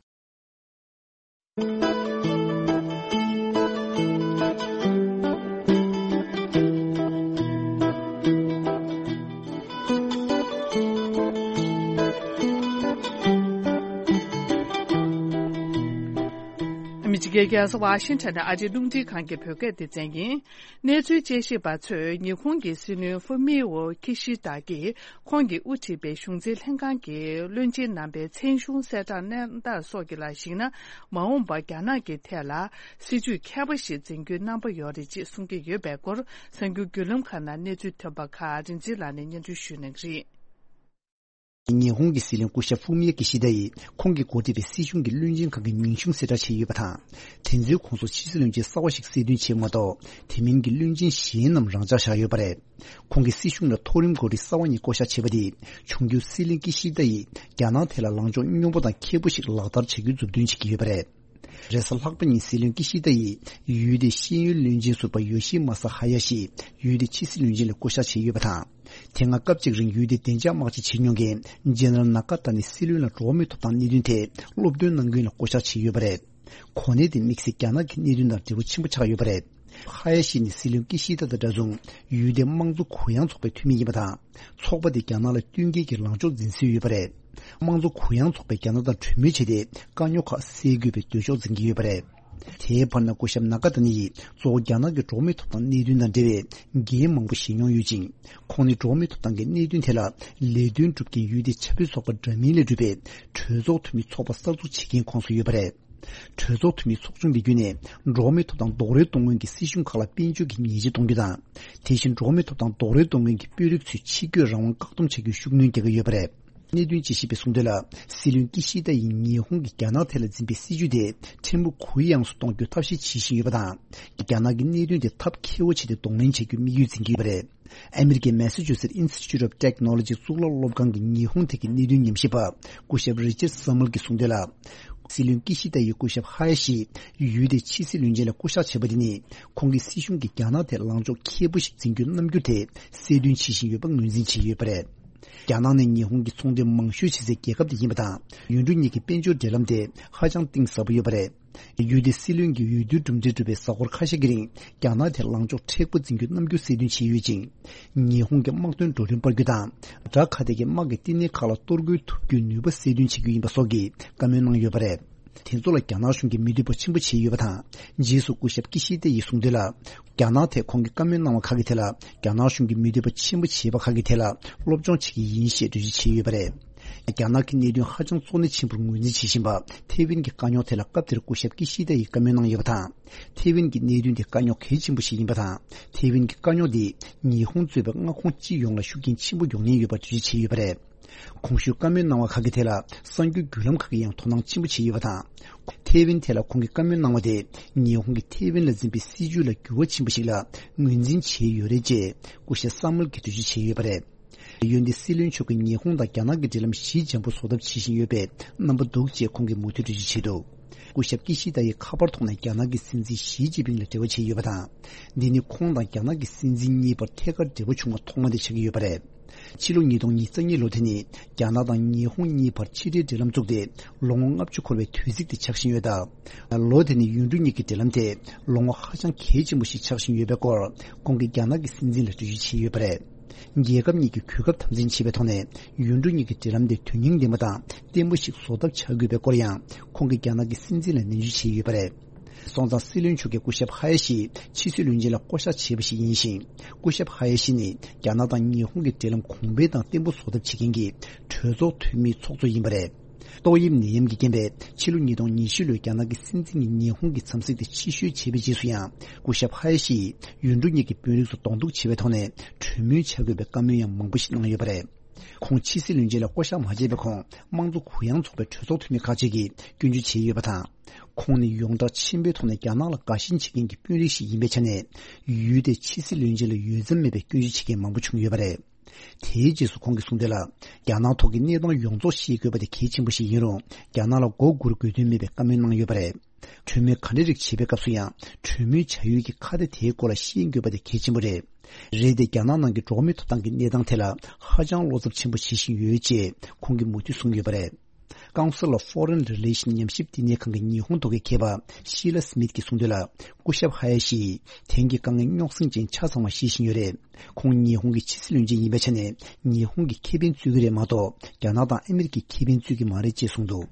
ཨ་མི་རི་ཀའི་རྒྱལ་ས་ཝ་ཤིང་ཊོན་ནས་ཨ་རིའི་རླུང་འཕྲིན་ཁང་གི་བོད་སྐད་སྡེ་ཚན་ཡིན། གནས་ཚུལ་དཔྱད་ཞིབ་པ་ཚོས་ཉི་ཧོང་གི་སྲིད་བློན་ཧྥུ་མི་ཨོ་ཁི་ཤི་ད་ཀྱིས་ཁོང་གིས་དབུ་ཁྲིད་པའི་གཞུང་འཛིན་ལྷན་ཁང་གི་བློན་ཆེན་རྣམ་པའི་མཚན་གཞུང་གསལ་བསྒྲགས་གནས་སྟངས་སོགས་ཀྱི་ལ་གཞིགས་ན། མ་འོངས་པར་རྒྱ་ནག་གི་ཐད་ལ་སྲིད་ཇུས་མཁས་པོ་ཞིག་འཛིན་རྒྱུའི་རྣམ་པ་ཡོད་རེད་ཅེས་གསུང་གི་ཡོད་པའི་སྐོར། གསར་འགྱུར་བརྒྱུད་ལམ་ཁག་ནང་གནས་ཚུལ་ཐོན་པ་ཁག་རིག་འཛིན་ལགས་ནས་སྙན་སྒྲོན་ཞུ་གནང་གི་རེད། ཉི་ཧོང་གི་སྲིད་བློན་སྐུ་ཞབས་ཧྥུ་མི་ཡ་ཀི་ཤི་ད་ཡིས་ཁོང་གིས་འགོ་ཁྲིད་པའི་སྲིད་གཞུང་གི་བློན་ཆེན་ཁག་གི་མིང་གཞུང་གསལ་བསྒྲགས་བྱས་ཡོད་པ་དང་། དེ་ཚོའི་ཁོངས་སུ་ཕྱི་སྲིད་བློན་ཆེན་གསར་བ་ཞིག་གསལ་སྟོན་བྱས་མ་གཏོགས། དེ་མིན་གྱི་བློན་ཆེན་གཞན་རྣམས་རང་འཇགས་བཞག་ཡོད་པ་རེད། ཁོང་གིས་སྲིད་གཞུང་ལ་མཐོ་རིམ་འགོ་ཁྲིད་གསར་བ་གཉིས་བསྐོ་གཞག་བྱས་པ་དེས། འབྱུང་འགྱུར་སྲིད་བློན་ཀི་ཤི་ད་ཡིས་རྒྱ་ནག་ཐད་ལ་ལངས་ཕྱོགས་སྙོམས་པོ་དང་མཁས་པོ་ཞིག་ལག་བསྟར་བྱ་རྒྱུའི་མཛུབ་སྟོན་བྱེད་ཀྱི་ཡོད་པ་རེད། རེས་གཟའ་ལྷག་པ་ཉིན་སྲིད་བློན་ཀི་ཤི་ད་ཡིས་ཡུལ་དེའི་ཤེས་ཡོན་བློན་ཆེན་ཟུར་པ་ཡོ་ཤི་མ་ས་ཧ་ཡ་ཤི་ཡུལ་དེའི་ཕྱི་སྲིད་བློན་ཆེན་ལ་བསྐོ་གཞག་བྱས་ཡོད་པ་དང་། དེ་སྔ་སྐབས་གཅིག་རིང་ཡུལ་དེའི་བདེ་འཇགས་དམག་སྤྱི་བྱེད་མྱོང་མཁན་ཇེ་ནེ་རལ་ན་ཀ་ཏ་ནི་སྲིད་བློན་ལ་འགྲོ་བ་མིའི་ཐོབ་ཐང་གནད་དོན་ཐད་སློབ་སྟོན་གནང་མཁན་ལ་བསྐོ་གཞག་བྱས་ཡོད་པ་རེད། གོ་གནས་དེ་དམིགས་བསལ་རྒྱ་ནག་གི་གནད་དོན་དང་འབྲེལ་བ་ཆེན་པོ་ཆགས་ཡོད་པ་རེད། ཧ་ཡ་ཤི་ནི་སྲིད་བློན་ཀི་ཤི་ད་དང་འདྲ་མཚུངས་ཡུལ་དེའི་དམངས་གཙོ་གུ་ཡངས་ཚོགས་པའི་འཐུས་མི་ཡིན་པ་དང་། ཚོགས་པ་དེ་རྒྱ་ནག་ལ་བསྟུན་མཁས་ཀྱི་ལངས་ཕྱོགས་འཛིན་སྲོལ་ཡོད་པ་རེད། དམངས་གཙོ་གུ་ཡངས་ཚོགས་པས་རྒྱ་ནག་དང་གྲོས་མོལ་བྱས་ཏེ་དཀའ་རྙོག་ཁག་སེལ་དགོས་པའི་འདོད་ཕྱོགས་འཛིན་གྱི་ཡོད་པ་རེད། དེའི་བར་ན་སྐུ་ཞབས་ན་ཀ་ཏ་ནི་ཡིས་གཙོ་བོ་རྒྱ་ནག་གི་འགྲོ་བ་མིའི་ཐོབ་ཐང་གནད་དོན་དང་འབྲེལ་བའི་འགན་མང་པོ་བཞེས་མྱོང་ཡོད་ཅིང་། ཁོང་ནི་འགྲོ་བ་མིའི་ཐོབ་ཐང་གི་གནད་དོན་ཐད་ལ་ལས་དོན་སྒྲུབ་མཁན་ཡུལ་དེའི་ཆབ་སྲིད་ཚོགས་པ་འདྲ་མིན་ལས་གྲུབ་པའི་གྲོས་ཚོགས་འཐུས་མི་ཚོགས་པ་གསར་འཛུགས་བྱེད་མཁན་ཁོངས་སུ་ཡོད་པ་རེད། གྲོས་ཚོགས་འཐུས་མི་ཚོགས་ཆུང་གི་བརྒྱུད་ནས་འགྲོ་བ་མིའི་ཐོབ་ཐང་རྡོག་རོལ་གཏོང་མཁན་གྱི་སྲིད་གཞུང་ཁག་ལ་དཔལ་འབྱོར་གྱི་ཉེས་ཆད་གཏོང་རྒྱུ་དང་། དེ་བཞིན་འགྲོ་བ་མིའི་ཐོབ་ཐང་རྡོག་རོལ་གཏོང་མཁན་གྱི་དཔོན་རིགས་ཚོའི་ཆིག་སྒྲིལ་རང་དབང་བཀག་སྡོམ་བྱ་རྒྱུའི་ཤུགས་སྣོན་རྒྱག་གི་ཡོད་པ་རེད། གནད་དོན་དཔྱད་ཞིབ་པས་གསུངས་དོན་ལ། སྲིད་བློན་ཀི་ཤི་ད་ཡིས་ཉི་ཧོང་གིས་རྒྱ་ནག་ཐད་ལ་འཛིན་པའི་སྲིད་ཇུས་དེ་ཕྲན་བུ་གུ་ཡངས་སུ་གཏོང་རྒྱུ་ཐབས་ཤེས་བྱེད་བཞིན་ཡོད་པ་དང་། རྒྱ་ནག་གི་གནད་དོན་དེ་ཐབས་མཁས་པོ་བྱས་ཏེ་གདོང་ལེན་བྱ་རྒྱུའི་དམིགས་ཡུལ་འཛིན་གྱི་ཡོད་པ་རེད། ཨ་མི་རི་ཀའི་མེ་སི་ཆུ་སེ་ཊི་ཨིན་སི་ཊི་ཊུ་ཨོཕ་ཊེག་ནོ་ལོ་ཇི་གཙུག་ལག་སློབ་ཁང་གི་ཉི་ཧོང་ཐད་ཀྱི་གནད་དོན་ཉམས་ཞིབ་པ་སྐུ་ཞབས་རི་ཅར་སམ་མལ་གྱིས་གསུངས་དོན་ལ། སྲིད་བློན་ཀི་ཤི་ད་ཡིས་སྐུ་ཞབས་ཧ་ཡ་ཤི་ཡུལ་དེའི་ཕྱི་སྲིད་བློན་ཆེན་ལ་བསྐོ་གཞག་བྱས་པ་དེ་ནི། ཁོང་གིས་སྲིད་གཞུང་གིས་རྒྱ་ནག་ཐད་ལངས་ཕྱོགས་མཁས་པོ་ཞིག་འཛིན་རྒྱུའི་རྣམ་འགྱུར་དེ་གསལ་སྟོན་བྱེད་བཞིན་ཡོད་པ་ངོས་འཛིན་བྱས་ཡོད་པ་རེད། རྒྱ་ནག་ནས་ཉི་ཧོང་གི་ཚོང་འབྲེལ་མང་ཤོས་བྱེད་སའི་རྒྱལ་ཁབ་དེ་ཡིན་པ་དང་། ཡུལ་གྲུ་གཉིས་ཀྱི་དཔལ་འབྱོར་འབྲེལ་ལམ་དེ་ཧ་ཅང་གཏིང་ཟབ་པོ་ཡོད་པ་རེད། ཡུལ་དེའི་སྲིད་བློན་གྱིས་འོས་བསྡུའི་གྲུབ་འབྲས་གྲུབ་པའི་གཟའ་འཁོར་ཁ་ཤས་ཀྱི་རིང་རྒྱ་ནག་དེར་ལངས་ཕྱོགས་མཁྲེགས་པོ་འཛིན་རྒྱུའི་རྣམ་འགྱུར་གསལ་སྟོན་བྱས་ཡོད་ཅིང་། ཉི་ཧོང་གི་དམག་དོན་བགྲོ་གླེང་སྤར་རྒྱུ་དང་། དགྲ་ཁ་གཏད་ཀྱི་དམག་གི་བསྟི་གནས་ཁག་ལ་གཏོར་རྒོལ་ཐུབ་རྒྱུའི་ནུས་པ་གསལ་སྟོན་བྱེད་རྒྱུ་ཡིན་པ་སོགས་ཀྱི་བཀའ་མོལ་གནང་ཡོད་པ་རེད། དེ་ཚོ་ལ་རྒྱ་ནག་གཞུང་གིས་མི་འདོད་པ་ཆེན་པོ་བྱས་ཡོད་པ་དང་། རྗེས་སུ་སྐུ་ཞབས་ཀི་ཤི་ཏེ་ཡིས་གསུངས་དོན་ལ། རྒྱ་ནག་ཐད་ཁོང་གིས་བཀའ་མོལ་གནང་བ་ཁག་གི་ཐད་ལ། རྒྱ་ནག་གཞུང་གིས་མི་འདོད་པ་ཆེན་པོ་བྱས་པ་ཁག་གི་ཐད་ལ་སློབ་སྦྱོང་བྱེད་ཀྱི་ཡིན་ཞེས་འགྲེལ་བརྗོད་བྱས་ཡོད་པ་རེད། རྒྱ་ནག་གི་གནད་དོན་ཧ་ཅང་གཙོ་གནད་ཆེན་པོར་ངོས་འཛིན་བྱེད་བཞིན་པ། ཐེ་ཝན་གྱི་དཀའ་རྙོག་ཐད་ལ་སྐབས་དེར་སྐུ་ཞབས་ཀི་ཤི་ཏེ་ཡིས་བཀའ་མོལ་གནང་ཡོད་པ་དང་། ཐེ་ཝན་གྱི་གནད་དོན་དེ་དཀའ་རྙོག་གལ་ཆེན་པོ་ཞིག་ཡིན་པ་དང་། ཐེ་ཝན་གྱི་དཀའ་རྙོག་འདིས་ཉི་ཧོང་གཙོས་པའི་མངའ་ཁོངས་སྤྱི་ཡོངས་ལ་ཤུགས་རྐྱེན་ཆེན་པོ་ཡོང་ཉེན་ཡོད་པ་འགྲེལ་བརྗོད་བྱས་ཡོད་པ་རེད། གོང་ཞུས་བཀའ་མོལ་གནང་བ་ཁག་གི་ཐད་ལ་གསར་འགྱུར་བརྒྱུད་ལམ་ཁག་གིས་ཡང་དོ་སྣང་ཆེན་པོ་བྱས་ཡོད་པ་དང་། ཐེ་ཝན་ཐད་ལ་ཁོང་གིས་བཀའ་མོལ་གནང་བ་དེ་ཉི་ཧོང་གིས་ཐེ་ཝན་ལ་འཛིན་པའི་སྲིད་ཇུས་ལ་འགྱུར་བ་ཕྱིན་པ་ཞིག་ལ་ངོས་འཛིན་བྱས་ཡོད་རེད་ཅེས་སྐུ་ཞབས་སམ་མལ་གྱིས་འགྲེལ་བརྗོད་བྱས་ཡོད་པ་རེད། འོན་ཏེ་སྲིད་བློན་མཆོག་གིས་ཉི་ཧོང་དང་རྒྱ་ནག་གི་འབྲེལ་ལམ་ཞི་འཇམ་པོ་བཟོ་ཐབས་བྱེད་བཞིན་ཡོད་པའི་རྣམ་པ་འདུག་ཅེས་ཁོང་གིས་མུ་མཐུད་འགྲེལ་བརྗོད་བྱས་འདུག་སྐུ་ཞབས་ཀི་ཤི་ད་ཡིས་ཁ་པར་ཐོག་ནས་རྒྱ་ནག་གི་སྲིད་འཛིན་ཞི་ཅིན་ཕིང་ལ་འབྲེལ་བ་བྱས་ཡོད་པ་དང་། འདི་ནི་ཁོང་དང་རྒྱ་ནག་གི་སྲིད་འཛིན་གཉིས་བར་ཐད་ཀར་འབྲེལ་བ་བྱུང་བ་ཐོག་མ་དེ་ཆགས་ཀྱི་ཡོད་པ་རེད། ཕྱི་ལོ་ཉིས་སྟོང་ཉེར་གཉིས་ལོ་དེ་ནི་རྒྱ་ནག་དང་ཉི་ཧོང་གཉིས་བར་ཕྱི་འབྲེལ་འབྲེལ་ལམ་བཙུགས་ཏེ་ལོ་ངོ་ལྔ་བཅུ་འཁོར་བའི་དུས་ཚིགས་དེ་ཆགས་བཞིན་ཡོད་སྟབས། ལོ་དེ་ནི་ཡུལ་གྲུ་གཉིས་ཀྱི་འབྲེལ་ལམ་དེ་ལོ་ངོ་ཧ་ཅང་གལ་ཆེན་པོ་ཞིག་ཆགས་བཞིན་ཡོད་པའི་སྐོར་ཁོང་གིས་རྒྱ་ནག་གི་སྲིད་འཛིན་ལ་འགྲེལ་བརྗོད་བྱས་ཡོད་པ་རེད། རྒྱལ་ཁབ་གཉིས་ཀྱི་གོ་སྐབས་དམ་འཛིན་བྱེད་པའི་ཐོག་ནས་ཡུལ་གྲུ་གཉིས་ཀྱི་འབྲེལ་ལམ་དེ་དོན་སྙིང་ལྡན་པ་དང་བརྟན་པོ་ཞིག་བཟོ་ཐབས་བྱ་དགོས་པའི་སྐོར་ཡང་ཁོང་གིས་རྒྱ་ནག་གི་སྲིད་འཛིན་ལ་ནན་བརྗོད་བྱས་ཡོད་པ་རེད། སོང་ཙང་སྲིད་བློན་མཆོག་གིས་སྐུ་ཞབས་ཧ་ཡ་ཤི་ཕྱི་སྲིད་བློན་ཆེན་ལ་བསྐོ་གཞག་བྱས་པ་ཞིག་ཡིན་ཞིང་། སྐུ་ཞབས་ཧ་ཡ་ཤི་ནི་རྒྱ་ནག་དང་ཉི་ཧོང་གི་འབྲེལ་ལམ་གོང་འཕེལ་དང་བརྟན་པོ་བཟོ་ཐབས་བྱེད་མཁན་གྱི་གྲོས་ཚོགས་འཐུས་མིའི་ཚོགས་གཙོ་ཡིན་པ་རེད། ཏོག་དབྱིབས་ནད་ཡམས་ཀྱི་རྐྱེན་པས་ཕྱི་ལོ་ཉིས་སྟོང་ཉི་ཤུ་ལོའི་རྒྱ་ནག་གི་སྲིད་འཛིན་གྱི་ཉི་ཧོང་གི་འཚམས་གཟིགས་དེ་ཕྱིར་བཤོལ་བྱས་པའི་རྗེས་སུ་ཡང་སྐུ་ཞབས་ཧ་ཡ་ཤི་ཡིས་ཡུལ་གྲུ་གཉིས་ཀྱི་དཔོན་རིགས་སུ་གདོང་གཏུག་བྱེད་པའི་ཐོག་ནས་གྲོས་མོལ་བྱ་དགོས་པའི་བཀའ་མོལ་ཡང་མང་པོ་ཞིག་གནང་ཡོད་པ་རེད། ཁོང་ཕྱི་སྲིད་བློན་ཆེན་ལ་བསྐོ་གཞག་མ་བྱས་པའི་གོང་དམངས་གཙོ་གུ་ཡངས་ཚོགས་པའི་གྲོས་ཚོགས་འཐུས་མི་ཁག་ཅིག་གིས་སྐྱོན་བརྗོད་བྱས་ཡོད་པ་དང་། ཁོང་ནི་ཡོངས་གྲགས་ཆེན་པོའི་ཐོག་ནས་རྒྱ་ནག་ལ་དགའ་ཞེན་བྱེད་མཁན་གྱི་དཔོན་རིགས་ཤིག་ཡིན་པའི་ཆ་ནས་ཡུལ་དེའི་ཕྱི་སྲིད་བློན་ཆེན་ལ་འོས་འཚམ་མེད་པའི་སྐྱོན་བརྗོད་བྱེད་མཁན་མང་པོ་བྱུང་ཡོད་པ་རེད། དེའི་རྗེས་སུ་ཁོང་གིས་གསུངས་དོན་ལ། རྒྱ་ནག་ཐོག་གི་གནས་སྟངས་ཡོངས་རྫོགས་ཤེས་དགོས་པ་དེ་གལ་ཆེན་པོ་ཞིག་ཡིན་རུང་། རྒྱ་ནག་ལ་མགོ་སྒུར་དགོས་དོན་མེད་པའི་བཀའ་མོལ་གནང་ཡོད་པ་རེད། གྲོས་མོལ་ག་འདྲ་རིགས་བྱེད་པའི་སྐབས་སུ་ཡང་གྲོས་མོལ་བྱ་ཡུལ་གྱི་ཁ་བརྡ་དེའི་སྐོར་ལ་ཤེས་དགོས་པ་དེ་གལ་ཆེན་པོ་རེད། རེད་དེ། རྒྱ་ནག་ནང་གི་འགྲོ་བ་མིའི་ཐོབ་ཐང་གི་གནས་སྟངས་ཐད་ལ་ཧ་ཅང་བློ་འཚབ་ཆེན་པོ་བྱེད་བཞིན་ཡོད་ཅེས་ཁོང་གིས་མུ་མཐུད་གསུངས་ཡོད་པ་རེད། Council of Foreign Relations ཉམས་ཞིབ་བསྟི་གནས་ཁང་གི་ཉི་ཧོང་ཐོག་ཁའི་མཁས་པ་ཤི་ལ་སི་མིད་ཀྱིས་གསུངས་དོན་ལ། སྐུ་ཞབས་ཧ་ཡ་ཤི་ཡིས་དེང་གི་དཀའ་ངལ་རྙོག་ཟིང་ཅན་ཆ་ཚང་བ་ཤེས་བཞིན་ཡོད་རེད། ཁོང་ཉི་ཧོང་གི་ཕྱི་སྲིད་བློན་ཆེན་ཡིན་པའི་ཆ་ནས་ཉི་ཧོང་གི་ཁེ་ཕན་རྩོད་ཀྱི་རེད་མ་གཏོགས། རྒྱ་ནག་དང་ཨ་མི་རི་ཀའི་ཁེ་ཕན་རྩོད་ཀྱི་མ་རེད་ཅེས་གསུངས་འདུག་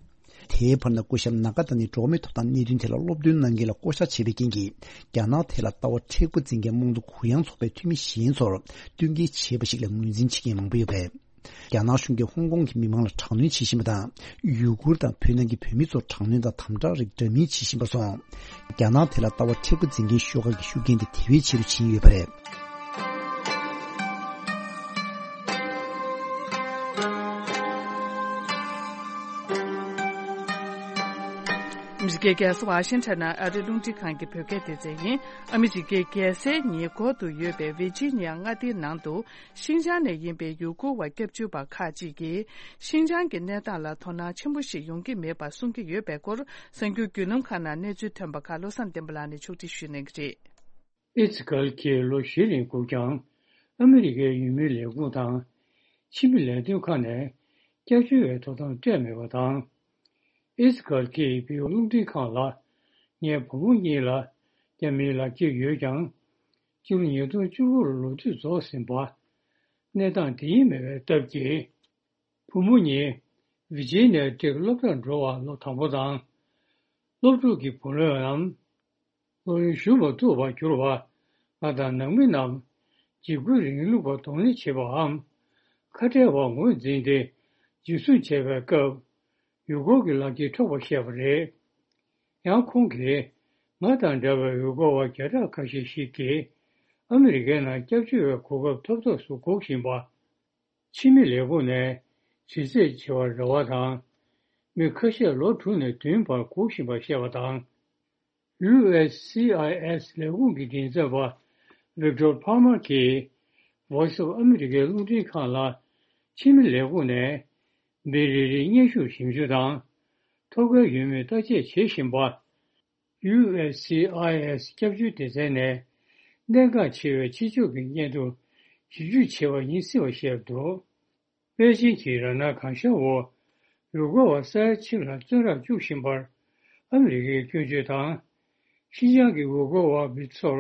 དེའི་བར་ན་སྐུ་ཞབས་ནཱ་ག་ཏཱ་ནི་འགྲོ་བ་མིའི་ཐོབ་ཐང་གནད་དོན་ཐད་ལ་སློབ་སྟོན་གནང་མཁན་ལ་བསྐོ་བཞག་བྱས་པའི་རྐྱེན་གྱིས། རྒྱ་ནག་ཐད་ལ་ལྟ་བ་མཁྲེགས་པོ་འཛིན་མཁན་དམངས་གཙོ་གུ་ཡངས་ཚོགས་པའི་འཐུས་མི་གཞན་ཚོར་བསྟུན་མཁས་བྱས་པ་ཞིག་ལ་ངོས་འཛིན་བྱེད་མཁན་མང་པོ་ཡོད་པ་རེད། རྒྱ་ནག་གཞུང་གིས་ཧོང་ཀོང་གི་མི་མང་ལ་དྲག་གནོན་བྱེད་བཞིན་པ་དང་། ཡུ་གུར་དང་བོད་ནང་གི་བོད་མི་ཚོར་དྲག་གནོན་དང་དམ་དྲག་རིགས་འདྲ་མིན་བྱེད་བཞིན་པ་སོགས། རྒྱ་ནག་དེ་ལ་ལྟ་བ་མཁྲེགས་པོ་འཛིན་མཁན་ཤོག་ཁག་གི་ཤུགས་རྐྱེན་དེ་དེ་བས་ཆེ་རུ་ཕྱིན་ཡོད་པ་རེད། ཨ་མི་རི་ཀའི་རྒྱལ་ས་ཝ་ཤིང་ཊོན་ནང་ཨ་རིའི་རླུང་འཕྲིན་ཁང་གི་བོད་སྐད་སྡེ་ཚན་ཡིན། ཨ་མི་རི་ཀའི་རྒྱལ་སའི་ཉེ་འཁོར་དུ་ཡོད་པའི་ཝི་ཇི་ནི་ཡ་མངའ་སྡེའི་ནང་དུ། ཤིན་ཅང་ནས་ཡིན་པའི་ཡུ་གུར་བ་སྐྱབས་བཅོལ་བ་ཁག་ཅིག་གིས། ཤིན་ཅང་གི་གནས་སྟངས་ལ་དོ་སྣང་ཆེན་པོ་ཞིག་ཡོང་གི་མེད་པ་གསུང་གི་ཡོད་པའི་སྐོར། གསར་འགྱུར་བརྒྱུད་ལམ་ཁག་ནང་གནས་ཚུལ་ཐོན་པ་ཁག་བློ་བཟང་བསྟན་པ་ལགས་ནས་ཕྱོགས་སྒྲིག་ཞུ་གནང་གི་རེད། ཨི་ཛི་ཀལ་གྱིས་ལོ་བཞི་རིང་སྒུག་ཀྱང་། ཨ་མི་རི་ཀའི་ཡུལ་མིའི་ལས་ཁུངས་དང་། ཕྱི་མི་ལས་དོན་ཁག་ནས་སྐྱབས་བཅོལ་བའི་ཐོབ་ཐང་སྤྲད་མེད་པ་དང་། ཨི་ཛི་ཀལ་གྱིས་བོད་རླུང་འཕྲིན་ཁང་ལ། ངའི་བུ་མོ་གཉིས་ལ་རྒྱ་མིའི་ལག་འཁྱེར་ཡོད་ཀྱང་། སྤྱི་ལོ་ཉིས་སྟོང་བཅུ་དགུ་ལོར་ལོ་དུས་རྫོགས་ཟིན་པ། གནས་སྟངས་དེ་ཉིད་མེད་པའི་སྟབས་ཀྱིས། བུ་མོ་གཉིས་ཝི་ཇི་ནི་ཡ་ཊེག་སློབ་གྲྭར་འགྲོ་བར་ལོ་དང་པོ་དང་། སློབ་ཕྲུག་གི་བུ་ལོན་ནམ། སློབ་ཡོན་ཞུ་མ་ཐུབ་པར་གྱུར་བར། ང་དང་ནང་མི་རྣམས་འཇིགས་སྐུལ་རིང་ལུགས་པར་གདོང་ལེན་བྱེད་པའམ། ཁ་བྲལ་བར་ངོས་འཛིན་ཏེ་འཇུ་བཟུང་བྱས་པའི་སྐབས། ཡུལ་སྐོར་གྱི་ལག་འཁྱེར་འཕྲོག་པར་བཤད་པ་རེད། ཡང་ཁོང་གིས། ང་དང་འདྲ་བའི་ཡུལ་སྐོར་བ་བརྒྱ་ཕྲག་ཁ་ཤས་ཤིག་གིས། ཨ་མི་རི་ཀའི་ནང་སྐྱབས་བཅོལ་བའི་གོ་སྐབས་ཐོབ་ཐབས་སུ་སྒུག་བཞིན་པ། ཕྱི་མི་ལས་ཁུངས་ནས་དྲི་རྩད་བྱེད་པར་རེ་བ་དང་། མི་ཁ་ཤས་ལོ་དྲུག་ནས་བདུན་བར་སྒུག་བཞིན་པར་བཤད་པ་དང་། ཡུ་ཨེས་སི་ཨའི་ཨེས་ལས་ཁུངས་ཀྱི་མགྲིན་ཚབ་པ་ཝིག་ཏོར་ཕར་མར་གྱིས་Voice of America རླུང་འཕྲིན་ཁང་ལ། ཕྱི་མི་ལས་ཁུངས་ནས་མི་རེ་རེའི་སྙན་ཞུར་ཞིབ་འཇུག་དང་། ཐོབ་སྐལ་ཡོད་མེད་བརྟག་དཔྱད་བྱེད་བཞིན་པ། ཡུ་ཨེས་སི་ཨའི་ཨེས་སྐྱབས་བཅོལ་སྡེ་ཚན་ནས་གནད་འགག་ཆེ་བའི་ཕྱི་ཕྱོགས་ཀྱི་སྙན་ཐོ་ཞིབ་འཇུག་བྱས་པ་ཡིན་སྲིད་པ་བཤད་འདུག་པེ་ཅིང་གིས་རང་སྣང་གང་ཤར་འོག་ཡུལ་སྐོར་བ་ས་ཡ་གཅིག་ལྷག་བཙོན་རར་བཅུག་བཞིན་པར་ཨ་མི་རི་ཀའི་སྐྱོན་བརྗོད་དང་། ཤིན་ཅང་གི་ཡུལ་སྐོར་བ་མི་ཚོར་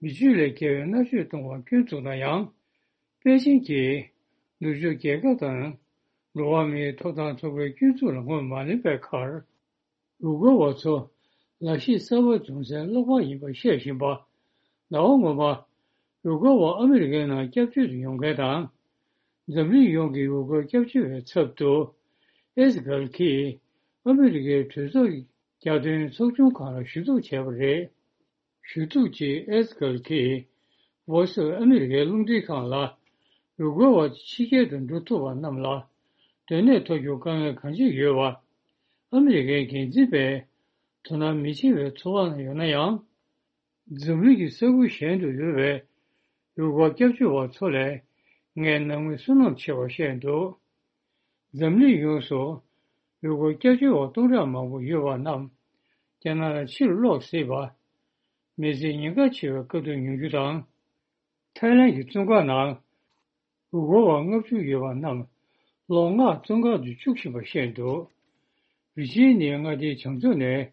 མི་སྤྱོད་ལས་བརྒལ་བའི་མནར་གཅོད་གཏོང་བར་སྐྱོན་བཙུགས་ན་ཡང་། པེ་ཅིང་གིས་ནུབ་ཕྱོགས་རྒྱལ་ཁབ་དང་འགྲོ་བ་མིའི་ཐོབ་ཐང་ཚོགས་པའི་སྐྱོན་འཛུགས་ལ་ངོས་མ་ལེན་པའི་ཁར། ཡུལ་སྐོར་བ་ཚོ་ལག་ཤེས་གསར་པ་འཛོམས་སའི་གློག་པར་ཡིན་པ་བཤད་བཞིན་པ། ཟླ་བ་སྔོན་མ། ཡུལ་སྐོར་བ་ཨ་མི་རི་ཀའི་ནང་སྐྱབས་བཅོལ་དུ་ཡོང་མཁན་དང་། འཛམ་གླིང་ཡོངས་ཀྱི་ཡུལ་སྐོར་སྐྱབས་བཅོལ་བའི་ཚབ་ཏུ། ཨེ་ཛི་གལ་གྱིས་ཨ་མི་རི་ཀའི་གྲོས་ཚོགས་ཀྱི་རྒྱལ་དོན་ཚོགས་ཆུང་ཁང་ལ་ཞུ་གཏུག་བྱས་པ་རེད། ཞུ་གཏུག་ཅིག་ཨེ་ཛི་གལ་གྱིས་Voice of America རླུང་འཕྲིན་ཁང་ལ། ཡུལ་སྐོར་བ་ཕྱི་རྒྱལ་དུ་འགྲོ་ཐུབ་པ་རྣམས་ལ་སྡོད་གནས་ཐོབ་རྒྱུར་དཀའ་ངལ་གང་ཅི་ཡོད་པ། ཨ་མི་རི་ཀའི་འགན་འཛིན་པས་དོ་སྣང་མི་བྱེད་པའི་ཚོར་བ་ཡོད་ན་ཡང་། འཛམ་གླིང་གི་ས་ཁུལ་གཞན་དུ་ཡོད་པའི་ཡུལ་སྐོར་སྐྱབས་བཅོལ་བ་ཚོ་ལས་ངས་སྣང་མེད་བསོད་ནམས་ཆེ་བ་བཤད་འདུག་འཛམ་གླིང་ཡོངས་སུ་ཡུལ་སྐོར་སྐྱབས་བཅོལ་བ་སྟོང་ཕྲག་མང་པོ་ཡོད་པ་རྣམས་རྒྱ་ནག་ལ་ཕྱིར་ལོག་སྲིད་པ། མི་ཚེ་ཉེན་ཁ་ཆེ་བའི་དཀའ་སྡུག་མྱོང་རྒྱུ་དང་། ཐའི་ལན་གྱི་བཙོན་ཁང་ནང་ཡུལ་སྐོར་བ་ལྔ་བཅུ་ཡོད་པ་རྣམས་ལོ་ལྔ་བཙོན་ཁང་དུ་བཅུག་བཞིན་པ་བཤད་འདུག་ཝི་ཇི་ནི་ཡ་མངའ་སྡེའི་བྱང་ཕྱོགས་ནས་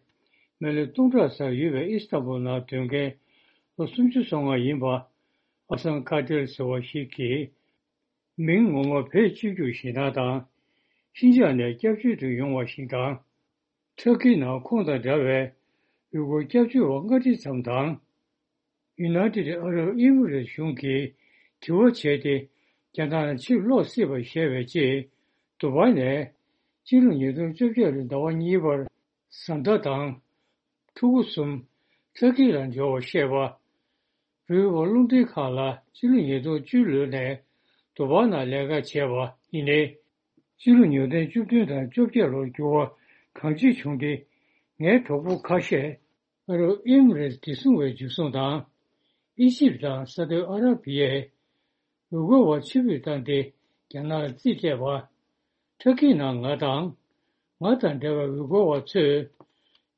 མི་ལོ་སྟོང་ཕྲག་ཙམ་ཡོད་པའི་ཨི་སི་ཐན་བུལ་ནང་སྡོད་མཁན་ལོ་སུམ་ཅུ་སོ་ལྔ་ཡིན་པ་ཨ་སམ་ཁ་ཏེར་ཟེར་བ་ཞིག་གིས། མིང་ངོ་མ་བོད་སྤྱི་རྒྱུག་ཞེད་སྣང་དང་། ཤིན་ཅང་ནས་སྐྱབས་བཅོལ་དུ་ཡོང་བ་ཞིག་དང་། ཐུར་ཁེའི་ནང་ཁོང་དང་འདྲ་བའི་ཡུལ་སྐོར་སྐྱབས་བཅོལ་བ་ལྔ་ཁྲི་ཙམ་དང་། ཡུ་ནའི་ཊེཌ་ཨ་རབ་ཨི་མི་རེ་ཊི་གཞུང་གིས་དྲི་བ་བྱས་ཏེ་རྒྱ་ནག་ལ་ཕྱིར་ལོག་སྲིད་པར་བཤད་པའི་རྗེས། དུ་བྷའི་ནས་སྤྱི་ལོ་ཉིས་སྟོང་བཅོ་བརྒྱད་ལོའི་ཟླ་བ་གཉིས་པར་བཟའ་ཟླ་དང་ཕྲུ་གུ་གསུམ་ཐུར་ཁེ་ལ་འབྱོར་བར་བཤད་པ། རོའི་ཊར་རླུང་འཕྲིན་ཁང་ལ་སྤྱི་ལོ་ཉིས་སྟོང་བཅུ་ལོ་ནས་དུ་བྷའི་ནང་ལས་ཀ་བྱས་པ་ཡིན་ནའི། སྤྱི་ལོ་ཉིས་སྟོང་བཅུ་བདུན་དང་བཅོ་བརྒྱད་ལོར་འགྱུར་བ་གང་ཅི་བྱུང་སྟེ། ངའི་གྲོགས་པོ་ཁ་ཤས་ཨ་རབ་ཨི་མི་རེ་ཊི་བདེ་སྲུང་བས་འཇུ་བཟུང་དང་། ཨི་ཇིབ་དང་ས་ཨུ་དི་ཨ་ར་བི་ཡས་ཡུལ་སྐོར་བ་ཕྱིར་འབུད་བཏང་སྟེ་རྒྱ་ནག་ལ་རྩིས་སྤྲད་པ། ཐུར་ཁེའི་ནང་ང་དང་། ང་དང་འདྲ་བའི་ཡུལ་སྐོར་བ་ཚོས་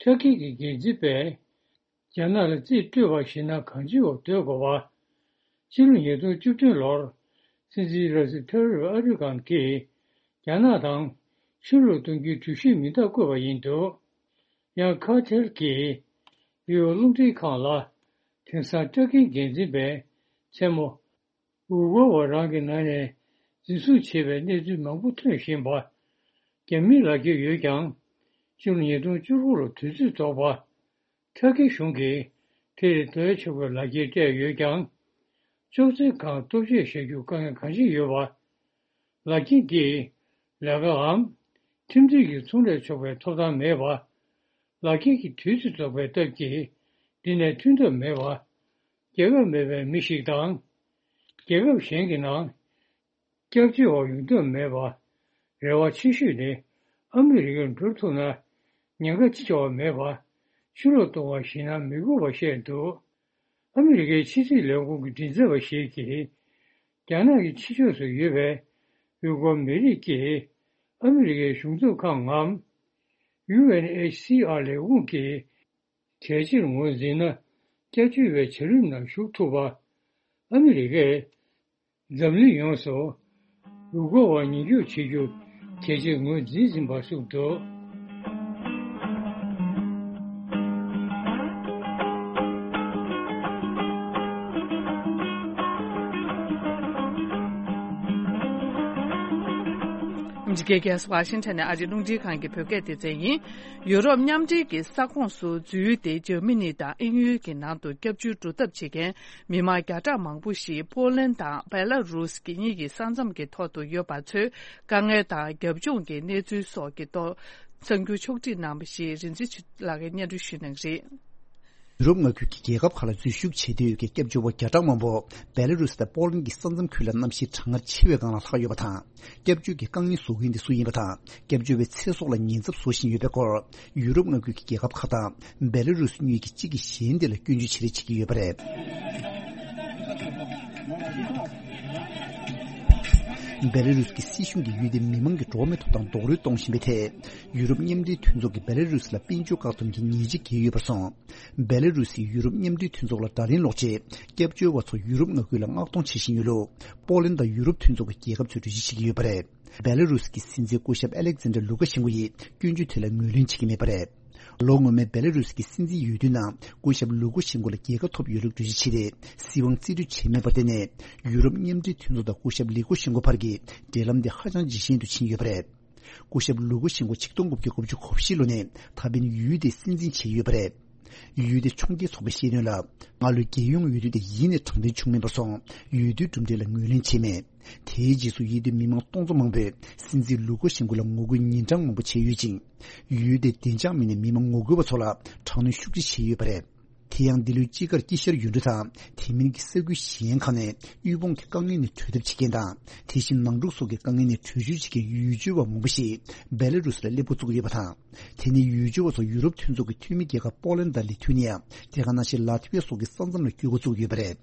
ཐར་ཀི་གི་འགན་འཛིན་པས་རྒྱ་ནག་ལ་རྩིས་སྤྲོད་པ་ཞིག་ན་གང་ཅིའོ་སྡོད་དགོས་པ། ཕྱི་ལོ་ཉིས་སྟོང་བཅུ་བདུན་ལོར་སྲིད་འཛིན་ར་སི་ཐ་ཡིབ་ཨར་དོ་གྷན་གྱིས་རྒྱ་ནག་དང་ཕྱི་ལོགས་གཏོང་རྒྱུའི་གྲོས་གཞི་མིང་རྟགས་བཀོད་པ་ཡིན་འདུག། ཡང་ཁ་ཐེལ་གྱིས་ཡུའོ་རླུང་འཕྲིན་ཁང་ལ་དེང་སང་ཊར་ཀིའི་འགན་འཛིན་པས་མཚན་མོ་ཝུ་གོ་བ་རང་གི་ནང་ནས་འཛིན་བཟུང་བྱས་པའི་གནས་ཚུལ་མང་པོ་ཐོན་བཞིན་པ། རྒྱ་མིའི་ལག་འཁྱེར་ཡོད་ཀྱང་། ཕྱི་ལོ་ཉིས་སྟོང་བཅུ་དགུ་ལོ་དུས་ཚོད་རྫོགས་པ། ཐར་ཀི་གཞུང་གིས་དེ་རིགས་སྤྲད་ཆོག་པའི་ལག་འཁྱེར་སྤྲད་ཡོད་ཀྱང་། ཅོག་ཙེའི་སྒང་ལྟོ་ཆས་བཞག་རྒྱུ་དཀའ་ངལ་གང་ཞིག་ཡོད་པ། ལག་འཁྱེར་འདིས་ལས་ཀའམ་ཁྲིམས་མཐུན་གྱི་ཚོང་ལས་ཆོག་པའི་ཐོབ་ཐང་མེད་པ། ལག་འཁྱེར་གྱི་དུས་ཚོད་རྫོགས་པའི་སྟབས་ཀྱིས་འདི་ནས་ཐོན་ཐབས་མེད་པ། རྒྱལ་ཁབ་མེད་པའི་མི་ཞིག་དང་། རྒྱལ་ཁབ་གཞན་གྱི་ནང་སྐྱབས་བཅོལ་བ་ཡོང་ཐབས་མེད་པ། རེ་བ་ཆེ་ཤོས་ནི་ཨ་མི་རི་ཀར་འགྲོ་ཐུབ་ན་ཉེན་ཁ་ཅི་ཆེ་བ་མེད་པ། ཕྱིར་ལོག་གཏོང་བ་ཞིག་ན་མི་དགོས་པ་བཤད་འདུག། ཨ་མི་རི་ཀའི་ཕྱི་སྲིད་ལས་ཁུངས་ཀྱི་མགྲིན་ཚབ་པ་ཞིག་གིས། རྒྱ་ནག་གི་ཕྱི་ཕྱོགས་སུ་ཡོད་པའི་ཡུ་གུར་མི་རིགས་ཀྱིས་ཨ་མི་རི་ཀའི་གཞུང་ཚབ་ཁང་ངམ། ཡུ་ཨེན་ཨེཆ་སི་ཨར་ལས་ཁུངས་ཀྱིས་གལ་ཆེར་ངོས་འཛིན་ན། སྐྱབས་བཅོལ་བའི་བྱ་རིམ་ནང་ཞུགས་ཐུབ་པ། ཨ་མི་རི་ཀས་འཛམ་གླིང་ཡོངས་སུ་ཡུ་གུར་བ་ཉེན་སྐྱོབ་བྱེད་རྒྱུ་གལ་ཆེར་ངོས་འཛིན་བཞིན་པ་གསུངས་འདུག། ཨ་མི་རི་ཀའི་རྒྱལ་ས་ཝ་ཤིང་ཊོན་ནས་ཨ་རིའི་རླུང་འཕྲིན་ཁང་གི་བོད་སྐད་སྡེ་ཚན་ཡིན། ཡུ་རོབ་མཉམ་འབྲེལ་གྱི་ས་ཁོངས་སུ་འཛུལ་ཏེ་འཇར་མ་ནི་དང་དབྱིན་ཡུལ་གྱི་ནང་དུ་སྐྱབས་བཅོལ་འགྲོ་ཐབས་བྱེད་མཁན་མི་མང་བརྒྱ་ཕྲག་མང་པོ་ཞིག་པོ་ལན་དང་བེ་ལ་རུས་གཉིས་ཀྱི་ས་མཚམས་ཀྱི་ཐོག་ཏུ་ཡོད་པ་ཚོའི་དཀའ་ངལ་དང་རྒྱབ་ལྗོངས་ཀྱི་གནས་ཚུལ་སོགས་ཀྱི་ཐོག་གསར་འགྱུར་ཕྱོགས་སྒྲིག་གནང་བ་ཞིག་རིན་ཆེན་ཆོས་སྒྲོན་ལགས་ཀྱིས་སྙན་སྒྲོན་ཞུ་གནང་གི་རེད། ཡུ་རོབ་མངའ་ཁུལ་གྱི་རྒྱལ་ཁབ་ཁག་ལ་འཛུལ་ཞུགས་བྱེད་འདོད་ཡོད་པའི་སྐྱབས་བཅོལ་བ་བརྒྱ་ཕྲག་མང་པོ་བེ་ལ་རུས་དང་པོ་ལན་གྱི་ས་མཚམས་ཁུལ་ལ་གནམ་གཤིས་གྲང་ངར་ཆེ་བའི་སྒང་ལ་ལྷག་ཡོད་པ་དང་། སྐྱབས་བཅོལ་གྱི་དཀའ་ངལ་བཟོ་མཁན་དེ་སུ་ཡིན་པ་དང་། སྐྱབས་བཅོལ་བའི་ཚེ་སྲོག་ལ་ཉེན་ཚབས་བཟོ་བཞིན་ཡོད་པའི་སྐོར། ཡུ་རོབ་མངའ་ཁུལ་གྱི་རྒྱལ་ཁབ་ཁག་དང་བེ་ལ་རུས་གཉིས་ཀྱིས་གཅིག་གིས་གཞན་དེ་ལ་སྐྱོན་བརྗོད་བྱེད་རེས་བྱེད་ཀྱི་ཡོད་པ་རེད། བེ་ལ་རུས་ཀྱི་སྲིད་གཞུང་གིས་ཡུལ་དེའི་མི་མང་གི་འགྲོ་བ་མིའི་ཐོབ་ཐང་རྡོག་རོལ་གཏོང་བཞིན་པའི་ཐད། ཡུ་རོབ་མཉམ་འབྲེལ་མཐུན་ཚོགས་ཀྱིས་བེ་ལ་རུས་ལ་དཔལ་འབྱོར་བཀག་སྡོམ་གྱི་ཉེས་ཆད་བཀལ་ཡོད་པར་སོང་། བེ་ལ་རུས་ཡིས་ཡུ་རོབ་མཉམ་འབྲེལ་མཐུན་ཚོགས་ལ་དགྲ་ལན་སློག་ཆེད། སྐྱབས་བཅོལ་བ་ཚོ་ཡུ་རོབ་མངའ་ཁུལ་ལ་མངགས་གཏོང་བྱེད་བཞིན་ཡོད་ལུགས། པོ་ལན་དང་ཡུ་རོབ་མཐུན་ཚོགས་ཀྱི་རྒྱལ་ཁབ་ཚོས་འགྲེལ་བརྗོད་བྱེད་ཀྱི་ཡོད་པ་རེད། བེ་ལ་རུས་ཀྱི་སྲིད་འཛིན་སྐུ་ཞབས་ཨ་ལེག་ཛན་ཌར་ལུ་ཀ་ཤེན་ཀོ་ཡིས་སྐྱོན་བརྗོད་དེ་ལ་ངོས་ལེན་བྱེད་ཀྱི་མེད་པ་རེད། ལོ་སྔོན་མའི་བེ་ལ་རུས་ཀྱི་སྲིད་འཛིན་འོས་བསྡུའི་ནང་སྐུ་ཞབས་ལུ་ཀ་ཤེན་ཀོ་ལ་རྒྱལ་ཁ་ཐོབ་ཡོད་ལུགས་འགྲེལ་བརྗོད་བྱས་ཏེ། སྲིད་དབང་རྩིས་སྤྲོད་བྱས་མེད་པར་བརྟེན་ནས། ཡུ་རོབ་མཉམ་འབྲེལ་མཐུན་ཚོགས་དང་སྐུ་ཞབས་ལུ་ཀ་ཤེན་ཀོ་བར་གྱི་འབྲེལ་ལམ་དེ་ཧ་ཅང་ཇེ་ཞན་དུ་ཕྱིན་ཡོད་པ་རེད། སྐུ་ཞབས་ལུ་ཀ་ཤེན་ཀོ་ཆིག་སྟོང་དགུ་བརྒྱ་དགུ་བཅུ་གོ་བཞི་ལོ་ནས་ད་ཕན་ཡུལ་དེའི་སྲིད་འཛིན་བྱས་ཡོད་པ་རེད། ཡུལ་དེའི་ཕྱོགས་འགལ་ཚོགས་པས་བཤད་དོན་ལ། སྔ་ལོའི་རྒྱལ་ཡོངས་འོས་བསྡུ་དེ་ཡིན་ནས་དྲང་བདེན་བྱུང་མེད་པར་སོང་། འོས་བསྡུའི་གྲུབ་འབྲས་ལ་ངོས་ལེན་བྱས་མེད། དེའི་རྗེས་སུ་ཡུལ་དེའི་མི་མང་སྟོང་ཚོ་མང་པོས་སྲིད་འཛིན་ལུ་ཀ་ཤེན་ཀོ་ལ་ངོ་རྒོལ་ཉིན་གྲངས་མང་པོ་བྱས་ཡོད་ཅིང་། ཡུལ་དེའི་བདེ་འཇགས་མི་སྣས་མི་མང་ངོ་རྒོལ་བ་ཚོ་ལ་དྲག་གནོན་ཤུགས་ཆེ་བྱས་ཡོད་པ་རེད། དེ་ཡང་འདི་ལོའི་དཔྱིད་ཀར་དཀྱིལ་ཤར་ཡུལ་གྲུ་དང་དེ་མིན་གྱི་ས་ཁུལ་གཞན་ཁག་ནས་དབུལ་ཕོངས་ཀྱི་དཀའ་ངལ་ནས་གྲོལ་ཐབས་བྱེད་མཁན་དང་། དེ་བཞིན་ནང་འཁྲུག་སོགས་ཀྱི་དཀའ་ངལ་ནས་བྲོས་བྱོལ་བྱེད་མཁན་ཡུལ་གྲུ་བ་མང་པོ་ཞིག་བེ་ལ་རུས་ལ་སླེབས་འགོ་བཙུགས་ཡོད་པ་དང་། དེ་ནི་ཡུལ་གྲུ་བ་ཚོ་ཡུ་རོབ་མཐུན་ཚོགས་ཀྱི་འཐུས་མི་རྒྱལ་ཁབ་པོ་ལན་དང་ལི་ཐུ་ནི་ཡ། དེ་ག་ནང་བཞིན་ལ་ཐི་ཝི་ཡ་སོགས་ཀྱི་ས་མཚམས་ལ་བསྐྱོད་འགོ་བཙུགས་ཡོད་པ་རེད།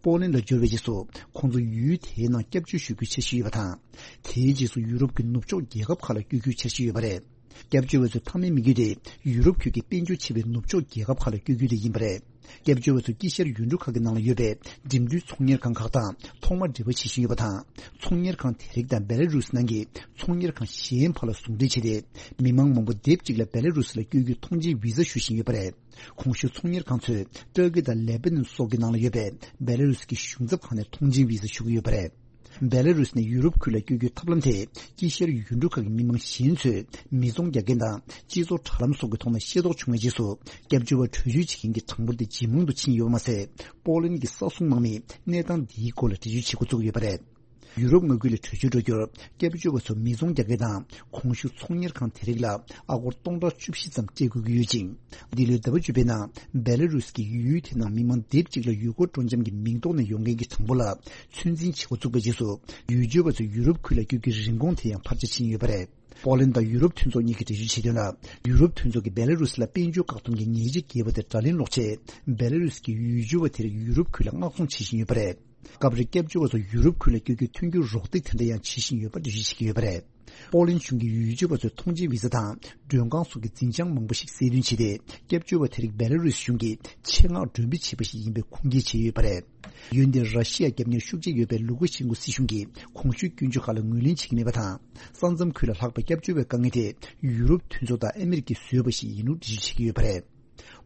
པོ་ལན་ལ་འབྱོར་བའི་རྗེས་སུ་ཁོང་ཚོ་ཡུལ་དེའི་ནང་སྐྱབས་བཅོལ་ཞུ་རྒྱུའི་འཆར་གཞི་ཡོད་པ་དང་། དེའི་རྗེས་སུ་ཡུ་རོབ་ཀྱི་ནུབ་ཕྱོགས་རྒྱལ་ཁབ་ཁག་ལ་བསྐྱོད་རྒྱུའི་འཆར་གཞི་ཡོད་པ་རེད། སྐྱབས་བཅོལ་བ་ཚོའི་མཐའ་མའི་དམིགས་ཡུལ་དེ་ཡུ་རོབ་ཁུལ་གྱི་དཔལ་འབྱོར་ཆེ་བའི་ནུབ་ཕྱོགས་རྒྱལ་ཁབ་ཁག་ལ་བསྐྱོད་རྒྱུ་དེ་ཡིན་པ་རེད། སྐྱབས་བཅོལ་བ་ཚོ་དཀྱིལ་ཤར་ཡུལ་གྲུ་ཁག་གི་ནང་ལ་ཡོད་པའི་འགྲིམ་འགྲུལ་ཚོང་གཉེར་ཁང་ཁག་དང་ཐོག་མ་འབྲེལ་བ་བྱེད་བཞིན་ཡོད་པ་དང་། ཚོང་གཉེར་ཁང་དེ་རིགས་དང་བེ་ལ་རུས་ནང་གི་ཚོང་གཉེར་ཁང་གཞན་བར་ལ་ཟུང་འབྲེལ་བྱས་ཏེ། མི་མང་མང་པོ་སྡེབ་གཅིག་ལ་བེ་ལ་རུས་ལ་བསྐྱོད་རྒྱུའི་ཐོངས་མཆན་བི་ཟ་ཞུ་བཞིན་ཡོད་པ་རེད། གོང་ཞུས་ཚོང་གཉེར་ཁང་ཚོས་ཏུར་ཀི་དང་ལེ་བྷ་ནན་སོགས་ཀྱི་ནང་ལ་ཡོད་པའི་བེ་ལ་རུས་ཀྱི་གཞུང་ཚབ་ཁང་ནས་ཐོངས་མཆན་བི་ཟ་ཞུ་གི་ཡོད་པ་རེད། བེ་ལ་རུས་ནས་ཡུ་རོབ་ཁུལ་ལ་བསྐྱོད་རྒྱུའི་ཐབས་ལམ་དེ་དཀྱིལ་ཤར་ཡུལ་གྲུ་ཁག་གི་མི་མང་གཞན་ཚོས་མི་ཚོང་རྒྱག་མཁན་དང་སྤྱི་ཚོགས་དྲ་ལམ་སོགས་ཀྱི་ཐོག་ནས་ཤེས་རྟོགས་བྱུང་བའི་རྗེས་སུ། སྐྱབས་བཅོལ་བ་བྲོས་བྱོལ་བྱེད་མཁན་གྱི་གྲངས་འབོར་དེ་ཇེ་མང་དུ་ཕྱིན་ཡོད་པ་མ་ཟད། པོ་ལན་གྱི་ས་སྲུང་དམག་མིས་གནས་སྟངས་འདིའི་སྐོར་ལ་འགྲེལ་བརྗོད་བྱེད་འགོ་བཙུགས་ཡོད་པ་རེད། ཡུ་རོབ་མངའ་ཁུལ་ལ་བྲོས་བྱོལ་འགྲོ་རྒྱུར་སྐྱབས་བཅོལ་བ་ཚོ་མི་ཚོང་རྒྱག་མཁན་དང་གོང་ཞུས་ཚོང་གཉེར་ཁང་དེ་རིགས་ལ་ཨ་སྒོར་སྟོང་ཕྲག་བཅུ་བཞི་ཙམ་སྤྲད་དགོས་ཀྱི་ཡོད་ཅིང་། འདི་ལོའི་ཟླ་བ་བཅུ་པའི་ནང་བེ་ལ་རུས་ཀྱི་ཡུལ་དེ་ནང་མི་མང་སྡེབ་གཅིག་ལ་ཡུལ་སྐོར་སྤྲོ་འཆམ་གྱི་མིང་ཐོག་ནས་ཡོང་མཁན་གྱི་གྲངས་འབོར་ལ་ཚོད་འཛིན་བྱེད་འགོ་བཙུགས་པའི་རྗེས་སུ། ཡུལ་གྲུ་བ་ཚོས་ཡུ་རོབ་ཁུལ་ལ་བསྐྱོད་རྒྱུའི་རིན་གོང་དེ་ཡང་འཕར་ཆ་ཕྱིན་ཡོད་པ་རེད། པོ་ལན་དང་ཡུ་རོབ་མཐུན་ཚོགས་གཉིས་ཀྱིས་འགྲེལ་བརྗོད་བྱས་དོན་ལ། ཡུ་རོབ་མཐུན་ཚོགས་ཀྱིས་བེ་ལ་རུས་ལ་དཔལ་འབྱོར་བཀག་སྡོམ་གྱི་ཉེས་ཆད་བཀལ་བ་དེ་དགྲ་ལན་སློག་ཆེད། བེ་ལ་རུས་ཀྱི་ཡུལ་གྲུ་བ་དེ་རིགས་ཡུ་རོབ་ཁུལ་ལ་མངགས་གཏོང་བྱེད་བཞིན་ཡོད་པ་རེད། སྐབས་རེ་སྐྱབས་བཅོལ་བ་ཚོ་ཡུ་རོབ་ཁུལ་ལ་བསྐྱོད་རྒྱུའི་མཐུན་འགྱུར་རོགས་འདེགས་དེ་འདྲ་ཡང་བྱེད་བཞིན་ཡོད་པ་འགྲེལ་བརྗོད་བྱེད་ཀྱི་ཡོད་པ་རེད། པོ་ལན་གཞུང་གིས་ཡུལ་སྐྱོང་བ་ཚོའི་ཐོངས་མཆན་བི་ཟ་དང་མགྲོན་ཁང་སོགས་ཀྱི་འཛིན་བྱང་མང་པོ་ཞིག་གསལ་སྟོན་བྱས་ཏེ། སྐྱབས་བཅོལ་བ་དེ་རིགས་བེ་ལ་རུས་གཞུང་གིས་ཆེད་མངགས་མགྲོན་འབོད་བྱས་པ་ཞིག་ཡིན་པའི་ཁུངས་སྐྱེལ་བྱས་ཡོད་པ་རེད། འོན་ཏེ་ར་ཤི་ཡ་རྒྱབ་གཉེར་ཤུགས་ཆེ་ཡོད་པའི་ལུ་ཀ་ཤན་ཀོ་སྲིད་གཞུང་གིས་གོང་ཞུས་སྐྱོན་བརྗོད་ཁག་ལ་ངོས་ལེན་བྱེད་ཀྱི་མེད་པ་དང་། ས་མཚམས་ཁུལ་ལ་ལྷགས་པའི་སྐྱབས་བཅོལ་བའི་དཀའ་ངལ་དེ་ཡུ་རོབ་མཐུན་ཚོགས་དང་ཨ་མི་རི་ཀས་བཟོས་པ་ཞིག་ཡིན་ལུགས་འགྲེལ་བརྗོད་བྱེད་ཀྱི་ཡོད་པ་རེད།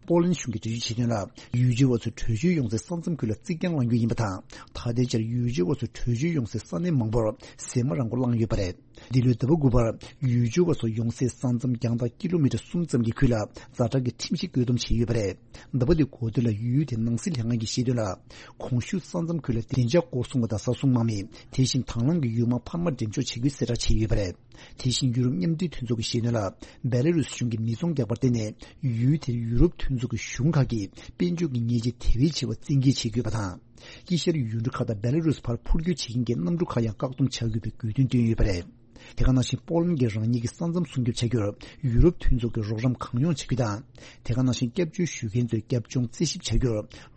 པོ་ལན་གཞུང་གིས་འགྲེལ་བརྗོད་བྱས་དོན་ལ། ཡུལ་སྐྱོང་བ་ཚོས་བྲོས་བྱོལ་ཡོང་སའི་ས་མཚམས་ཁུལ་ལ་རྩིག་གྱང་བསླང་རྒྱུ་ཡིན་པ་དང་། ད་ལྟའི་ཆར་ཡུལ་སྐྱོང་བ་ཚོས་བྲོས་བྱོལ་ཡོང་སའི་ས་གནས་མང་པོར་ཟེར་མ་རང་མགོ་བསླངས་ཡོད་པ་རེད། འདི་ལོའི་ཟླ་བ་དགུ་པར་ཡུལ་སྐྱོང་བ་ཚོ་ཡོང་སའི་ས་མཚམས་རྒྱང་ཐག་ཀི་ལོ་མི་ཊར་གསུམ་ཙམ་གྱི་ཁུལ་ལ་ཛ་དྲག་གི་ཁྲིམས་གཞི་བཀོད་འདོམས་བྱས་ཡོད་པ་རེད། ཟླ་བ་འདིའི་འགོ་སྟོད་ལ་ཡུལ་དེའི་ནང་སྲིད་ལྷན་ཁང་གིས་བཤད་དོན་ལ། གོང་ཞུས་ས་མཚམས་ཁུལ་ལ་བདེ་འཇགས་སྐོར་སྲུང་བ་དང་ས་སྲུང་དམག་མི། དེ་བཞིན་དྭང་བླངས་ཀྱི་ཡུལ་དམག་འཕར་མ་འགྲེམས་འཇོག་བྱེད་རྒྱུའི་གསལ་བསྒྲགས་བྱས་ཡོད་པ་རེད། དེ་བཞིན་ཡུ་རོབ་མཉམ་འབྲེལ་མཐུན་ཚོགས་ཀྱིས་བཤད་དོན་ལ། བེ་ལ་རུས་གཞུང་གིས་མི་ཚོང་རྒྱག་པར་བརྟེན་ནས་ཡུལ་དེར་ཡུ་རོབ་མཐུན་ཚོགས་ཀྱི་གཞུང་ཁག་གིས་དཔལ་འབྱོར་གྱི་ཉེས་ཆད་དེ་བས་ཆེ་བ་བཙན་འགེལ་བྱེད་ཀྱི་ཡོད་པ་དང་། དཀྱིལ་ཤར་ཡུལ་གྲུ་ཁག་དང་བེ་ལ་རུས་བར་འཕུར་སྐྱོད་བྱེད་མཁན་གྱི་གནམ་གྲུ་ཁག་ཡང་བཀག་སྡོམ་བྱ་དགོས་པའི་དགོས་འདུན་བཏོན་ཡོད་པ་རེད། དེ་ག་ནང་བཞིན་པོ་ལན་གྱིས་རང་ཉིད་ཀྱི་ས་མཚམས་སྲུང་སྐྱོབ་བྱ་རྒྱུར་ཡུ་རོབ་མཐུན་ཚོགས་ཀྱི་རོགས་རམ་གང་ཡོང་བྱ་རྒྱུ་དང་། དེ་ག་ནང་བཞིན་སྐྱབས་བཅོལ་ཞུ་མཁན་ཚོའི་རྒྱབ་ལྗོངས་རྩད་ཞིབ་བྱ་རྒྱུར་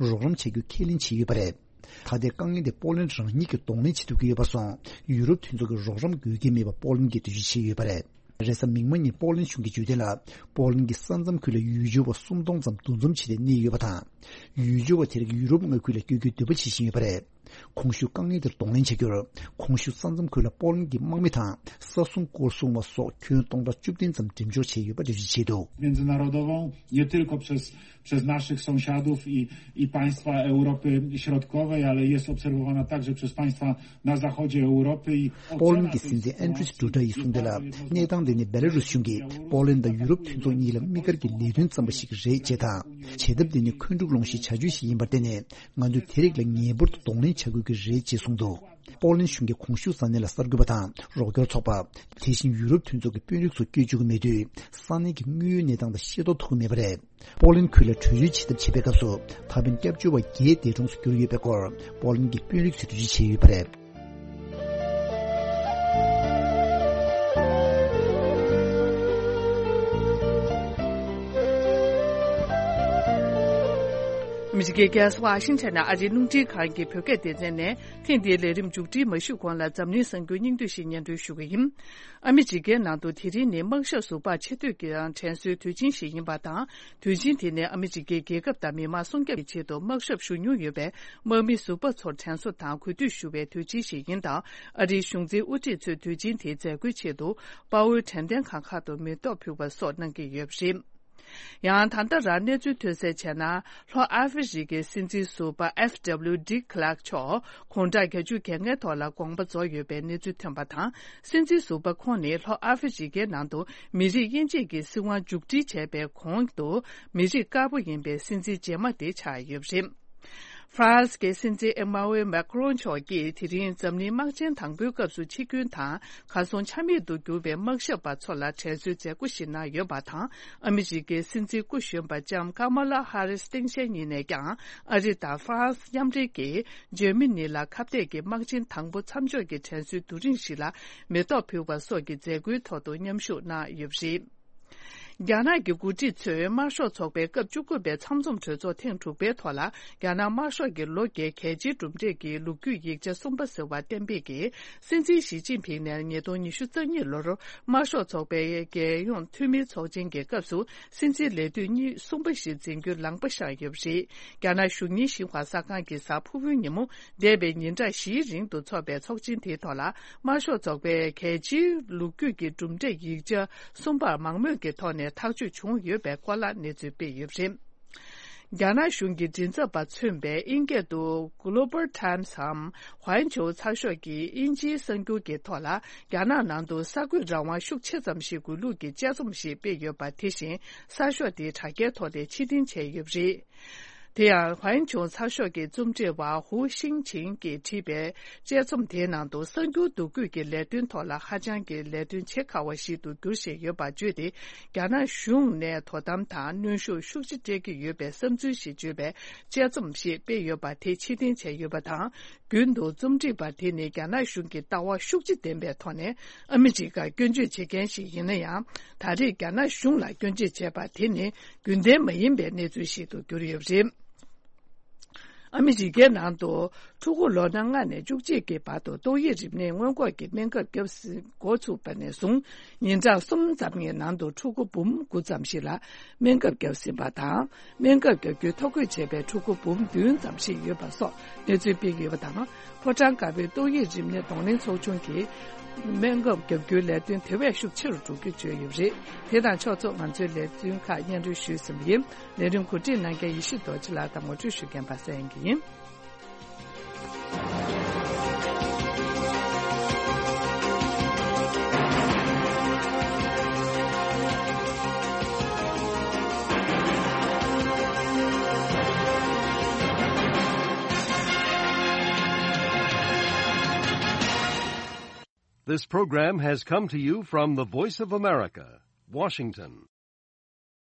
རོགས་རམ་བྱ་རྒྱུ་ཁས་ལེན་བྱས་ཡོད་པ་རེད། ད་ལྟའི་དཀའ་ངལ་དེ་པོ་ལན་རང་ཉིད་ཀྱིས་གདོང་ལེན་བྱེད་ཐུབ་ཀྱི་ཡོད་པར་སོང་། ཡུ་རོབ་མཐུན་ཚོགས་ཀྱི་རོགས་རམ་དགོས་ཀྱི་མེད་པ་པོ་ལན་གྱིས་འགྲེལ་བརྗོད་བྱས་ཡོད་པ་རེད། རེས་གཟའ་མིག་དམར་ཉིན་པོ་ལན་གཞུང་གིས་བརྗོད་དོན་ལ། པོ་ལན་གྱི་ས་མཚམས་ཁུལ་ལ་ཡུལ་སྐྱོང་བ་སུམ་སྟོང་ཙམ་འདུ་འཛོམས་བྱས་ཏེ་གནས་ཡོད་པ་དང་། ཡུལ་སྐྱོང་བ་དེ་རིགས་ཡུ་རོབ་མངའ་ཁུལ་ལ་བསྐྱོད་རྒྱུའི་འདོད་པ་བྱེད་བཞིན་ཡོད་པ་རེད། གོང་ཞུས་དཀའ་ངལ་དེར་གདོང་ལེན་བྱ་རྒྱུར། གོང་ཞུས་ས་མཚམས་ཁུལ་ལ་པོ་ལན་གྱི་དམག་མི་དང་ས་སྲུང་སྐོར་སྲུང་བ་སོགས་ཁྱོན་སྟོང་ཕྲག་བཅུ་བདུན་ཙམ་འགྲེམས་འཇོག་བྱས་ཡོད་པ་འགྲེལ་བརྗོད་བྱས་འདུག Międzynarodową, nie tylko przez, przez naszych sąsiadów i, i państwa Europy Środkowej, ale jest obserwowana także przez państwa na zachodzie Europy i པོ་ལན་གྱི་སྲིད་འཛིན་ཨན་ཌྲིས་ཌུ་ཌ་ཡིས་གསུངས་དོན་ལ། གནས་སྟངས་འདི་ནི་བེ་ལ་རུས་གཞུང་གིས་པོ་ལན་དང་ཡུ་རོབ་མཐུན་ཚོགས་གཉིས་ལ་དམིགས་བཀར་གྱི་ལས་དོན་བརྩམས་པ་ཞིག་རེད་ཅེས་དང་། བྱེད་ཐབས་འདི་ནི་འཁོན་འཁྲུག་སློང་གཞིའི་བྱ་སྤྱོད་ཞིག་ཡིན་པར་བརྟེན་ནས། ང་ཚོས་དེ་རིགས་ལ་ངེས་པར་དུ་གདོང་ལེན་བྱ་དགོས་ཀྱི་རེད་ཅེས་གསུངས་འདུག་པོ་ལན་གཞུང་གིས་གོང་ཞུས་ས་གནས་ལ་གསར་འགོད་པ་དང་རོགས་སྐྱོར་ཚོགས་པ། དེ་བཞིན་ཡུ་རོབ་མཐུན་ཚོགས་ཀྱི་དཔོན་རིགས་སོགས་བསྐྱོད་བཅུག་གི་མེད་དུས། ས་གནས་ཀྱི་དངོས་ཡོད་གནས་སྟངས་དང་ཤེས་རྟོགས་ཐུབ་ཀྱི་མེད་པ་རེད། པོ་ལན་ཁུལ་ལ་བྲོས་བྱོལ་བྱེད་ཐབས་བྱེད་པའི་སྐབས་སུ། ད་ཕན་སྐྱབས་བཅོལ་བ་བརྒྱད་འདས་གྲོངས་སུ་གྱུར་ཡོད་པའི་སྐོར། པོ་ལན་གྱི་དཔོན་རིགས་ཚོས་འགྲེལ་བརྗོད་བྱས་ཡོད་པ་རེད། ཨ་མི་རི་ཀའི་རྒྱལ་ས་ཝ་ཤིང་ཊོན་ནས་ཨ་རིའི་རླུང་འཕྲིན་ཁང་གི་བོད་སྐད་སྡེ་ཚན་ནས། ཐེངས་འདིའི་ལས་རིམ་མཇུག་སྒྲིལ་མ་ཞུས་གོང་ལ་འཛམ་གླིང་གསར་འགྱུར་སྙིང་བསྡུས་ཤིག་སྙན་སྒྲོན་ཞུ་གི་ཡིན། ཨ་མི་རི་ཀའི་ནང་དུ་དེ་རིང་ནི་དམག་ཞབས་ཟུར་པ་ཆེ་བསྟོད་ཀྱི་དྲན་གསོའི་དུས་ཆེན་ཞིག་ཡིན་པ་དང་། དུས་ཆེན་དེ་ནི་ཨ་མི་རི་ཀའི་རྒྱལ་ཁབ་དང་མི་དམངས་སྲུང་སྐྱོབ་ཀྱི་ཆེད་དུ་དམག་ཞབས་ཞུ་མྱོང་ཡོད་པའི་དམག་མི་ཟུར་པ་ཚོར་དྲན་གསོ་དང་གུས་འདུད་ཞུ་བའི་དུས་ཆེན་ཞིག་ཡིན་སྟབས། ཨ་རིའི་གཞུང་འཛིན་དབུ་ཁྲིད་ཚོས་དུས་ཆེན་དེའི་མཛད་སྒོའི་ཆེད་དུ་དཔའ་བོའི་དྲན་རྟེན་ཁང་ཁག་ཏུ་མེ་ཏོག་ཕུལ་བ་སོགས་གནང་གི་ཡོད་པ་རེད། ཡང་ད་ལྟ་རང་གནས་ཚུལ་ཐོན་གསལ་བྱས་ན། ལྷོ་ཨ་ཧྥེ་རི་ཀའི་སྲིད་འཛིན་ཟུར་པ་F W de Klerk མཆོག་དགུང་གྲངས་བརྒྱད་ཅུ་གྱ་ལྔའི་ཐོག་ལ་དགོངས་པ་རྫོགས་ཡོད་པའི་གནས་ཚུལ་ཐོན་པ་དང་། སྲིད་འཛིན་ཟུར་པ་ཁོང་ནི་ལྷོ་ཨ་ཧྥེ་རི་ཀའི་ནང་དུ་མི་རིགས་དབྱེ་འབྱེད་ཀྱི་སྲིད་དབང་མཇུག་སྒྲིལ་བྱས་པའི་གོང་དུ། མི་རིགས་དཀར་པོ་ཡིན་པའི་སྲིད་འཛིན་རྗེས་མ་དེ་ཆགས་ཡོད་པ་རེད། ཧྥ་རན་སི་གི་སྲིད་འཛིན་ཨེ་མ་ཝེལ་མེ་ཀ་རོན་མཆོག་གིས་དེ་རིང་འཛམ་གླིང་དམག་ཆེན་དང་པོའི་སྐབས་སུ་འཆི་སྐྱོན་དང་གར་སོང་ཆ་མེད་དུ་གྱུར་བའི་དམག་ཞབས་པ་ཚོ་ལ་དྲན་གསོའི་མཛད་སྒོ་ཞིག་གནང་ཡོད་པ་དང་། ཨ་མི་རི་ཀའི་སྲིད་འཛིན་སྐུ་གཞོན་པ་ལྕམ་ཀ་མ་ལ་ཧ་རིས་སྟངས་དཔྱལ་གཉིས་ནས་ཀྱང་ཨ་རི་དང་ཧྥ་རན་སི་མཉམ་འབྲེལ་གྱིས་འཇར་མ་ནི་ལ་ཁ་གཏད་ཀྱི་དམག་ཆེན་དང་པོ་མཚམས་འཇོག་གི་དྲན་གསོའི་བསྡུ་རིམ་ཞིག་ལ་མེ་ཏོག་ཕུལ་བ་སོགས་ཀྱི་མཛད་སྒོའི་ཐོག་ཏུ་མཉམ་ཞུགས་གནང་ཡོད་པ་རེད། རྒྱ་ནག་གི་འགོ་ཁྲིད་ཚོས་དམར་ཤོག་ཚོགས་པའི་སྐབས་བཅུ་དགུ་པའི་ཚང་འཛོམས་གྲོས་ཚོགས་ཐེངས་དྲུག་པའི་ཐོག་ལ། རྒྱ་ནག་དམར་ཤོག་གི་ལོ་བརྒྱའི་གལ་ཆེའི་གྲུབ་འབྲས་ཀྱི་ལོ་རྒྱུས་ཡིག་ཆ་གསུམ་པ་ཟེར་བ་གཏན་འབེབས་ཀྱིས། སྲིད་འཛིན་ཞི་ཅིན་ཕིང་ནས་ཉིས་སྟོང་ཉི་ཤུ་རྩ་གཉིས་ལོར་དམར་ཤོག་ཚོགས་པའི་རྒྱལ་ཡོངས་འཐུས་མིའི་ཚོགས་ཆེན་གྱི་སྐབས་སུ་སྲིད་འཛིན་ལས་དུས་གཉིས་གསུམ་པ་ཞིག་འཛིན་རྒྱུའི་ལངས་པ་བཞག་ཡོད་པ་རེད། རྒྱ་ནག་གཞུང་ཉིན་ཞིན་ཧྭ་གསར་ཁང་གི་གཟའ་ཕུར་བུའི་ཉིན་མོ། འདས་པའི་ཉིན་གྲངས་བཞིའི་རིང་དུ་འཚོགས་པའི་ཚོགས་ཆེན་དེའི་ཐོག་ལ། དམར་ཤོག་ཚོགས་པའི་གལ་ཆེའི་ལོ་རྒྱུས་ཀྱི་གྲུབ་འབྲས་ཡིག་ཆ་གསུམ་པར་མང་མོས་ཀྱི་ཐོག་ནས་ཐག་གཅོད་བྱུང་ཡོད་པའི་སྐོར་ལ་གནས་ཚུལ་སྤེལ་ཡོད་པ་རེད། རྒྱ་ནག་གཞུང་གི་མགྲིན་ཚབ་པ་མཚོན་པའི་དབྱིན་སྐད་དུ་Global Times འམ་ཧོན་ཆོའུ་ཚགས་ཤོག་གིས་དབྱིན་ཇིའི་གསར་འགྱུར་གྱི་ཐོག་ལ། རྒྱ་ནག་ནང་དུ་གསར་འགོད་རང་དབང་ཤུགས་ཆེ་ཙམ་ཞིག་དགོས་ལུགས་ཀྱི་དཔྱད་རྩོམ་ཞིག་སྤེལ་ཡོད་པ། དེ་བཞིན་གསར་ཤོག་དེའི་དྲ་རྒྱའི་ཐོག་ནས་ཕྱིར་འཐེན་བྱས་ཡོད་པ་རེད། དེ་ཡང་ཧོན་ཆོའུ་ཚགས་ཤོག་གི་རྩོམ་སྒྲིག་པ་ཧུའུ་ཤིང་ཆིང་གིས་བྲིས་པའི་དཔྱད་རྩོམ་དེའི་ནང་དུ། གསར་འགྱུར་འདུ་འགོད་ཀྱི་ལས་དོན་ཐོག་ལ་ཧ་ཅང་གི་ལས་དོན་བྱེད་དཀའ་བ་ཞིག་ཏུ་འགྱུར་བཞིན་ཡོད་པ་བརྗོད་དེ། རྒྱ་ནག་གཞུང་ནས་དོ་དམ་དང་གནོན་ཤུགས་ཤུགས་ཆེ་སྤྲད་ཀྱི་ཡོད་པའི་བསམ་ཚུལ་ཞིག་བརྗོད་པའི་དཔྱད་རྩོམ་ཞིག་སྤེལ་ཡོད་པ་དེ་ཕྱིར་འཐེན་བྱས་ཡོད་པ་དང་། རྒྱུན་དུ་རྩོམ་སྒྲིག་པ་དེ་ནི་རྒྱ་ནག་གཞུང་གི་ལྟ་བ་ཤུགས་ཆེ་ལྡན་པའི་ཐོག་ནས་ཨ་མི་རི་ཀར་སྐྱོན་བརྗོད་བྱེད་མཁན་ཞིག་ཡིན་ན་ཡང་། ད་རེས་རྒྱ་ནག་གཞུང་ལ་སྐྱོན་བརྗོད་བྱས་པ་དེ་ནི་རྒྱུན་ལྡན་མ་ཡིན་པའི་གནས་ཚུལ་ཞིག་ཏུ་གྱུར་ཡོད་པ་རེད། ཨ་མི་རི་ཀའི་ནང་དུ་ཕྲུ་གུ་ལོ་ན་ལྔ་ནས་བཅུ་གཅིག་གི་བར་དུ་ཏོག་དབྱིབས་རིམས་ནད་སྔོན་འགོག་གི་སྨན་ཁབ་བརྒྱབ་ཟིན་འགོ་ཚུགས་པ་ནས་བཟུང་ཉིན་གྲངས་གསུམ་ཙམ་གྱི་ནང་དུ་ཕྲུ་གུ་འབུམ་དགུ་ཙམ་ཞིག་ལ་སྨན་ཁབ་བརྒྱབ་ཟིན་པ་དང་། སྨན་ཁབ་བརྒྱབ་རྒྱུའི་ཐོ་འགོད་བྱས་པའི་ཕྲུ་གུ་འབུམ་བདུན་ཙམ་ཞིག་ཡོད་པ་སོགས་གནས་ཚུལ་སྤེལ་གྱི་ཡོད་པ་དང་། ཕོ་བྲང་དཀར་པོའི་ཏོག་དབྱིབས་རིམས་ནད་གདོང་ལེན་ཚོགས་ཆུང་གིས་སྨན་ཁབ་བརྒྱབ་རྒྱུའི་ལས་དོན་དེ་བས་ཤུགས་ཆེ་རུ་འགྲོ་རྒྱུ་བརྗོད་ཡོད་པ་རེད། དེ་དང་ཕྱོགས་མཚུངས་ང་ཚོའི་ལས་དོན་ཁག་སྙན་སྒྲོན་ཞུས་ཟིན་པ་ཡིན། ལས་རིམ་གོ་སྒྲིག་གནང་མཁན་ཡེ་ཤེས་རྡོ་རྗེ་ལགས་དང་ངོ་སྤྲོད་ཞུ་མཁན་པ་སངས་དབྱངས་སྐྱིད་ཡིན། This program has come to you from the Voice of America, Washington.